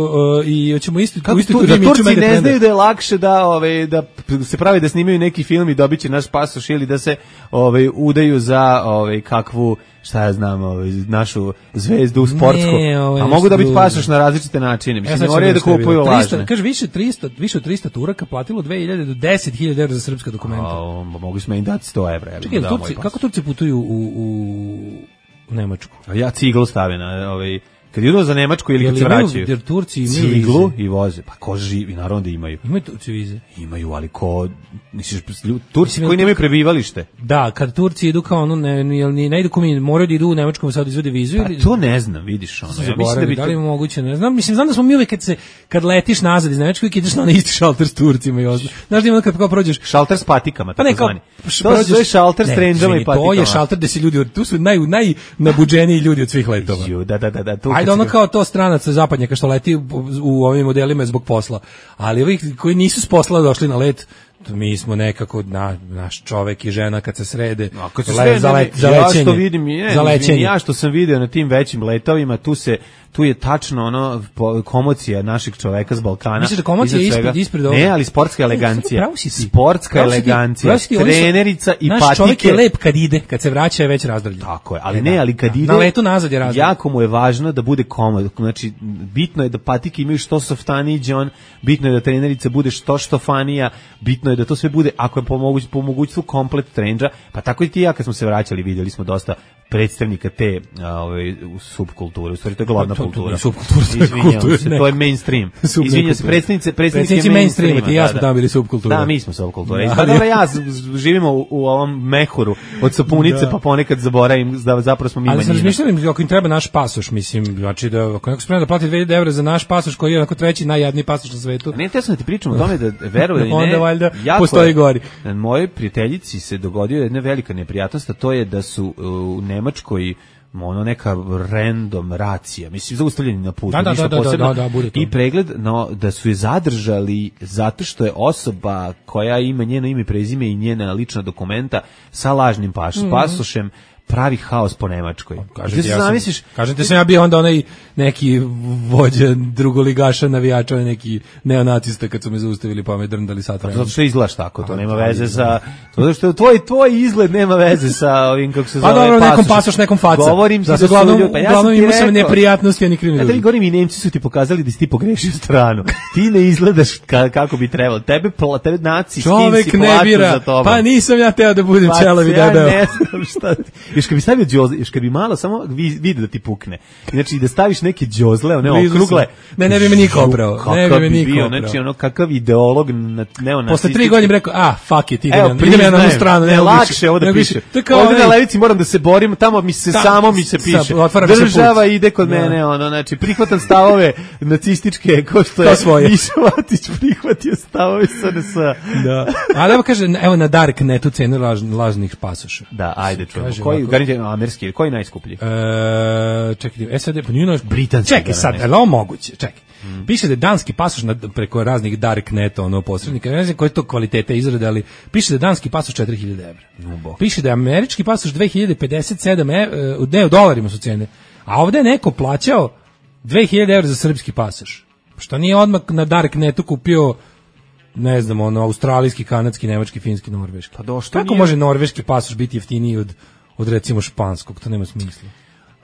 i ćemo isto... Kako isto tu, da Turci ne znaju da je lakše da, ove, da se pravi da snimaju neki film i dobit će naš pasoš ili da se ove, udaju za ove, kakvu... šta ja znam, ovaj, našu zvezdu sportsku, ne, ovaj, a mogu da biti pasoš na različite načine. Mislim, ne moraju da kupuju lažne. Kaže, više, tristo, više od trista Turaka platilo dve hiljade do deset hiljada evra za srpska dokumenta. A, mogli smo im dati sto evra. Čekaj, Turci, kako Turci putuju u, u, u Nemačku? A ja ciglu stavim na ovaj... kad idu za Nemačku ili kad se vraćaju. Jer Turci imaju ciglu i voze. Pa ko živi, naravno da imaju. Imaju Turci vize. Imaju, ali ko misliš Turci koji nemaju prebivalište. Da, kad Turci idu kao ono ne jel ni ne idu komi, moraju da idu u Nemačku sad izvode vizu ili to ne znam, vidiš ono. Ja mislim da bi da li moguće, ne znam, mislim znam da smo mi uvek kad se kad letiš nazad iz Nemačke i ideš na onaj isti šalter s Turcima i ostalo. Znaš da ima kad kao prođeš šalter s patikama, tako zvani. To je šalter s trendžama i patikama. To je šalter gde se ljudi, tu su naj najnabuđeniji ljudi od svih letova. Ju, da, da, da, da. Ajde ono kao to stranaca zapadnjaka što leti u ovim modelima zbog posla. Ali ovih koji nisu s posla došli na let, to mi smo nekako na, naš čovek i žena kad se srede no, kad se srede za, let, za ja lećenje. Što vidim, je, za lećenje. Ja što sam video na tim većim letovima, tu se tu je tačno ono komocija našeg čoveka s Balkana. Misliš da komocija je ispred, ispred ovoga? Ne, ali sportska elegancija. Sportska elegancija, trenerica i naš patike. Naš čovek je lep kad ide, kad se vraća je već razdravljen. Tako je, ali ne, ali kad ide... Na letu nazad je razdravljen. Jako mu je važno da bude komod. Znači, bitno je da patike imaju što softaniji džon, bitno je da trenerica bude što štofanija, bitno je da to sve bude, ako je po mogućstvu komplet trendža, pa tako i ti ja kad smo se vraćali, vidjeli smo dosta predstavnika te ovaj subkulture, u stvari to je glavna kultura. Subkultura, izvinjavam se, to je mainstream. Izvinjavam se, predstavnice, predstavnici mainstreama, ti ja smo tamo bili subkultura. Da, mi smo subkultura. Pa dobro, ja živimo u, u ovom mehuru od sapunice, pa ponekad zaboravim da zapravo smo mi manjina. Ali sam razmišljali, ako im treba naš pasoš, mislim, znači da ako neko spremno da plati dve hiljade evra za naš pasoš koji je onako treći najjadniji pasoš na svetu. Ne, te sam da ti pričam o tome da verujem ili ne. Onda valjda postoji gori. Mojoj prijateljici se dogodio jedna velika neprijatnost, a to je da su u Nemačkoj ono neka random racija, mislim zaustavljeni na putu, da, ništa da, posebno, da, da, da, i pregled, no, da su je zadržali zato što je osoba koja ima njeno ime, prezime i njena lična dokumenta sa lažnim paš, mm. pasošem pravi haos po Nemačkoj. Kažete, ja sam, kažete sam ja bio onda onaj neki vođa drugoligaša, navijača, neki neonacista kad su me zaustavili pa me drndali sat vremena. Zato što izgledaš tako, to nema veze sa... Zato što tvoj, tvoj izgled nema veze sa ovim, kako se zove, pa dobro, pasoš. Nekom pasoš, nekom faca. Govorim ti da su uglavnom, ljudi... Pa ja uglavnom imao sam rekao, neprijatnosti, a ni krivi ljudi. Ja govorim i Nemci su ti pokazali da si ti pogrešio stranu. Ti ne izgledaš ka, kako bi trebalo. Tebe, tebe naci, čovek skinsi ne bira, za tobom. pa nisam ja teo da budem čelav i debeo. Ja ne znam šta ti... Još kad bi stavio džozle, još kad bi malo samo vidi da ti pukne. Znači da staviš neke džozle, one okrugle. Ne, ne bi me niko oprao. Ne bi me niko oprao. Znači ono kakav ideolog neonacistički. Posle tri godine rekao, a, fuck it, idem ja na jednu stranu. Ne, lakše ovo da piše. Ovdje na levici moram da se borim, tamo mi se samo mi se piše. Država ide kod mene, ono, znači prihvatam stavove nacističke, ko što je Išvatić prihvatio stavove S N S. Da. Ali evo kaže, evo na Darknetu cene lažnih pasoša. Da, ajde čujemo. Koji, garantujem, amerski, koji najskuplji? E, čekaj, S A D, pa nije naš britanski. Čekaj sad, je li ovo moguće? Čekaj. Mm. Piše da je danski pasoš na, preko raznih Darkneta, ono, posrednika, ne znam koje to kvalitete izrade, ali piše da je danski pasoš četiri hiljade evra. No, piše da je američki pasoš dve hiljade pedeset sedam evra, ne, u dolarima su cene, a ovde je neko plaćao dve hiljade evra za srpski pasoš. Što nije odmah na Darknetu kupio, ne znam, ono, australijski, kanadski, nemački, finski, norveški. Pa do, što kako nije... može norveški pasoš biti jeftiniji od, od recimo španskog, to nema smisla.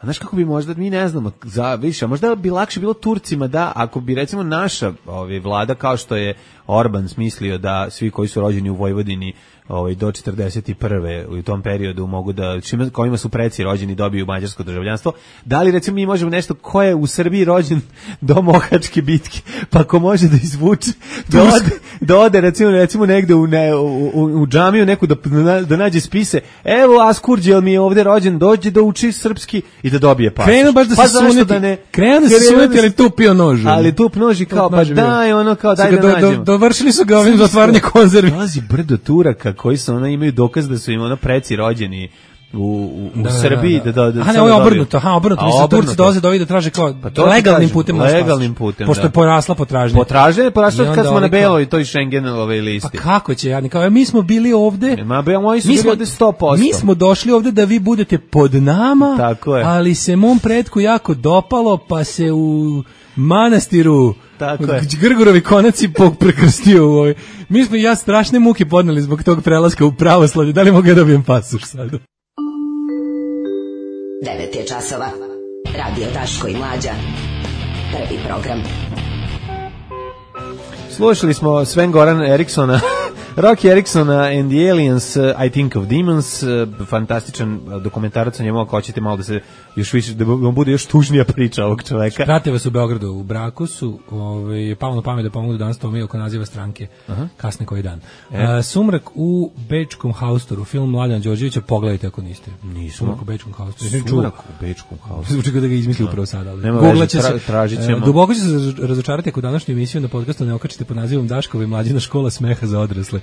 A znaš kako bi možda, mi ne znamo, za više, a možda bi lakše bilo Turcima da, ako bi recimo naša ovaj, vlada, kao što je Orban smislio da svi koji su rođeni u Vojvodini ovaj, do četrdeset prve u tom periodu mogu da, čime, kojima su preci rođeni dobiju mađarsko državljanstvo, da li recimo mi možemo nešto ko je u Srbiji rođen do Mohačke bitke, pa ko može da izvuče, da ode, da ode recimo, recimo negde u, ne, u, u, u džamiju neku da, da nađe spise, evo Askurđel mi je ovde rođen, dođe da uči srpski i da dobije pasoš. Krenu baš da pa se suneti, da ne, krenu da se suneti, ali tu pio nož. Ali tu nož i kao, pa daj, ono kao, daj da do, nađemo. Do, dovršili su ga ovim zatvaranje konzervi. Dolazi brdo Turaka koji su, ono, imaju dokaz da su im, ono, preci rođeni u, u, u da, Srbiji. Da, da, da, da, aha, ne, ovo je obrnuto, aha, obrnuto. Mislim, Turci dolaze do ovih da traže kao pa legalnim putem. Legalnim putem, pošto je porasla potražnja. Potražnja je porasla kad smo na beloj toj Schengenove listi. Pa kako će, ja kao, mi smo bili ovde. Ma, be, moji su bili ovde sto posto. Mi smo došli ovde da vi budete pod nama, tako je. Ali se mom pretku jako dopalo, pa se u manastiru tako je. Grgurovi konaci prekrstio u ovoj. Mi smo ja strašne muke podneli zbog tog prelaska u pravoslavlje. Da li mogu ja dobijem pasoš sad? devet je časova. Radio Daško i Mlađa. Prvi program. Slušali smo Sven Goran Eriksona Rocky Erickson and the Aliens, I Think of Demons, fantastičan dokumentarac o njemu, ako hoćete malo da se još više, da vam bude još tužnija priča ovog čoveka. Prate vas u Beogradu, u braku su, ovaj, palo na pamet da pomogu danas Tomiju oko naziva stranke, uh-huh. kasne koji dan. E. Uh, Sumrak u Bečkom haustoru, film Mladena Đorđevića, pogledajte ako niste. Nismo. Sumrak u Bečkom haustoru. Sumrak u Bečkom haustoru. Zvuči kao da ga izmisli upravo sada. Nema veže, tra, tražit ćemo. Uh, duboko će se razočarati ako današnju emisiju na podcastu ne okačite pod nazivom Daškova i Mlađina škola smeha za odrasle.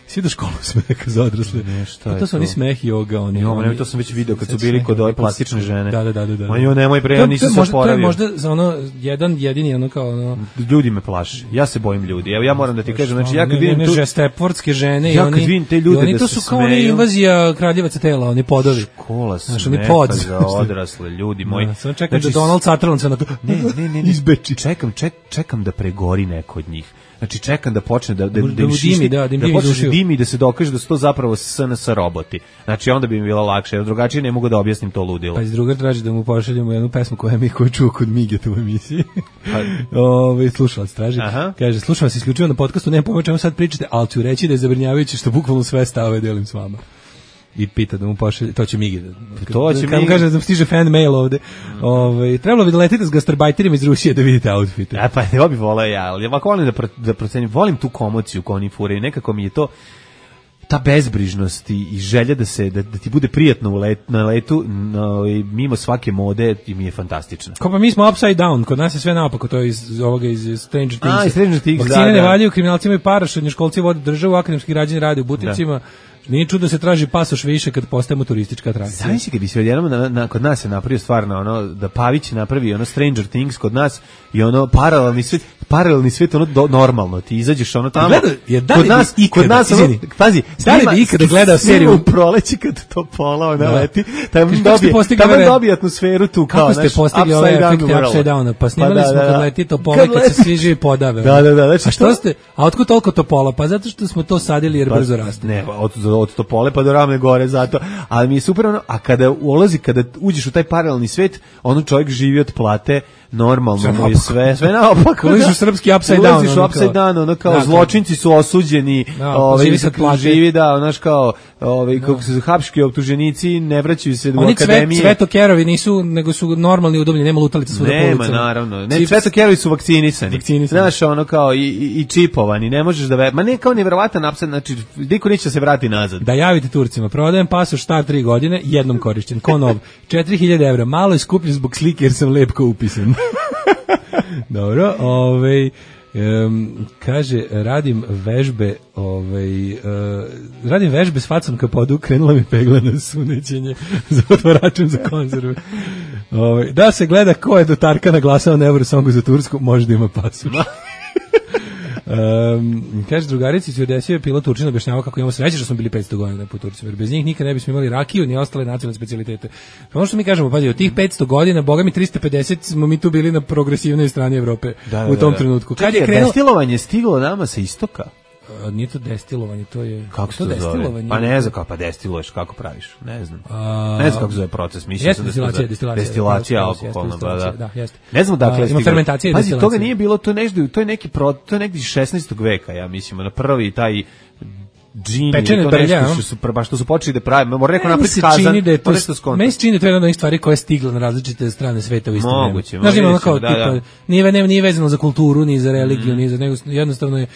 Svi do školu smeha za odrasle. Ne, šta je to? Su oni smeh joga, oni. Jo, oni, to sam već video kad su bili kod ove plastične žene. Da, da, da, da. Oni nemoj bre, ja nisam se oporavio. To je možda za ono jedan jedini ono kao ono ljudi me plaše. Ja se bojim ljudi. Evo ja moram da ti kažem, znači ja kad vidim tu žestepvortske žene i oni, ja vidim te ljude oni to su kao oni invazija kraljevaca tela, oni podovi. Škola smeha za odrasle ljudi moji. Ja, samo čekam da Donald Sutherland se na ne, ne, ne, izbeči. Čekam, ček, čekam da pregori neko od njih. Znači čekam da počne da da da, da, dimi, da, da, da počne dimi da se dokaže da su to zapravo S N S roboti. Znači onda bi mi bilo lakše, jer drugačije ne mogu da objasnim to ludilo. Pa iz druga traži da mu pošaljemo jednu pesmu koju mi ko čuo kod Migeta u emisiji. Ovaj slušalac traži. Aha. Kaže slušam vas isključivo na podcastu, ne pomoć čemu sad pričate, al ću reći da je zabrinjavajuće što bukvalno sve stavove delim s vama. I pita da mu pošalje, to će Migi. To će Migi. Kaže da mu stiže fan mail ovde. Mm. Ovaj trebalo bi da letite s gastarbajterima iz Rusije da vidite outfite. Ja pa ne bi voleo ja, ali ovako volim da pro, da procenim, volim tu komociju koju oni furaju. Nekako mi je to ta bezbrižnost i, i želja da se da, da ti bude prijatno u let, na letu no, i mimo svake mode i mi je fantastično. Kao pa mi smo upside down, kod nas je sve naopako, to je iz ovoga iz Stranger Things. A, iz Stranger Things, vakcine da, ne da. valjaju, kriminalci imaju para, srednjoškolci vode državu, akademski građani rade u buticima. Da. Nije čudo da se traži pasoš više kad postajemo turistička atrakcija. Znaš kad bi se odjednom na, na, kod nas se napravio stvarno ono da Pavić napravi ono Stranger Things kod nas i ono paralelni svet, paralelni svet ono do, normalno ti izađeš ono tamo. Gleda, je, da kod nas i kod nas ono, pazi, da li bi ikada gledao seriju u proleći kad to pola ona da. Leti, tamo dobije, tamo dobije atmosferu tu kao kako ste naš, postigli ove efekte upside down, pa snimali pa da, smo da, da. Kad leti to pola kad, kad se svi živi podave. Da, da, da, znači, a što ste? A otkud toliko to pola? Pa zato što smo to sadili jer pa, brzo raste. Ne, od od Topole pa do Ravne gore zato, ali mi je super ono, a kada ulazi, kada uđeš u taj paralelni svet, ono čovjek živi od plate, normalno mu je sve, sve naopako. Ulaziš u srpski upside down. Ulaziš u upside down, ono kao da, zločinci su osuđeni, da, ovaj, živi da, onaš kao, ovaj, da. Kako su hapški optuženici, ne vraćaju se do akademije. Oni cvetokerovi nisu, nego su normalni udobljeni, nema lutalica svuda po ulicama. Nema, naravno. Ne, cvetokerovi su vakcinisani. vakcinisani. Znaš, ono kao, i, i, i čipovani, ne možeš da ve... Ma ne kao nevjerovatan upside, znači, niko neće se vrati nazad. Da javite Turcima, prodajem pasoš star tri godine, jednom korišćen, ko nov, četiri hiljade evra, malo je skupljen zbog slike jer sam lepko upisan. Dobro, ovaj um, kaže radim vežbe, ovaj uh, radim vežbe s facom ka podu, krenula mi pegla na sunećenje za otvaračem za konzerve. Ovaj da se gleda ko je do Tarkana glasao na Eurosongu za Tursku, može da ima pasoš. Um, kaže drugarici se desio je pilot Turčina objašnjavao kako imamo sreće što smo bili petsto godina po Turcima, jer bez njih nikad ne bismo imali rakiju ni ostale nacionalne specijalitete. Ono što mi kažemo, pazi, od tih petsto godina, boga mi tristo pedeset smo mi tu bili na progresivnoj strani Evrope da, u tom da, da. trenutku. Kad je krenulo destilovanje stiglo nama sa istoka? A, nije to destilovanje, to je kako to destilovanje. Pa ne znam kako pa destiluješ, kako praviš, ne znam. A, ne znam kako zove proces, mislim jeste, da destilacija, destilacija, destilacija alkoholna, da, da, jeste. Ne znam dakle, ima fermentacija i destilacija. Pazi, toga nije bilo, to nešto, to je neki pro, to je negdje iz šesnaestog veka, ja mislim, na prvi taj džini, pečene brlja, što su baš što su počeli da prave, mora rekao napraviti kazan, da to nešto skonto. Meni se čini da to je jedna od stvari koja je stigla na različite strane sveta u isto vreme. Moguće, znači ima kao da, tipa, da. Nije, ne, nije vezano za kulturu, ni za religiju, mm. ni za nego jednostavno je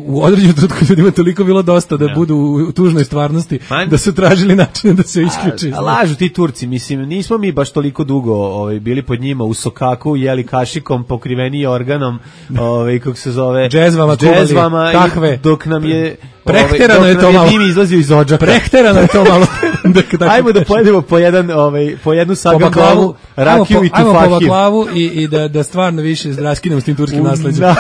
u određenom trenutku ljudima toliko bilo dosta da ja. budu u tužnoj stvarnosti Man. da su tražili načine da se isključi. A, a lažu ti Turci, mislim, nismo mi baš toliko dugo ovaj, bili pod njima u sokaku, jeli kašikom, pokriveni organom, ovaj, kako se zove, džezvama, džezvama takve. I dok nam je prehterano ovaj, je to malo. Dim izlazio iz odžaka. Prehterano je to malo. Ajmo da pojedemo po jedan, ovaj, po jednu sagambalu, rakiju i tufahiju. Ajmo po baklavu i, i da, da stvarno više raskinemo s tim turskim nasleđem.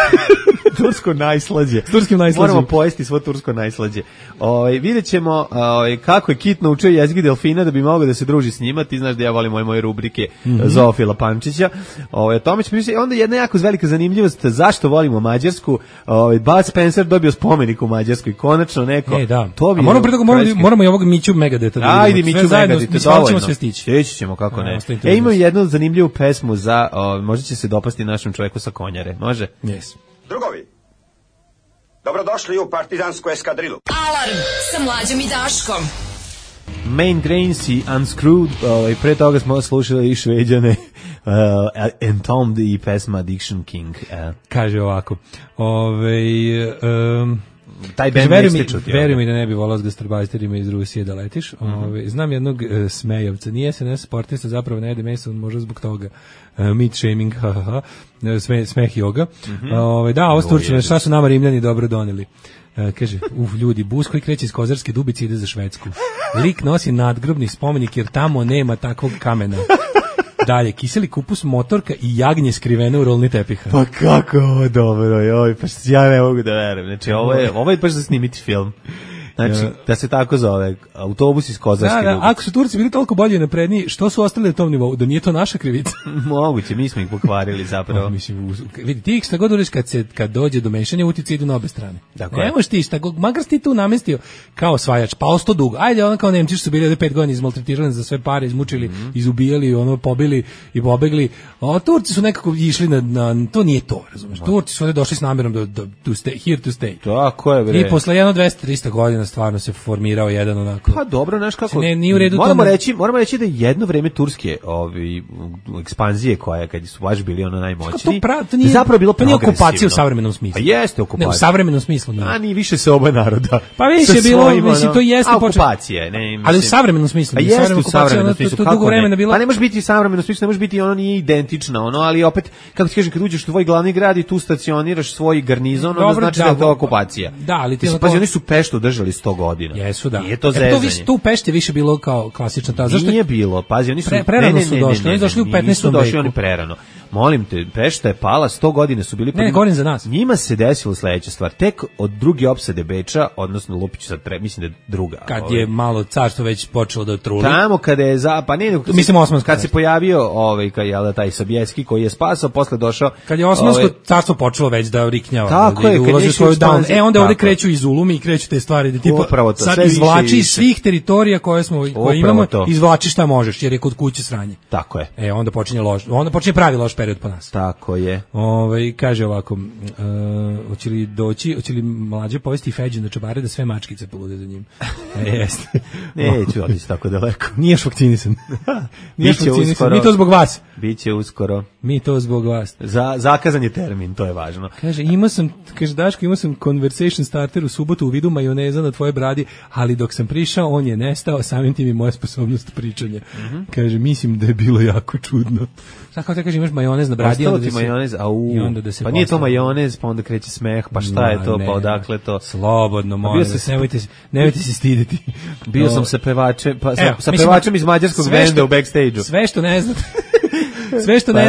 Tursko najslađe. Turskim najslađe. Moramo pojesti svo tursko najslađe. Ovaj videćemo ovaj kako je Kit naučio jezik delfina da bi mogao da se druži s njima. Ti znaš da ja volim moje moje rubrike mm-hmm. Zoofila Pančića. Ovaj tome ćemo pričati. Onda jedna jako velika zanimljivost zašto volimo Mađarsku. Ovaj Bud Spencer dobio spomenik u Mađarskoj. Konačno neko. E, da. To bi. A moramo pre toga moramo, moramo i ovog Miću Megadeta da ajde Miću Megadeta dovoljno. Sve stići. Steći ćemo kako ne. E imamo jednu zanimljivu pesmu za o, možda će se dopasti našem čoveku sa Konjare. Može? Yes. Drugovi, Dobrodošli u partizansku eskadrilu. Alarm sa Mlađom i Daškom. Main Grains i Unscrewed, ovaj, pre toga smo slušali i Šveđane, uh, Entombed i pesma Addiction King. Uh. Kaže ovako, ovaj... Um, taj band ne mi, čuti. Veri mi da ne bi volao s gastarbajterima iz Rusije da letiš. Mm -hmm. Ove, znam jednog uh, smejavca, nije S N S sportista, zapravo ne jede meso, možda zbog toga. Uh, meat shaming, ha, ha, ha. Sme, smeh yoga. Mm -hmm. Ove, da, ovo s Turčima, šta su nama Rimljani dobro doneli? Uh, kaže, uf, ljudi, bus koji kreće iz Kozarske Dubice ide za Švedsku. Lik nosi nadgrobni spomenik jer tamo nema takvog kamena. Dalje, kiseli kupus, motorka i jagnje skrivene u rolni tepiha. Pa kako ovo dobro, joj, pa ja ne mogu da verujem. Znači, ovo je, ovo je baš za snimiti film. Znači, ja. Da se tako zove, autobus iz Kozarske da, da, Dubice. Ako su Turci bili toliko bolji napredniji, što su ostali na tom nivou? Da nije to naša krivica? Moguće, mi smo ih pokvarili zapravo. O, mislim, vidi, ti šta god uriš kad, se, kad dođe do mešanja, utice idu na obe strane. Dakle. Ne možeš ti šta god, makar si ti tu namestio kao osvajač, pa osto dugo. Ajde, ono kao Nemci su bili pet godina izmaltretirani za sve pare, izmučili, mm -hmm. izubijali, ono, pobili i pobegli. A Turci su nekako išli na, na to nije to, razumeš. Turci su ovdje došli s namjerom da, da to stay, here to stay. Tako je, bre. I posle jedno dvesta trista godina stvarno se formirao jedan onako. Pa dobro, znaš kako. Ne, nije u redu moramo to. reći, moramo reći da jedno vreme turske, ovi ekspanzije koja kad su baš bili ono najmoćniji. To, pra, to nije, zapravo bilo nije okupacija u savremenom smislu. Pa jeste okupacija. Ne, u savremenom smislu nije. A ni više se oba naroda. Pa više je bilo, mislim to jeste okupacija, ne, mislim. Ali u savremenom smislu. Pa jeste u savremenom smislu. To dugo vremena bilo. Pa ne može biti u savremenom smislu, ne može biti ono nije identično, ono, ali opet kako ti kažeš kad uđeš u tvoj glavni grad i tu stacioniraš svoj garnizon, onda znači da je to okupacija. Da, ali ti pa oni su Peštu držali sto godina. Jesu, da. To, e, to, tu u Pešti više bilo kao klasična ta. Zašto nije bilo? Pazi, oni su pre, prerano ne, ne, su došli, ne, ne, oni došli u petnaestom veku. Došli oni prerano. Molim te, Pešta je pala, sto godine su bili. Ne, ne, govorim za nas. Njima se desilo sledeća stvar. Tek od druge opsade Beča, odnosno Lupić sad tre, mislim da je druga. Kad ovaj, je malo carstvo već počelo da truli. Tamo kada je za pa ne, kad mislim Osmansko. Kad se pojavio ovaj kad je taj Sobieski koji je spasao, posle došao. Kad je Osmansko ovaj, carstvo počelo već da riknjava, tako da, je, da ulazi u svoju down. E onda ovde kreću iz Ulumi i kreću te stvari da tipa to, sad izvlači iz svih teritorija koje smo koje imamo, to. Izvlači šta možeš jer je kod kuće sranje. Tako je. E onda počinje loš, onda počinje pravi loš period po nas. Tako je. Ovaj kaže ovako, uh, hoće li doći, hoće li mlađe povesti Feđu na čobare da sve mačkice polude za njim. E, jeste. Neću otići tako daleko. Niješ vakcinisan. Niješ vakcinisan. Mi to zbog vas. Biće uskoro. Mi to zbog vas. Za zakazan je termin, to je važno. Kaže, imao sam, kaže Daško, imao sam conversation starter u subotu u vidu majoneza na tvoje bradi, ali dok sam prišao, on je nestao, samim tim i moja sposobnost pričanja. Mm -hmm. Kaže, mislim da je bilo jako čudno. Sad kao te kaže, imaš majonez na bradi, ostalo ti majonez, a u, i onda da se pa nije to majonez, pa onda kreće smeh, pa šta no, je to, ne, pa odakle to? Slobodno, molim vas, nemojte, nemojte se stiditi. Bio no. sam sa pevačem, pa, sa, Evo, sa pevačem iz mađarskog benda u backstage-u. Sve što ne znate. Sve što pa ne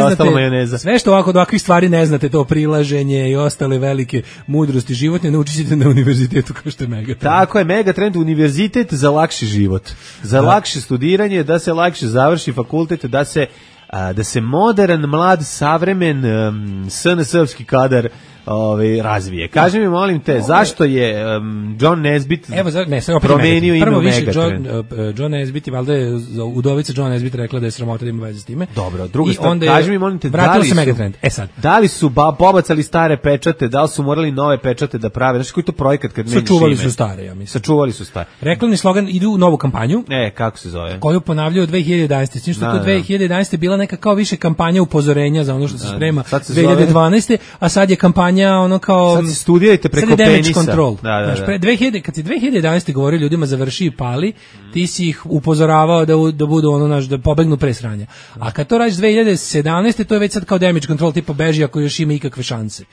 znate, sve što ovako od ovakvih stvari ne znate, to prilaženje i ostale velike mudrosti životne, naučit ćete na univerzitetu kao što je Megatrend. Tako je, Megatrend univerzitet za lakši život, za da. lakše studiranje, da se lakše završi fakultet, da se, a, da se modern, mlad, savremen, um, S N S-ovski kadar ovaj razvije. Kaži mi, molim te, zašto je um, John Nesbitt Evo, za, ne, promenio ime Prvo u više, John, uh, John Nesbitt i valjda je udovica John Nesbitt rekla da je sramota da ima veze s time. Dobro, druga stvar, kaži mi, molim te, da li, se Megatrend. E sad. da li su ba, pobacali stare pečate, da li su morali nove pečate da prave? Znaš koji to projekat kad menjaš ime? Sačuvali su stare, ja mislim. Sačuvali su stare. Reklamni slogan idu u novu kampanju. E, kako se zove? Koju ponavljaju dve hiljade jedanaeste. Znači što da, to dve hiljade jedanaeste bila neka kao više kampanja upozorenja za ono što se sprema dve hiljade dvanaeste, a sad je kampanja ono kao sad studirajte preko penisa. Control. Da, da, da. Znaš, pre dve hiljade, kad si dve hiljade jedanaeste govorio ljudima završi i pali, ti si ih upozoravao da, da budu ono naš, da pobegnu pre sranja. A kad to radiš dve hiljade sedamnaeste to je već sad kao damage control, tipa beži ako još ima ikakve šanse.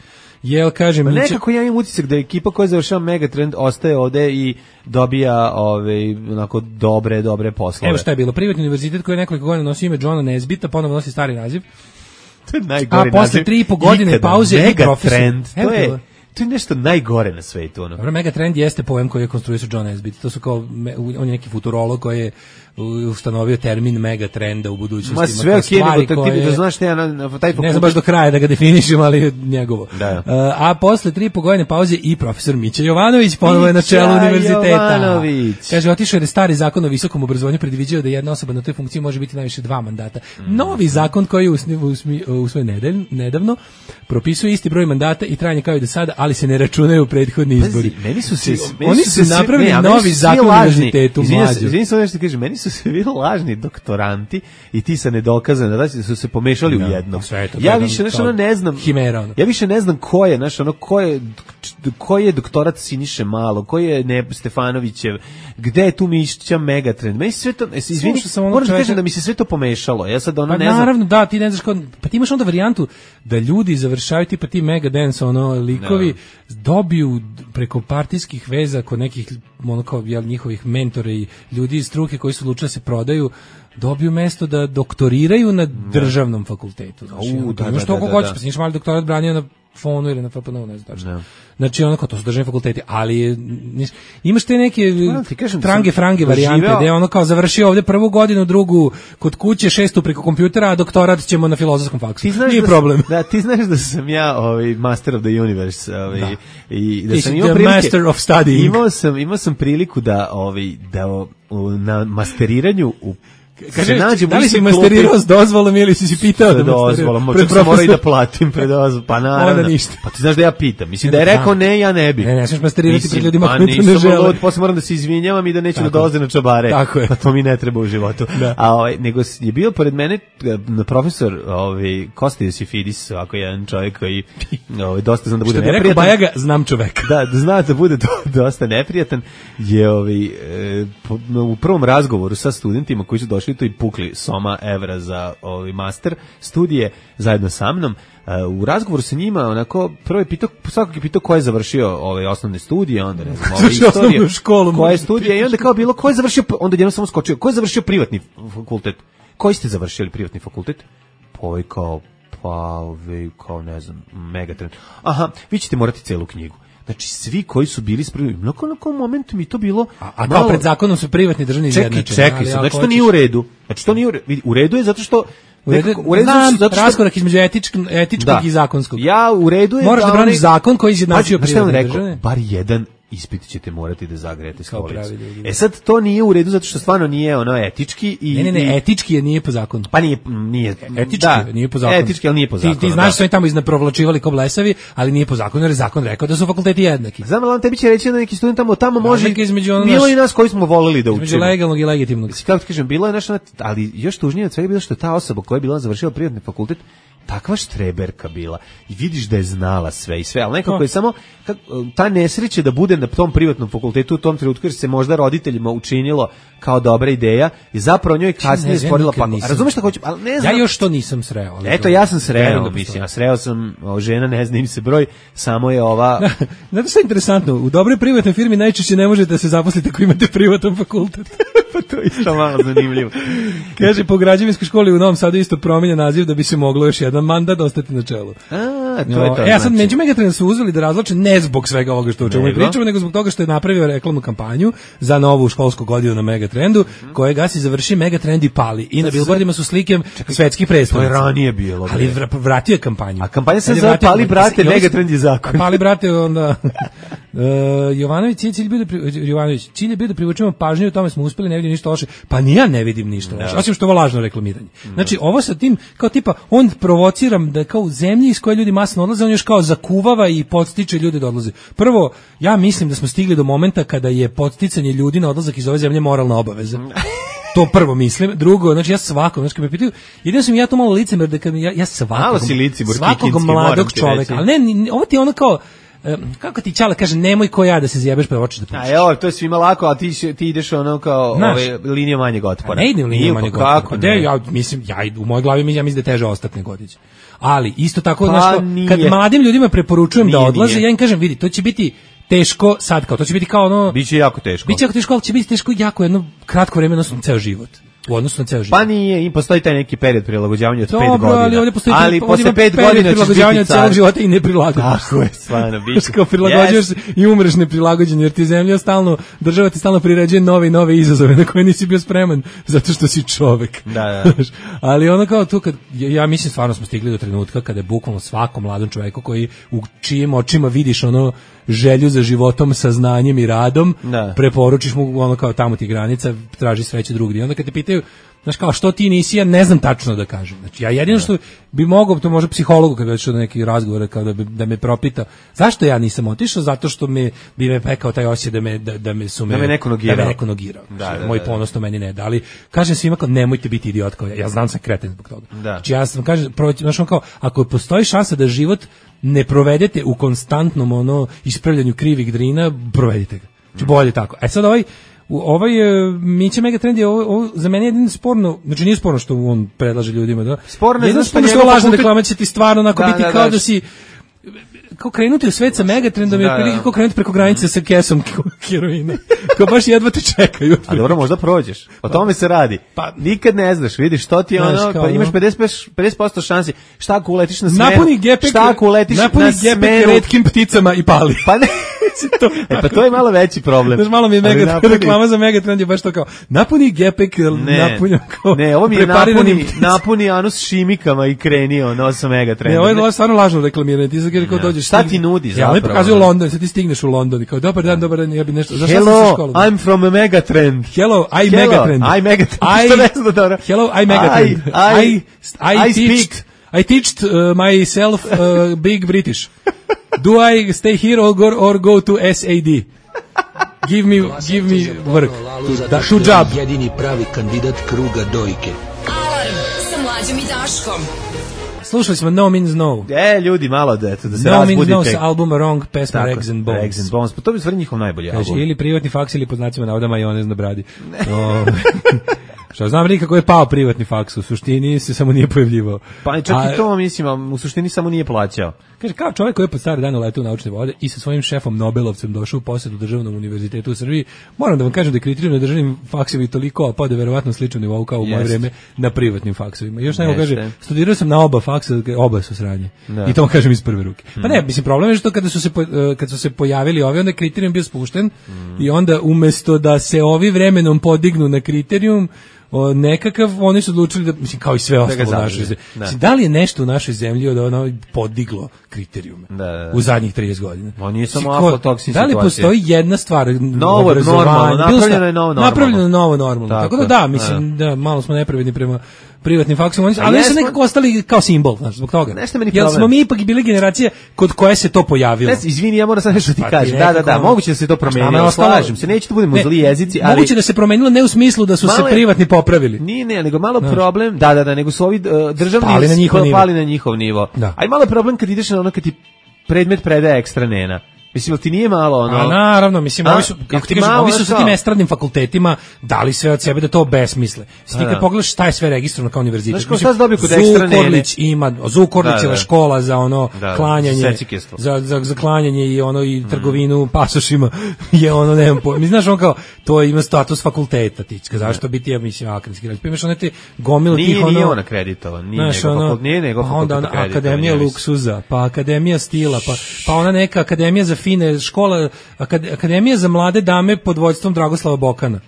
Jel, kažem, pa nekako ja imam utisak da ekipa koja završava Megatrend ostaje ovde i dobija ove, onako dobre, dobre poslove. Evo šta je bilo, privatni univerzitet koji je nekoliko godina nosio ime Johna Nesbitta, ponovo nosi stari naziv. To je najgori a posle tri i po godine pauze i Megatrend, to je... To je nešto najgore na svetu. Ono. Dobro, Megatrend jeste pojem koji je konstruisao John Nesbitt. To su kao, on je neki futurolog koji je ustanovio termin mega trenda u budućnosti. Ma sve okej, nego ti da znaš šta ja na, na taj ne znam baš do kraja da ga definišem, ali njegovo. Da. Uh, a posle tri po godine pauze i profesor Mića Jovanović ponovo je na čelu univerziteta. Jovanović. Kaže, otišao je stari zakon o visokom obrazovanju predviđao da jedna osoba na toj funkciji može biti najviše dva mandata. Mm. Novi zakon koji je usvojen nedelj, nedavno propisuje isti broj mandata i trajanje kao i do sada, ali se ne računaju prethodni izbori. Pazi, meni su se meni oni su se se napravili ne, novi zakon o univerzitetu mlađu. Izvini se nešto kaže, meni su se bili lažni doktoranti i ti sa nedokazane, da su se pomešali no, u jedno. Ja više nešto ono ne znam. Himera, ono. Ja više ne znam ko je, znači ono ko je ko je doktorat Siniše Malo, ko je ne Stefanovićev, gde je tu Mišića Megatrend. Meni sve to, izvini, moram da kažem da mi se sve to pomešalo. Ja sad ono pa ne znam. Naravno, da, ti ne znaš ko, pa ti imaš onda varijantu da ljudi završavaju tipa ti Mega Dance, ono, likovi no. dobiju preko partijskih veza kod nekih ono kao jel, njihovih mentora i ljudi iz struke koji su odlučili da se prodaju, dobiju mesto da doktoriraju na državnom no. fakultetu. Znači, U, da, da, što da, da, hoćeš, pa si niš mali doktorat branio na Fonu ili na F P N U, ne znam tačno. No. Znači, onako, to su državni fakulteti, ali je, niš, imaš te neke trange, frange varijante, gde je ono kao završio ovde prvu godinu, drugu kod kuće, šestu preko kompjutera, a doktorat ćemo na filozofskom faksu. Nije da, problem. Da, ti znaš da sam ja ovaj, master of the universe. Ovaj, da. I da ti sam imao the prilike, master of studying. Imao sam, imao sam priliku da, ovaj, da o, na masteriranju u Kaže, da li si masterirao s dozvolom ili si si pitao da dozvolom, čak sam morao i da platim pred dozvolom, pa naravno. Pa ti znaš da ja pitam, mislim da je rekao ne, ja ne bi. Ne, ne smiješ masterirati pred ljudima pa koji to ne žele. Lud, posle moram da se izvinjavam i da neću tako da dolaze na čabare, pa to mi ne treba u životu. Da. A ovaj, nego je bio pored mene profesor ovaj, Kosta Josifidis, ovako jedan čovjek koji ovaj, dosta znam da bude neprijatan. Što bi rekao Bajaga, znam čoveka. Da, da zna da bude do, dosta neprijatan, je ovaj, e, po, u prvom razgovoru sa studentima koji su došli to i pukli soma evra za ovaj master studije zajedno sa mnom. Uh, u razgovoru sa njima onako prvo je pitao, svakog je pitao ko je završio ove osnovne studije, onda ne znam, ove istorije, koja je studija i onda kao bilo ko je završio, onda jednom samo skočio, ko je završio privatni fakultet? Koji ste završili privatni fakultet? Pa ovaj kao, pa ovaj kao ne znam, Megatrend. Aha, vi ćete morati celu knjigu. Znači, svi koji su bili spremni, na kom momentu mi to bilo... A, a kao pred zakonom su privatni državni izjednačeni. Čekaj, čekaj, znači to nije u redu. Znači to nije u redu. U redu je zato što... U redu, nekako, u redu znam, zato što... raskorak između etičkog, etičkog da. i zakonskog. Ja, u redu je... Moraš da, da braniš zakon koji izjednačio privatne državne. Bar jedan ispit ćete morati da zagrejete stolicu. E sad, to nije u redu zato što stvarno nije ono etički i... Ne, ne, ne, etički je nije po zakonu. Pa nije, nije... Etički da, nije po zakonu. Etički, ali nije po zakonu. Ti, ti znaš da su oni tamo iznaprovlačivali ko blesavi, ali nije po zakonu, jer je zakon rekao da su fakulteti jednaki. Znam, ali on tebi će reći da neki student tamo, tamo može... Ono bilo i nas koji smo volili da učimo. Između legalnog i legitimnog. Kako ti kažem, bilo je nešto, ali još tužnije od svega bilo što je ta osoba koja je bila završila privatni fakultet takva štreberka bila i vidiš da je znala sve i sve, ali nekako je samo kak, ta nesreća da bude na tom privatnom fakultetu u tom trenutku jer se možda roditeljima učinilo kao dobra ideja i zapravo njoj kasnije stvorila pakao. Razumeš šta hoću? Ali ne znam. Ja još to nisam sreo. Ali eto, ja sam sreo, mislim, ja sreo sam, o, žena ne zna im se broj, samo je ova... Znate što je interesantno? U dobroj privatnoj firmi najčešće ne možete da se zaposlite ako imate privatan fakultet. Pa to je isto malo zanimljivo. Kaže, po građevinskoj školi u Novom Sadu isto promijenja naziv da bi se moglo još jedan mandat ostati na čelu. A, to je to. E, ja sad među Megatrend su uzeli da razloče ne zbog svega ovoga što o čemu pričamo, nego zbog toga što je napravio reklamnu kampanju za novu školsku godinu na Megatrendu, mm-hmm. kojega si završi Megatrend i pali. I na bilbordima su slike svetskih predstavnica. To je ranije bilo. Ali vratio je kampanju. A kampanja se zove Pali brate, Megatrend je zakon. Pali brate, onda... Uh, Jovanović, cilj bio da pri, Jovanović, cilj je bio da privučemo pažnju, u tome smo uspeli, ne vidim ništa loše. Pa ni ja ne vidim ništa loše, osim što je ovo lažno reklamiranje. Znači, ovo sa tim, kao tipa, on provociram da kao u zemlji iz koje ljudi masno odlaze, on još kao zakuvava i podstiče ljude da odlaze. Prvo, ja mislim da smo stigli do momenta kada je podsticanje ljudi na odlazak iz ove zemlje moralna obaveza. To prvo mislim. Drugo, znači ja svako, znači kad me pitaju, jedino sam ja to malo licemer da kad ja, ja svakog, svakog mladog čoveka, ali ne, ovo ti je ono kao, kako ti Čale kaže, nemoj ko ja da se zjebeš pa hoćeš da pušiš. A evo, to je svima lako, a ti, ti ideš ono kao ove, linija manjeg otpora. Ne idem linija manjeg otpora. Kako ne? Ja, mislim, ja, u mojoj glavi ja mislim da je teže ostati nego otići. Ali, isto tako, pa, znaš, kad mladim ljudima preporučujem nije, da odlaze, nije. Ja im kažem, vidi, to će biti teško sad, kao, to će biti kao ono... Biće jako teško. Biće jako teško, ali će biti teško jako jedno kratko vreme, odnosno ceo život. u odnosu na ceo život. Pa nije, i postoji taj neki period prilagođavanja od Dobro, pet godina. ali ovdje postoji ali ovdje posle pet period godina prilagođavanja ćeš biti celog car. života i ne prilagodiš. Tako je, stvarno, biće. Kao prilagođuješ se i umreš neprilagođen, jer ti zemlja stalno, država ti stalno priređuje nove i nove izazove na koje nisi bio spreman, zato što si čovek. Da, da. Ali ono kao tu, kad, ja, ja mislim stvarno smo stigli do trenutka kada je bukvalno svakom mladom čoveku koji u čijim očima vidiš ono želju za životom, sa znanjem i radom, da. preporučiš mu ono kao tamo ti granica, traži sreće drugdje. I onda kad te pitaju, znaš kao, što ti nisi, ja ne znam tačno da kažem. Znači, ja jedino što bi mogao, to može psihologu kad bi došao do nekih razgovora, kao da, bi, da me propita, zašto ja nisam otišao? Zato što me, bi me pekao taj osjećaj da me, da, da me su me, da me neko nogirao. Da me neko nogirao. Da, da, moj da, ponos to meni ne da, ali kažem svima kao, nemojte biti idiot kao ja, ja znam sam kreten zbog toga. Da. Znači, ja sam, kažem, proći, znaš, kao, ako postoji šansa da život ne provedete u konstantnom ono ispravljanju krivih drina, provedite ga. Znači, bolje tako. E sad ovaj U ovaj Mića Megatrend je ovo, ovo za mene jedino sporno, znači nije sporno što on predlaže ljudima, da. Sporno je jedino što sporno što lažna pokupit... reklama će ti stvarno onako da, biti da, kao da, da si kao krenuti u svet sa Megatrendom da, je kao krenuti preko granice sa kesom heroina. Kao baš jedva te čekaju. A dobro, možda prođeš. O tome se radi. Pa nikad ne znaš, vidiš što ti je ono, pa imaš pedeset posto šansi. Šta ako uletiš na smenu? Napuni gepek, šta ako uletiš na smenu retkim pticama i pali. Pa ne. to, e pa to je malo veći problem. Znaš, malo mi je mega napuni... reklama za Megatrend je baš to kao napuni gepek, napuni kao ne, ovo mi je napuni, napuni anus šimikama i krenio ono sa Megatrendom. Ne, ovo je stvarno lažno reklamiranje. Ti sad kao dođeš, šta ti nudi zapravo? Ja, oni pokazuju London, sad ti stigneš u London i kao dobar dan, dobar dan, ja bi nešto. Zašto Hello, školu, I'm from a Megatrend. Hello, I Hello, Megatrend. I Megatrend. I, ne znam dobro. Hello, I Megatrend. I, I, I, I, I teached, I teached uh, myself uh, big British. Do I stay here or go, or go to S A D? Give me, give me work. To, da, to job. Jedini pravi kandidat kruga dojke. Alarm sa Mlađom i Daškom. Slušali smo No Means No. E, ljudi, malo da, eto, da se no razbudite. No Means No sa albuma Wrong, pesma Tako, Eggs and Bones. Eggs and Bones, pa to bi stvari njihov najbolji Kaži, album. Ili privatni faks ili pod znacima navoda majonez na bradi. O, što znam li kako je pao privatni faks, u suštini se samo nije pojavljivao. Pa čak a, i to, mislim, u suštini samo nije plaćao. Kaže, kao čovjek koji je pod stare dane uletao u naučne vode i sa svojim šefom Nobelovcem došao u posjetu državnom univerzitetu u Srbiji, moram da vam kažem da je kriterijum na državnim faksovima toliko, pa da je verovatno slično nivou kao u moje vreme na privatnim faksovima. Još nego kaže, studirao sam na oba faksa, oba su sranje. Da. I to vam kažem iz prve ruke. Pa ne, mislim, problem je što kada su se, kad su se pojavili ovi, onda je kriterijum bio spušten mm. i onda umesto da se ovi vremenom podignu na kriterijum, o, nekakav, oni su odlučili da, mislim, kao i sve ostalo u našoj zemlji. Da. Mislim, da li je nešto u našoj zemlji od ono podiglo kriterijume da, da, da. u zadnjih trideset godina? On nije samo aflatoksina situacija. Da li postoji jedna stvar, novo normalno, napravljeno je novo normalno. Napravljeno je novo normalno. Tako, Tako da da, mislim, da, malo smo nepravedni prema privatnim faksima, ali su nekako ostali kao simbol, znači zbog toga. Nešto meni problem. Jel smo mi ipak bili generacija kod koje se to pojavilo? Ne, izvini, ja moram sad nešto ti pa kažem. Da, da, da, moguće da se to promenilo. Slažem se, neće da budemo zli jezici, ali moguće da se promenilo ne u smislu da su se privatni popravili. Nije, ne, nego malo problem. Da, da, da, nego su ovi državni pali na njihov nivo. Pali na njihov nivo. Aj malo problem kad ideš na ono kad ti predmet predaje ekstra nena. Mislim, ti nije malo ono... A naravno, mislim, ovi su, kako ti kažem, ovi su sa tim estradnim fakultetima dali sve od sebe da to besmisle. Ti kad pogledaš šta je sve registrovano kao univerzitet. Znaš, šta se dobio kod ekstra nene? Zukorlić ima, Zukorlićeva škola za ono klanjanje, za, za, za klanjanje i ono i trgovinu pasošima je ono, ne znam, mi znaš on kao, to ima status fakulteta, tička, zašto biti, ja mislim, akademski grad. Pa imaš one te gomile tih ono... Nije on akreditovan, nije nego fakultet akreditovan. Akademija luksuza, pa akademija stila, pa, pa ona neka akademija za fine škola, akademija za mlade dame pod vođstvom Dragoslava Bokana.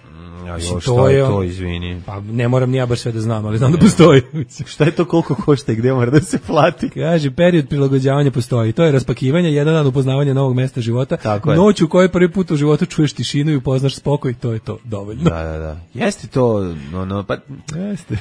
Ja, jo, šta je to, izvini? Pa ne moram ni ja baš sve da znam, ali znam da postoji. Šta je to, koliko košta i gde mora da se plati? Kaže, period prilagođavanja postoji. To je raspakivanje, jedan dan upoznavanja novog mesta života. Noć u kojoj prvi put u životu čuješ tišinu i upoznaš spokoj, to je to, dovoljno. Da, da, da. Jeste to, ono, pa... Jeste.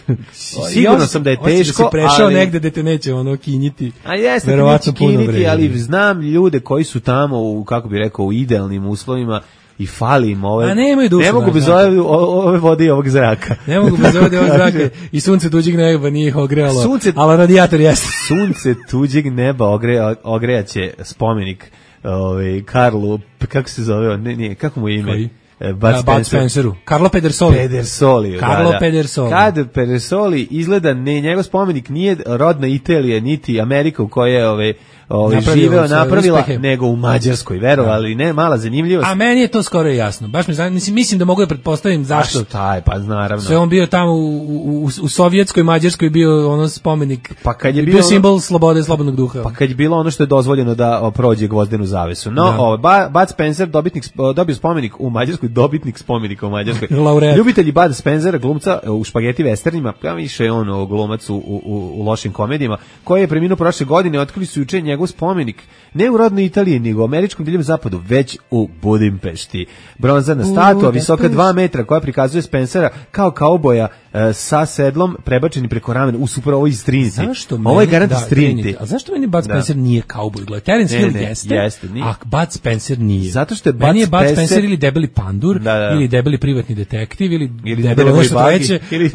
Sigurno sam da je teško, da si prešao ali... negde da te neće ono kinjiti. A jeste, te neće kinjiti, ali znam ljude koji su tamo, u, kako bi rekao, u idealnim uslovima, i fali im ove, ne mogu bez ove, ove vode i ovog zraka. Ne mogu bez ove ovog zraka i sunce tuđeg neba nije ih ogrejalo, sunce, ali radijator jeste. Sunce tuđeg neba ogreja, ogrejaće spomenik ovaj, Karlu, kako se zove, ne, nije, kako mu je ime? Koji? Bud Spencer. Spenceru. Carlo Pedersoli. Pedersoli, Carlo da, da. Pedersoli. Kad Pedersoli izgleda, ne, njegov spomenik nije rodna Italija, niti Amerika u kojoj je ove, ovaj, živeo, napravila, nego u Mađarskoj, verovali, ne, mala zanimljivost. A meni je to skoro jasno, baš mi znam, mislim, mislim da mogu da pretpostavim zašto. A šta je, pa naravno. Sve on bio tamo u, u, u, u sovjetskoj Mađarskoj bio ono spomenik, pa kad je bio, bio simbol slobode i slobodnog duha. Pa kad je bilo ono što je dozvoljeno da prođe gvozdenu zavesu. No, ovaj Bud Spencer, dobitnik, dobio spomenik u Mađarskoj, dobitnik spomenika u Mađarskoj. Ljubitelji Bud Spencera, glumca u špageti westernima, pa više on glumac u, u, u lošim komedijama, koji je preminuo prošle godine, otkrili su juče njegov spomenik ne u rodnoj Italiji, nego u američkom divljem zapadu, već u Budimpešti. Bronzana statua, visoka dva metra, koja prikazuje Spencera kao kauboja e, sa sedlom prebačeni preko ramena. U super, ovo iz Trinity. Zašto ovo je garant iz da, Trinity. A zašto meni Bud Spencer da. nije kauboj? Gledaj, Terence Hill jeste, jeste a Bud Spencer nije. Zato što je Bud meni je Spencer... Bud Spencer ili debeli pandur, da, da. ili debeli privatni detektiv, ili, ili debeli moj bagi, ili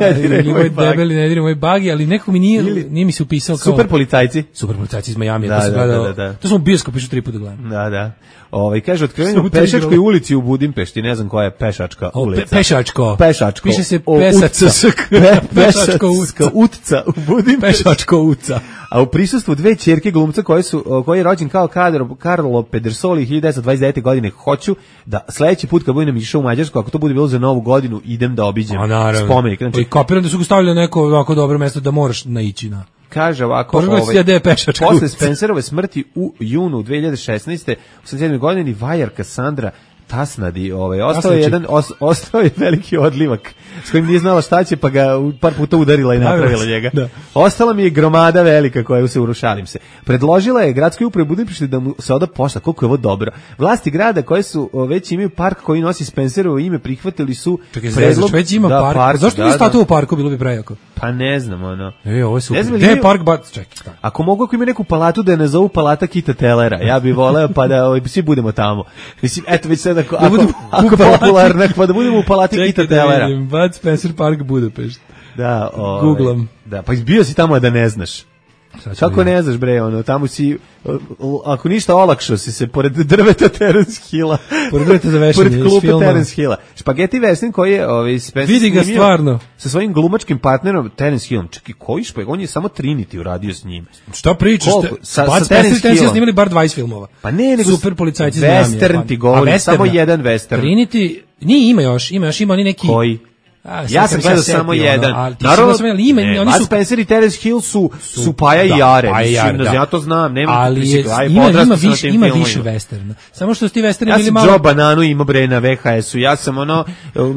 debeli ne diri moj bagi, ali neko mi nije, ili... nije mi se upisao kao... Super policajci. Super policajci iz Miami. Da, to, sam da, gledao, da, da. to sam u bioskopu išao tri puta gledam. Da, da. Ovaj kaže otkrivanje u pešačkoj ulici u Budimpešti, ne znam koja je pešačka o, ulica. Pe, pešačko. Pešačko. Piše se Pesačka. Pešačko utca u Budimpešti. Pešačko utca. A u prisustvu dve ćerke glumca koji su koji je rođen kao Carlo, Carlo Pedersoli hiljadu devetsto dvadeset devete godine, hoću da sledeći put kad budem išao u Mađarsku, ako to bude bilo za Novu godinu, idem da obiđem spomenik. Znači, kapiram da su ga stavili na neko ovako dobro mesto da moraš naići na. Kaže ovako, ovaj, posle Spencerove smrti u junu dve hiljade šesnaeste. u osamdeset sedmoj godini vajar Cassandra Tasnadi, ovaj, ostao je jedan, os, ostao je veliki odlivak s kojim nije znala šta će, pa ga par puta udarila i napravila njega. Da. Ostala mi je gromada velika koja se urušalim se. Predložila je gradskoj upravi Budimpešti da mu se oda pošta, koliko je ovo dobro. Vlasti grada koje su već imaju park koji nosi Spencerovo ime, prihvatili su Čekaj, predlog. Već ima da, park. park. Zašto bi statuo u parku, bilo bi prejako? Pa ne znam, ono. E, ovo je super. Gde je park, bat, čekaj. Ako mogu, ako ima neku palatu da je nazovu palata Kita Tellera, ja bih voleo pa da ovaj, svi budemo tamo. Mislim, eto već sad ako, ako, ako popularno, pa da budemo u palati Kita Tellera. Čekaj, Bud Spencer Park Budapešt. Da, ovaj, Googlam. Da, pa bio si tamo da ne znaš. Kako ne znaš, bre, ono, tamo si, ako ništa, olakšao si se pored drveta Terence Hilla. Pored drveta za vešanje, pored klupe Terence Hilla. Špageti Western koji je ovaj, Spencer vidi ga stvarno sa svojim glumačkim partnerom Terence Hillom. Čekaj, koji špag? On je samo Trinity uradio s njim. Šta pričaš? Sa, sa Terence Hillom snimali bar dvadeset filmova. Pa ne, nego super policajci iz Western ti govori, samo jedan Western. Trinity, nije, ima još, ima još, ima oni neki... Koji? A, ja sam gledao samo jedan. Ono, naravno, sam ima, ne, oni su Spencer i Terence Hill su su, su Paja i da, Jare. Pa mislim, da. Ja to znam, nema ali je, ima, ima više, ima više westerna. Samo što su ti westerni ja bili malo. Ja sam Joe Bananu imao bre na V H S-u. Ja sam ono,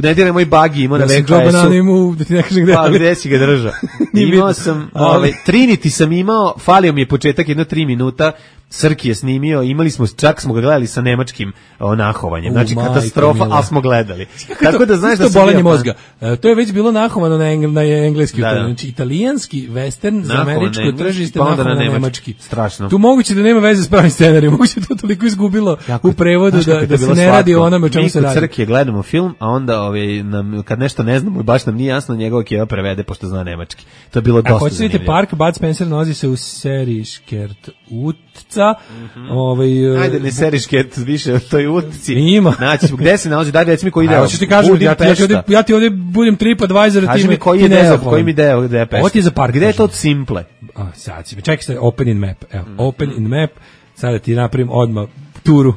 ne diraj moj bagi imao na V H S-u. Ja sam Joe Bananu imao, da ti ne kažem gde. Pa gde si ga držao? Imao sam, ovaj Trinity sam imao, falio mi je početak jedno tri minuta. Srki je snimio, imali smo, čak smo ga gledali sa nemačkim nahovanjem. Znači, katastrofa, ali smo gledali. Tako da znaš da se bolanje mozga. E, to je već bilo nahovano na, engl, na engleski. Da, da. Znači, italijanski western za američko tržište pa nahovano na, na nemački. Strašno. Tu moguće da nema veze s pravim scenarijom, moguće to toliko izgubilo jako, u prevodu da, da, da se ne slatko. Radi o onome o čemu se radi. Mi kod Crke gledamo film, a onda ovaj, nam, kad nešto ne znamo i baš nam nije jasno, njegov Keva prevede, pošto zna nemački. To je bilo dosta zanimljivo. Ako hoćete vidjeti park, Bud Spencer nalazi se u seriji Škert Utca. Mm-hmm. Ovaj, ajde, ne seriš ket više o toj utci. Ima. Znači, gde se nalazi? Daj, reci mi koji deo. Hoćeš ti kažem, ja, ja, ti ovdje, ja ti ovdje budem TripAdvisor, ti mi koji je deo, koji mi deo, gde je Pešta. Ovo ti je za park. Gde je to od Simple? A, sad si, čekaj se, Open in Map. Evo, mm. Open in Map, sada ti napravim odmah turu.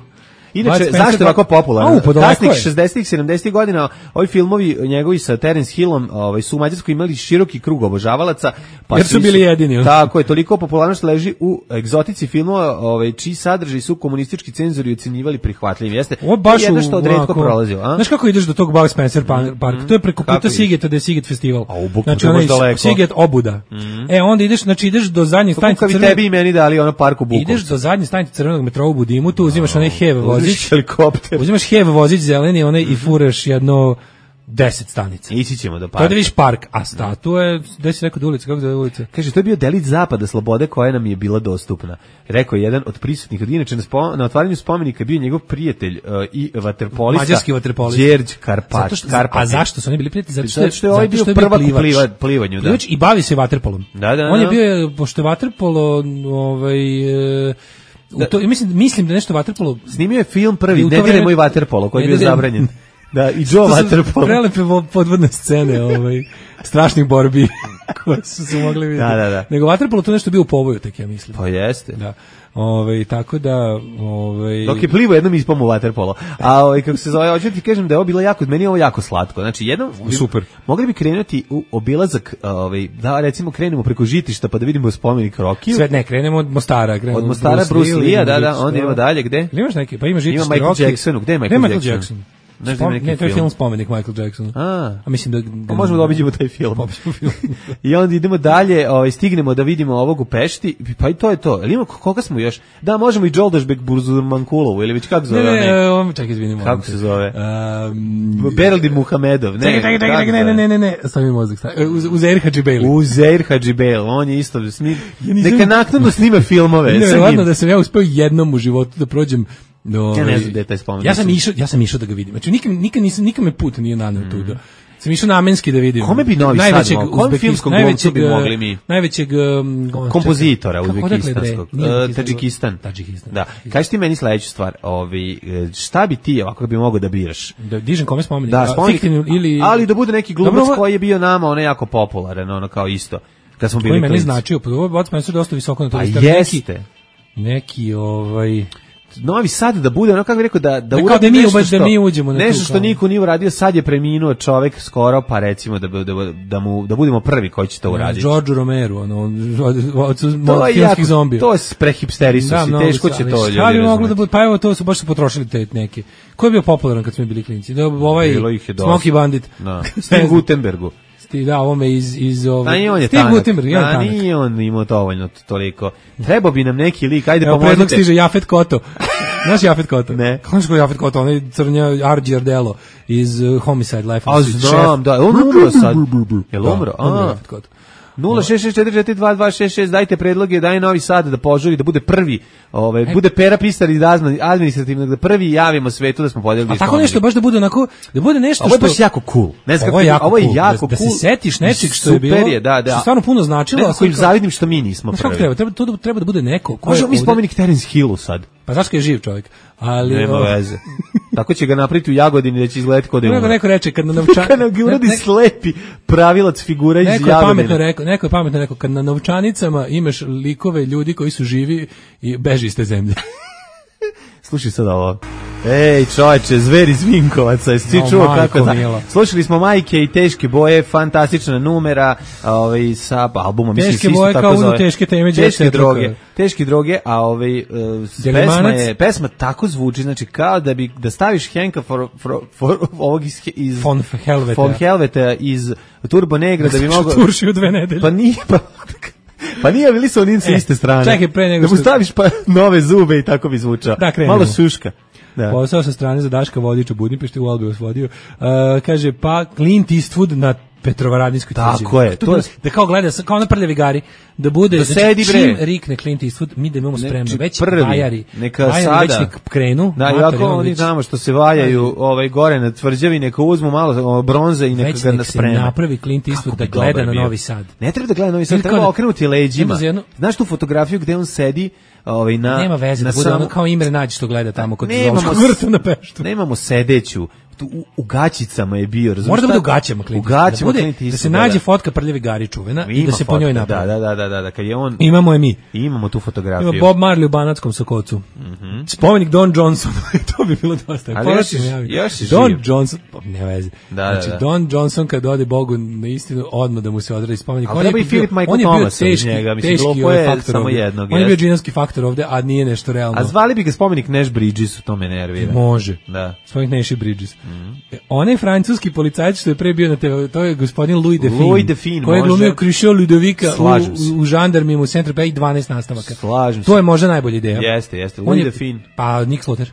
Inače, zašto je ovako popularno? Kasnih šezdesetih sedamdesetih godina ovi filmovi njegovi sa Terence Hillom ovaj, su u Mađarskoj imali široki krug obožavalaca. Pa jer su bili jedini. Tako je, toliko popularnost leži u egzotici filmova ovaj, čiji sadržaj su komunistički cenzori ocenjivali prihvatljivim. Jeste jedno što odretko prolazio. A? Znaš kako ideš do tog Bud Spencer Park? Mm, to je preko puta Sigeta, da je Siget festival. A u Bukmu znači, onaj daleko. Siget Obuda. Mm. E, onda ideš, znači ideš do zadnje stanice Crvenog... tebi i meni dali ono park u Bukovcu. Ideš do zadnje stanice Crvenog metroa u Budimutu, uzimaš onaj hev vozić. Helikopter. Uzimaš hev vozić zeleni, onaj mm-hmm. i furaš jedno deset stanica. Ići ćemo do parka. To je da vidiš park, a statue, gde si rekao da ulica, kako zove ulica? Kaže, to je bio delić zapada slobode koja nam je bila dostupna. Rekao je jedan od prisutnih, od inače na, spo, na otvaranju spomenika bio njegov prijatelj uh, i vaterpolista. Mađarski vaterpolista. Đerđ Karpat. Što, a zašto su oni bili prijatelji? Zato što, zato što je ovaj bio prvak u pliva, plivanju. Plivač da. I bavi se vaterpolom. Da, da, on je bio, pošto je vaterpolo, ovaj... U to, mislim, mislim da nešto vaterpolo... Snimio je film prvi, ne diraj moj vaterpolo, koji je bio zabranjen. Da, i Joe Waterpolo. Prelepe podvodne scene, ovaj, strašnih borbi koje su se mogli vidjeti. Da, da, da. Nego Waterpolo to nešto bio u povoju, tek ja mislim. Pa jeste. Da. Ovaj tako da, ovaj dok je plivo jednom ispamo u waterpolo. A ovaj kako se zove, hoću ti kažem da je ovo bilo jako, meni je ovo jako slatko. Znači jednom super. Mogli bi krenuti u obilazak, ovaj da recimo krenemo preko Žitišta pa da vidimo spomenik Rokiju. Sve ne, krenemo od Mostara, krenemo od Mostara Bruce Lee, da, da, onda idemo dalje gde? Imaš neki, pa ima Žitište, ima Michael Rocky. Jacksonu, gde je Michael, Michael Jackson? Jackson? Ne, Spom, ne, to je film spomenik Michael Jacksonu. A, a mislim da, da možemo da obiđemo taj film. film. I onda idemo dalje, ovaj stignemo da vidimo ovog u Pešti, pa i to je to. Ili ima koga smo još? Da, možemo i Đoldašbek Burzurmankulovu ili već kako zove? Ne, ne, on čekaj, izvinimo. Kako se zove? Um, Beraldin Muhamedov, ne. Čekaj, čekaj, čekaj, ne, ne, ne, ne, ne, sami mozak. Uzeir Hadžibeili. Uzeir Hadžibeili, on je isto snim. Neka naknadno snime filmove. Nevjerovatno da sam ja uspeo jednom u životu da prođem. No, ja ne znam da je taj spomenik. Ja sam išao, ja sam išao da ga vidim. Znači nikad nikad nisam nikad me put nije naneo mm. tu da. Sam išao namenski da vidim. Kome bi Novi Sad mogao? Kom filmskom glumcu bi mogli mi? Najvećeg um, kompozitora uzbekistanskog. Uh, Tadžikistan. Tadžikistan. Da. Kaži ti meni sledeću stvar, ovi šta bi ti ovako bi mogao da biraš? Da dižem kome spomenik? Da, spomenik ili ali da bude neki glumac Dobro, koji je bio nama ono jako popularan, ono kao isto. Kad smo bili klinci. Koji meni značio, pa ovo bacimo se dosta visoko na to. Pa jeste. Neki ovaj Novi Sad da bude, ono kako bih rekao, da, da, uradi da, nešto što, da mi uđemo na nešto što niko nije uradio, sad je preminuo čovek skoro, pa recimo da, da, da, mu, da budemo prvi koji će to uraditi. George Romero, ono, od filmskih zombija. To je prehipsterisu da, si, teško će to ljudi razumeti. Moglo da bude, pa evo to su baš su potrošili te neke. Ko je bio popularan kad smo bili klinci? Da, ovaj Smokey Bandit. Da. Steve Gutenbergu. Ti da ovome iz iz ove ovaj Steve Gutenberg, ja tanak. Nije on imao dovoljno toliko. Trebao bi nam neki lik, ajde pomozite. Evo predlog stiže Jafet Koto. Znaš Jafet Koto? Ne. Kako je Jafet Koto? On je crnja Arđiardello iz uh, Homicide Life. A znam, da, on umro sad. Jel umro? A, Jafet Koto. nula šest šest četiri četiri dva dva šest šest dajte predloge, daj Novi Sad da požuri, da bude prvi, ovaj e, bude Pera Pisar i administrativno da prvi javimo svetu da smo podelili. A tako nešto baš da bude onako, da bude nešto što ovo je baš jako cool. Ne znam, ovo je jako, ovo je cool. jako da, cool. Da se setiš nečeg što je bilo. Je, da, da. Što stvarno puno značilo, a kojim zavidim što mi nismo prvi. Treba, treba, to treba da bude neko ko možemo mi spomenik Terence Hillu sad. Pa zašto je živ čovjek? Ali nema veze. Tako će ga napraviti u Jagodini da će izgledati kod da neko reče kad na novčanici kad ga uradi slepi pravilac figura iz Jagodine. Neko je pametno rekao, neko je pametno rekao kad na novčanicama imaš likove ljudi koji su živi i beži iz te zemlje. Slušaj sad ovo. Ej, čovječe, Zver iz Vinkovaca, jesi no, čuo kako da... Slušali smo Majke i Teške boje, fantastična numera, ovaj, sa albumom, mislim, teške boje tako kao zove. Teške teme, teške droge, teške droge, a ovaj, uh, pesma, je, pesma tako zvuči, znači kao da bi, da staviš Henka for, for, for, ovog iz, iz von Helveta, von Helveta iz Turbo Negra, da bi mogao... Turši u dve nedelje. Pa nije, pa... Pa nije, bili su oni sa iste strane. Čekaj, pre nego što... Da mu staviš pa nove zube i tako bi zvučao. Da, malo šuška. Da. Posao sa strane za Daška Vodića u Budimpešti, u Albi osvodio. Uh, kaže, pa Clint Eastwood na Petrovaradinskoj tvrđavi. Tako je. To je... Da kao gleda, kao na prljavi gari, da bude, da znači, sedi, čim rikne Clint Eastwood, mi da imamo spremno, ne, već prvi, bajari, neka bajari sada. Već nek krenu. Da, i ako oni znamo što se vajaju ovaj, gore na tvrđavi, neka uzmu malo bronze i neka već ga nek sprema. Već napravi Clint Eastwood da gleda na Novi Sad. Ne treba da gleda Novi Sad, treba okrenuti leđima. Znaš tu fotografiju gde on sedi, ovaj na nema veze na da bude samo... ono kao Imre Nađ što gleda tamo kod Zološkog vrta na Peštu. Nemamo sedeću. U, u gaćicama je bio, razumiješ? Mora da bude u gaćama, Clint. U gaćama, da, bude, da se nađe da. fotka prljavi gari čuvena i da se po njoj napravi. Da, da, da, da, da, kad je on... Imamo je mi. Imamo tu fotografiju. Ima Bob Marley u Banatskom Sokocu. Mm-hmm. Spomenik Don Johnson, to bi bilo dosta. Ali još, još Don živ. Johnson, ne vezi. Da, znači, da, da. Don Johnson kad ode Bogu na istinu, odmah da mu se odradi spomenik. Ali treba i Filip Michael Thomas iz njega, mislim, glupo je samo jednog. On je bio džinovski faktor ovde, a nije nešto realno. A zvali bi ga spomenik Nash Bridges, to me nervira. Može. Da. Spomenik Nash Bridges. Onaj francuski policajac što je pre bio na te ve, to je gospodin Louis Define. Louis Define, koji je glumio Krišo Ludovika u, u žandarmima u Centru P i dvanaest nastavaka. Slažem to je možda najbolja ideja. Jeste, jeste. Louis Define. Pa Nick Slaughter.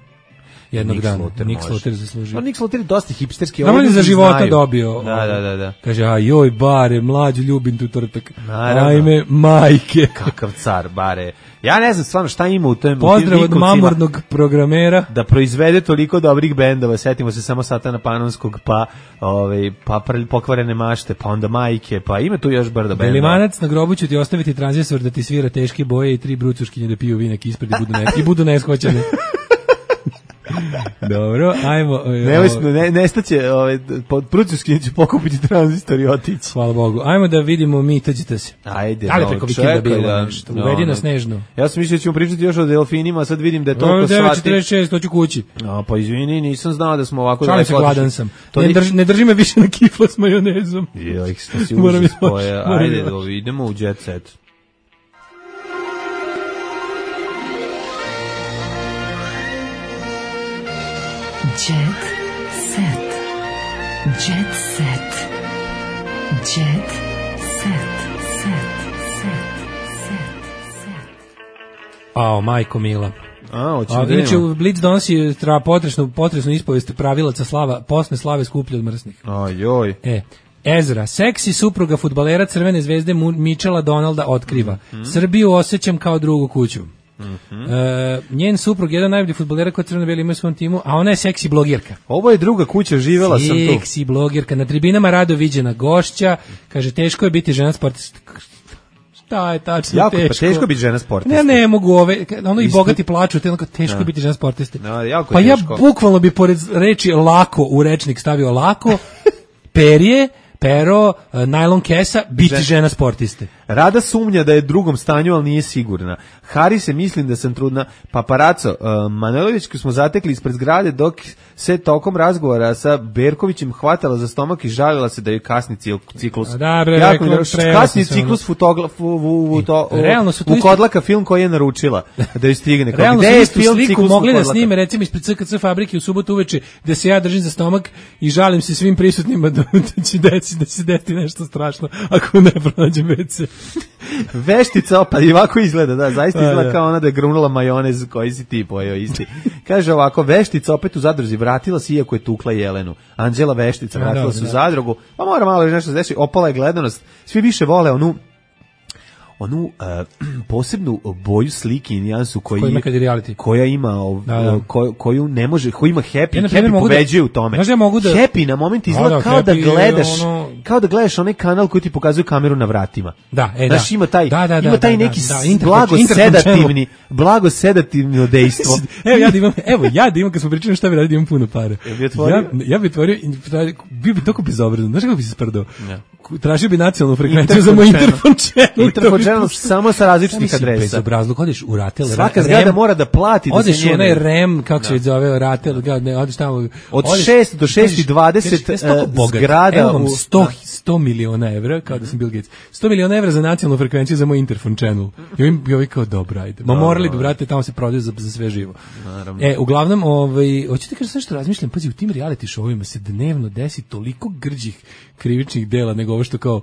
Jednog Nick dana. Slaughter Nick Slaughter zaslužio. No, Nick Slaughter je dosta hipsterski. Normalno je za života znaju. Dobio. Da, da, da, da. Kaže, a joj, bare, mlađu, ljubim tu tortak. Naravno. Ajme, majke. Kakav car, bare. Ja ne znam stvarno šta ima u tom. Pozdrav od mamornog programera. Da proizvede toliko dobrih bendova. Setimo se samo Satana Panonskog, pa, ovaj, pa pokvarene mašte, pa onda majke, pa ima tu još brdo bendova. Belimanac, na grobu ću ti ostaviti tranzistor da ti svira teške boje i tri brucuškinje da piju vinek ispred i budu, ne, i budu neshvaćene. Dobro, ajmo. Nevisno, ne, nestaće, ovaj, pod Prućevskim će pokupiti tranzistor i otići. Hvala Bogu. Ajmo da vidimo mi, tađite se. Ajde, ali no, preko vikenda bilo da, nešto. no, Uvedi no, na Snežnu. Ja sam mislio da ćemo pričati još o delfinima, a sad vidim da je toliko sati. devet četrdeset šest, hoću kući. A, pa izvini, nisam znao da smo ovako... Šalim se, gladan sam. Ne, drži, ne drži me više na kifla s majonezom. Joj, što si užas koje. Ajde, do, idemo u jet set. Jet set. Jet set. Jet set. Set. Set. Set. Set. Ao, majko mila. A, hoćemo A, da inače, imamo. Blitz donosi tra potresnu, potresnu ispovest pravilaca slava, posne slave skuplje od mrsnih. Ajoj. E, Ezra, seksi supruga fudbalera Crvene zvezde Michela Donalda otkriva. Mm-hmm. Srbiju osjećam kao drugu kuću. Mm-hmm. E, njen suprug je jedan najbolji fudbalera koji Crveno-beli ima u svom timu, a ona je seksi blogirka. Ovo je druga kuća, živela sam tu. Seksi blogirka, na tribinama rado viđena gošća, kaže teško je biti žena sportista. Šta je tačno jako, teško? Pa teško biti žena sportista. Ne, ne mogu ove, ono i bogati plaču, te onako teško da. biti žena sportista. No, jako pa teško. Ja bukvalno bi pored reči lako u rečnik stavio lako, perje, pero, najlon kesa, biti žena sportiste. Rada sumnja da je drugom stanju, ali nije sigurna. Hari se mislim da sam trudna. Paparaco, uh, Manojlovićku smo zatekli ispred zgrade dok se tokom razgovora sa Berkovićem hvatala za stomak i žalila se da je kasni ciklus. Da, bre, jako rekao, mi kasni ciklus fotograf u, u, u, to, realno su u Kodlaka film koji je naručila da ju stigne. Realno gde su je istu film sliku ciklus mogli da snime recimo ispred C K C fabrike u subotu uveče gde se ja držim za stomak i žalim se svim prisutnima da, da će deci, da će deti nešto strašno ako ne pronađem ve ce. Veštica opet i ovako izgleda, da, zaista izgleda da. kao ona da je grunula majonez koji si ti pojeo isti. Kaže ovako, Veštica opet u zadruzi, vratila se iako je tukla Jelenu. Anđela Veštica vratila se u zadrugu, pa mora malo nešto da deši, opala je gledanost. Svi više vole onu onu uh, posebnu boju slike i nijansu koji koja ima uh, da, da. Ko, koju ne može, koji ima Happy, ja, Happy pobeđuje da, u tome. Ja mogu da, Happy na moment izgleda da, da, kao da gledaš, ono... kao da gledaš onaj kanal koji ti pokazuje kameru na vratima. Da, e, znaš, ima taj, da, da, ima da, taj da, neki da, da, blago sedativni, blago sedativno dejstvo. evo ja da imam, evo ja da imam kad smo pričali šta bi radio, imam puno para. Ja, ja bi otvorio, bio bi toliko bezobrazan. Znaš kako bi se sprdao? Tražio bi nacionalnu frekvenciju za moj interfon channel. Interfon channel samo sa različitih adresa. Bezobrazluk, odeš u Ratel. Svaka zgrada mora da plati da se njene. Odeš u onaj rem, kako se zove, Ratel, ne, odeš tamo. Od šest do šest i dvadeset zgrada. Evo vam sto miliona evra, kao da sam Bill Gates. sto miliona evra za nacionalnu frekvenciju za moj interfon channel. I ovim ovi kao, dobro, ajde. Ma morali bi, brate, tamo se prodaju za, za sve živo. E, uglavnom, ovaj, hoćete kažem sve što razmišljam, pazi, u tim reality showima se dnevno desi toliko grđih krivičnih dela nego ovo što kao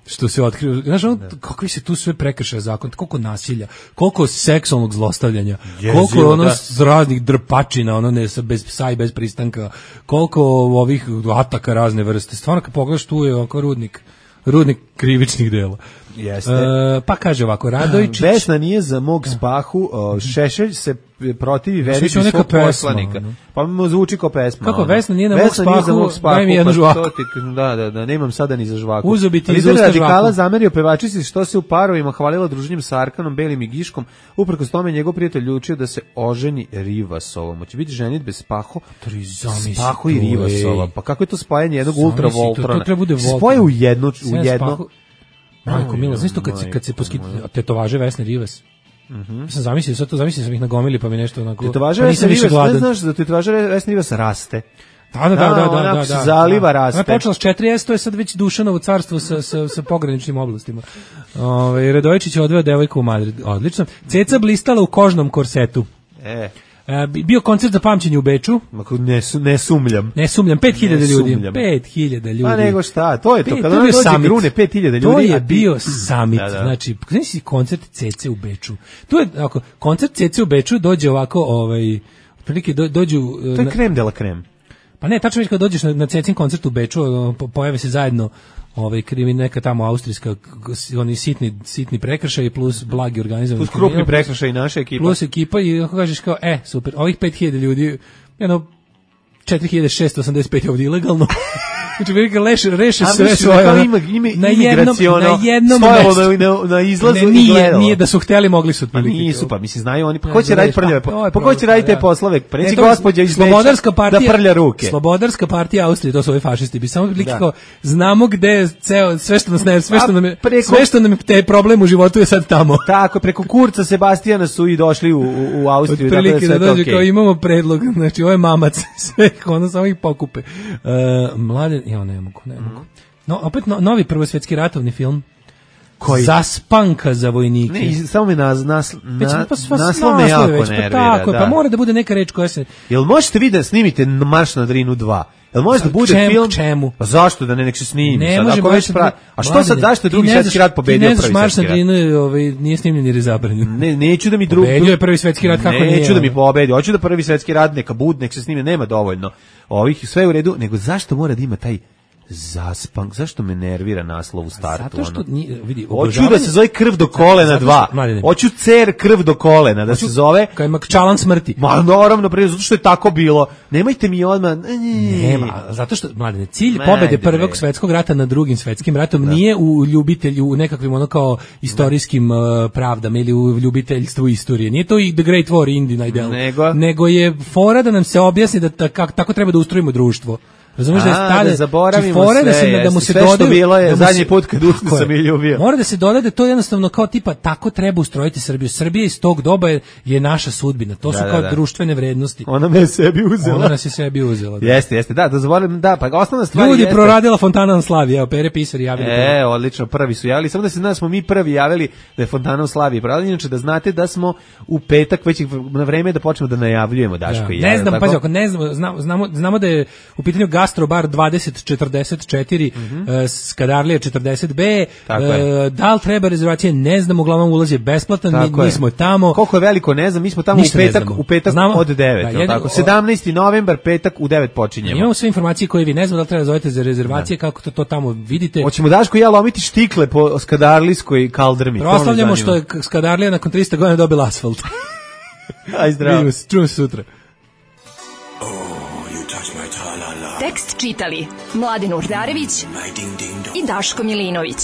što se otkriva, znaš, ono, kakvi se tu sve prekršaja zakon, koliko nasilja, koliko seksualnog zlostavljanja, Jezio, koliko ono da. raznih drpačina, ono ne sa bez psa i bez pristanka, koliko ovih ataka razne vrste. Stvarno kad pogledaš tu je oko rudnik, rudnik krivičnih dela. Jeste. E, pa kaže ovako, Radojičić... Vesna nije za mog Spahu, o, Šešelj se protivi veri svog poslanika. No. Pa mu zvuči kao pesma. Kako, ono. Vesna nije na mog Spahu, za mog spahu, daj mi jednu žvaku. Da, da, da, nemam sada ni za žvaku. Uzubiti iz Lider usta radikala žvaku. zamerio pevačici što se u parovima hvalila druženjem sa Arkanom, Belim i Giškom, uprkos tome njegov prijatelj odlučio da se oženi Rivasovom. Hoće biti ženitbe Spaho, Spaho i Rivasova. Pa kako je to spajanje jednog ultravoltrona? Spoje u jedno, u jedno. Majko mila, znaš to kad se, kad se poskiti tetovaže Vesne Rivas? Mhm. Ja sam zamislio, sad to zamislio sam ih nagomili pa mi nešto onako... Tetovaže Vesne Rivas, ne znaš da tetovaže Vesne Rivas raste. Da, da, da, da, da, da, se zaliva, raste. Ona je počela s četiri S, to je sad već Dušanovo carstvo sa, sa, sa pograničnim oblastima. Ove, Radojičić je odveo devojku u Madrid, odlično. Ceca blistala u kožnom korsetu. E... E, bio koncert za pamćenje u Beču. Ne, ne sumljam. Ne sumljam, pet hiljada ljudi. pet hiljada ljudi. Pa nego šta, to je to. Kada ono dođe grune, pet hiljada ljudi. To je bio summit. Da, da. Znači, znači koncert Cece u Beču. To je, ako, koncert Cece u Beču dođe ovako, ovaj, otprilike do, dođu... To je krem de la krem. Pa ne, tačno već kad dođeš na, na Cecin koncert u Beču, pojave se zajedno ovaj krimin neka tamo austrijska oni sitni sitni prekršaji plus blagi organizovani plus krupni prekršaji naše ekipa plus ekipa i ako kažeš kao e super ovih pet hiljada ljudi jedno četiri hiljade šessto osamdeset pet je ovdje ilegalno Znači, velika reše, reše A sve misliš da svoje. kao ono, ima- ima na jednom, imigraciono, na jednom stojalo mestu. na- na- na izlazu Ne, i nije, gledalo. nije da su hteli, mogli su Pa otprilike. nisu, pa mislim, znaju oni, pa Ne, ko će da raditi vidiš, prljave, pa to je pa ko će problem, raditi te da. poslove? Pa neće E, to je gospođa iz Slobodarska Beča partija, da prlja ruke. Slobodarska partija Austrije, to su ovi fašisti. Bi samo otprilike Da. kao, znamo gde je ceo, sve što nas ne, sve što A nam je, preko- sve što nam je te problem u životu je sad tamo. Tako, preko Kurca Sebastijana su i došli u, u, u Austriju, tako da je Otprilike sve da to dođe okej. kao imamo predlog, znači ovo je mamac, sve, ono samo ih pokupe. Uh, mlade, ja ne mogu, ne mogu. No, opet no, novi prvosvetski ratovni film. Koji? Zaspanka za vojnike. Ne, iz- samo me nas, nas, Već, na, pa sva- naslov me naslov jako je već, pa nervira. tako je, da. pa mora da bude neka reč koja se... Jel možete vi da snimite Marš na Drinu dva? Jel može da bude Čem- film? čemu? Pa zašto da ne nek se snimi? Ne sad, može ako baš već pra... A što sad, Mladine, zašto je ti drugi ne svetski znaš- rat pobedio Ti ne znaš prvi Marš svetski na rat? Drinu, ovaj, nije snimljen jer je zabranjen. Ne, neću da mi drugi... Pobedio je prvi svetski rat, kako nije, Neću da mi ono? pobedi, hoću da prvi svetski rat neka bud, nek se snime, nema dovoljno. Ovih sve u redu, nego zašto mora da ima taj zaspank, zašto me nervira naslov u startu? Zato što, ono? nije, vidi, Hoću da se zove krv do kolena Zato što- dva. Mladine. Hoću cer krv do kolena da se zove. Kao ima čalan smrti. Ma naravno, pre, zato što je tako bilo. Nemojte mi odmah... Nema, zato što, mladine, cilj Ma, pobede ajde, prvog bre. svetskog rata nad drugim svetskim ratom nije u ljubitelju, u nekakvim ono kao istorijskim uh, pravdama ili u ljubiteljstvu istorije. Nije to i The Great War Indina ideal. Nego? Nego je fora da nam se objasni da ta- kako tako treba da ustrojimo društvo. Razumeš da je A, tada da zaboravimo fore da sve, se da mu jeste. se Sve što dodaju bilo je da mu zadnji se- put kad usne Tako je. sam je ljubio. Mora da se doda da je to jednostavno kao tipa tako treba ustrojiti Srbiju. Srbija iz tog doba je, je naša sudbina. To su Da, da, kao da. društvene vrednosti. Ona me je sebi uzela. Ona nas je sebi uzela. Da. Jeste, jeste, da, da zaboravim, da, pa osnovna stvar Ljudi jeste... proradila Fontana na Slavi, evo, Pere Pisar javili. E, odlično, prvi su javili, samo da se znaš smo mi prvi javili da je Fontana u Slaviji pravila, inače da znate da smo u petak već na vreme da počnemo da najavljujemo Daško i ja. Ne znam, tako? pazi, ako ne znamo, znamo, znamo, znamo da je u pitanju Gastrobar dvadeset četrdeset četiri, mm -hmm. Skadarlija četrdeset B, Tako e, je. da li treba rezervacije, ne znamo, uglavnom ulaz je besplatan, mi, Tako mi je. smo tamo. Koliko je veliko, ne znam, mi smo tamo Ništa u ne petak, znamo. u petak Znamo- od devet, Da, jel jedno- tako? sedamnaesti novembar, petak u devet počinjemo. Imamo sve informacije koje vi ne znamo, da li treba zovete za rezervacije, kako to, to tamo vidite. Hoćemo Daško i ja lomiti štikle po Skadarlijskoj kaldrmi. to me Proslavljamo zanima. što je Skadarlija nakon trista godina dobila asfalt. Aj zdravo. Vidimo se, čujemo se sutra. Tekst čitali Mladin Urdarević i Daško Milinović.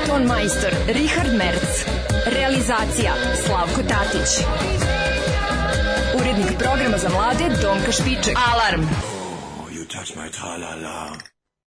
Ton majstor Richard Merc. Realizacija Slavko Tatić. Urednik programa za mlade Donka Špiček. Alarm! You touch my tra-la-la.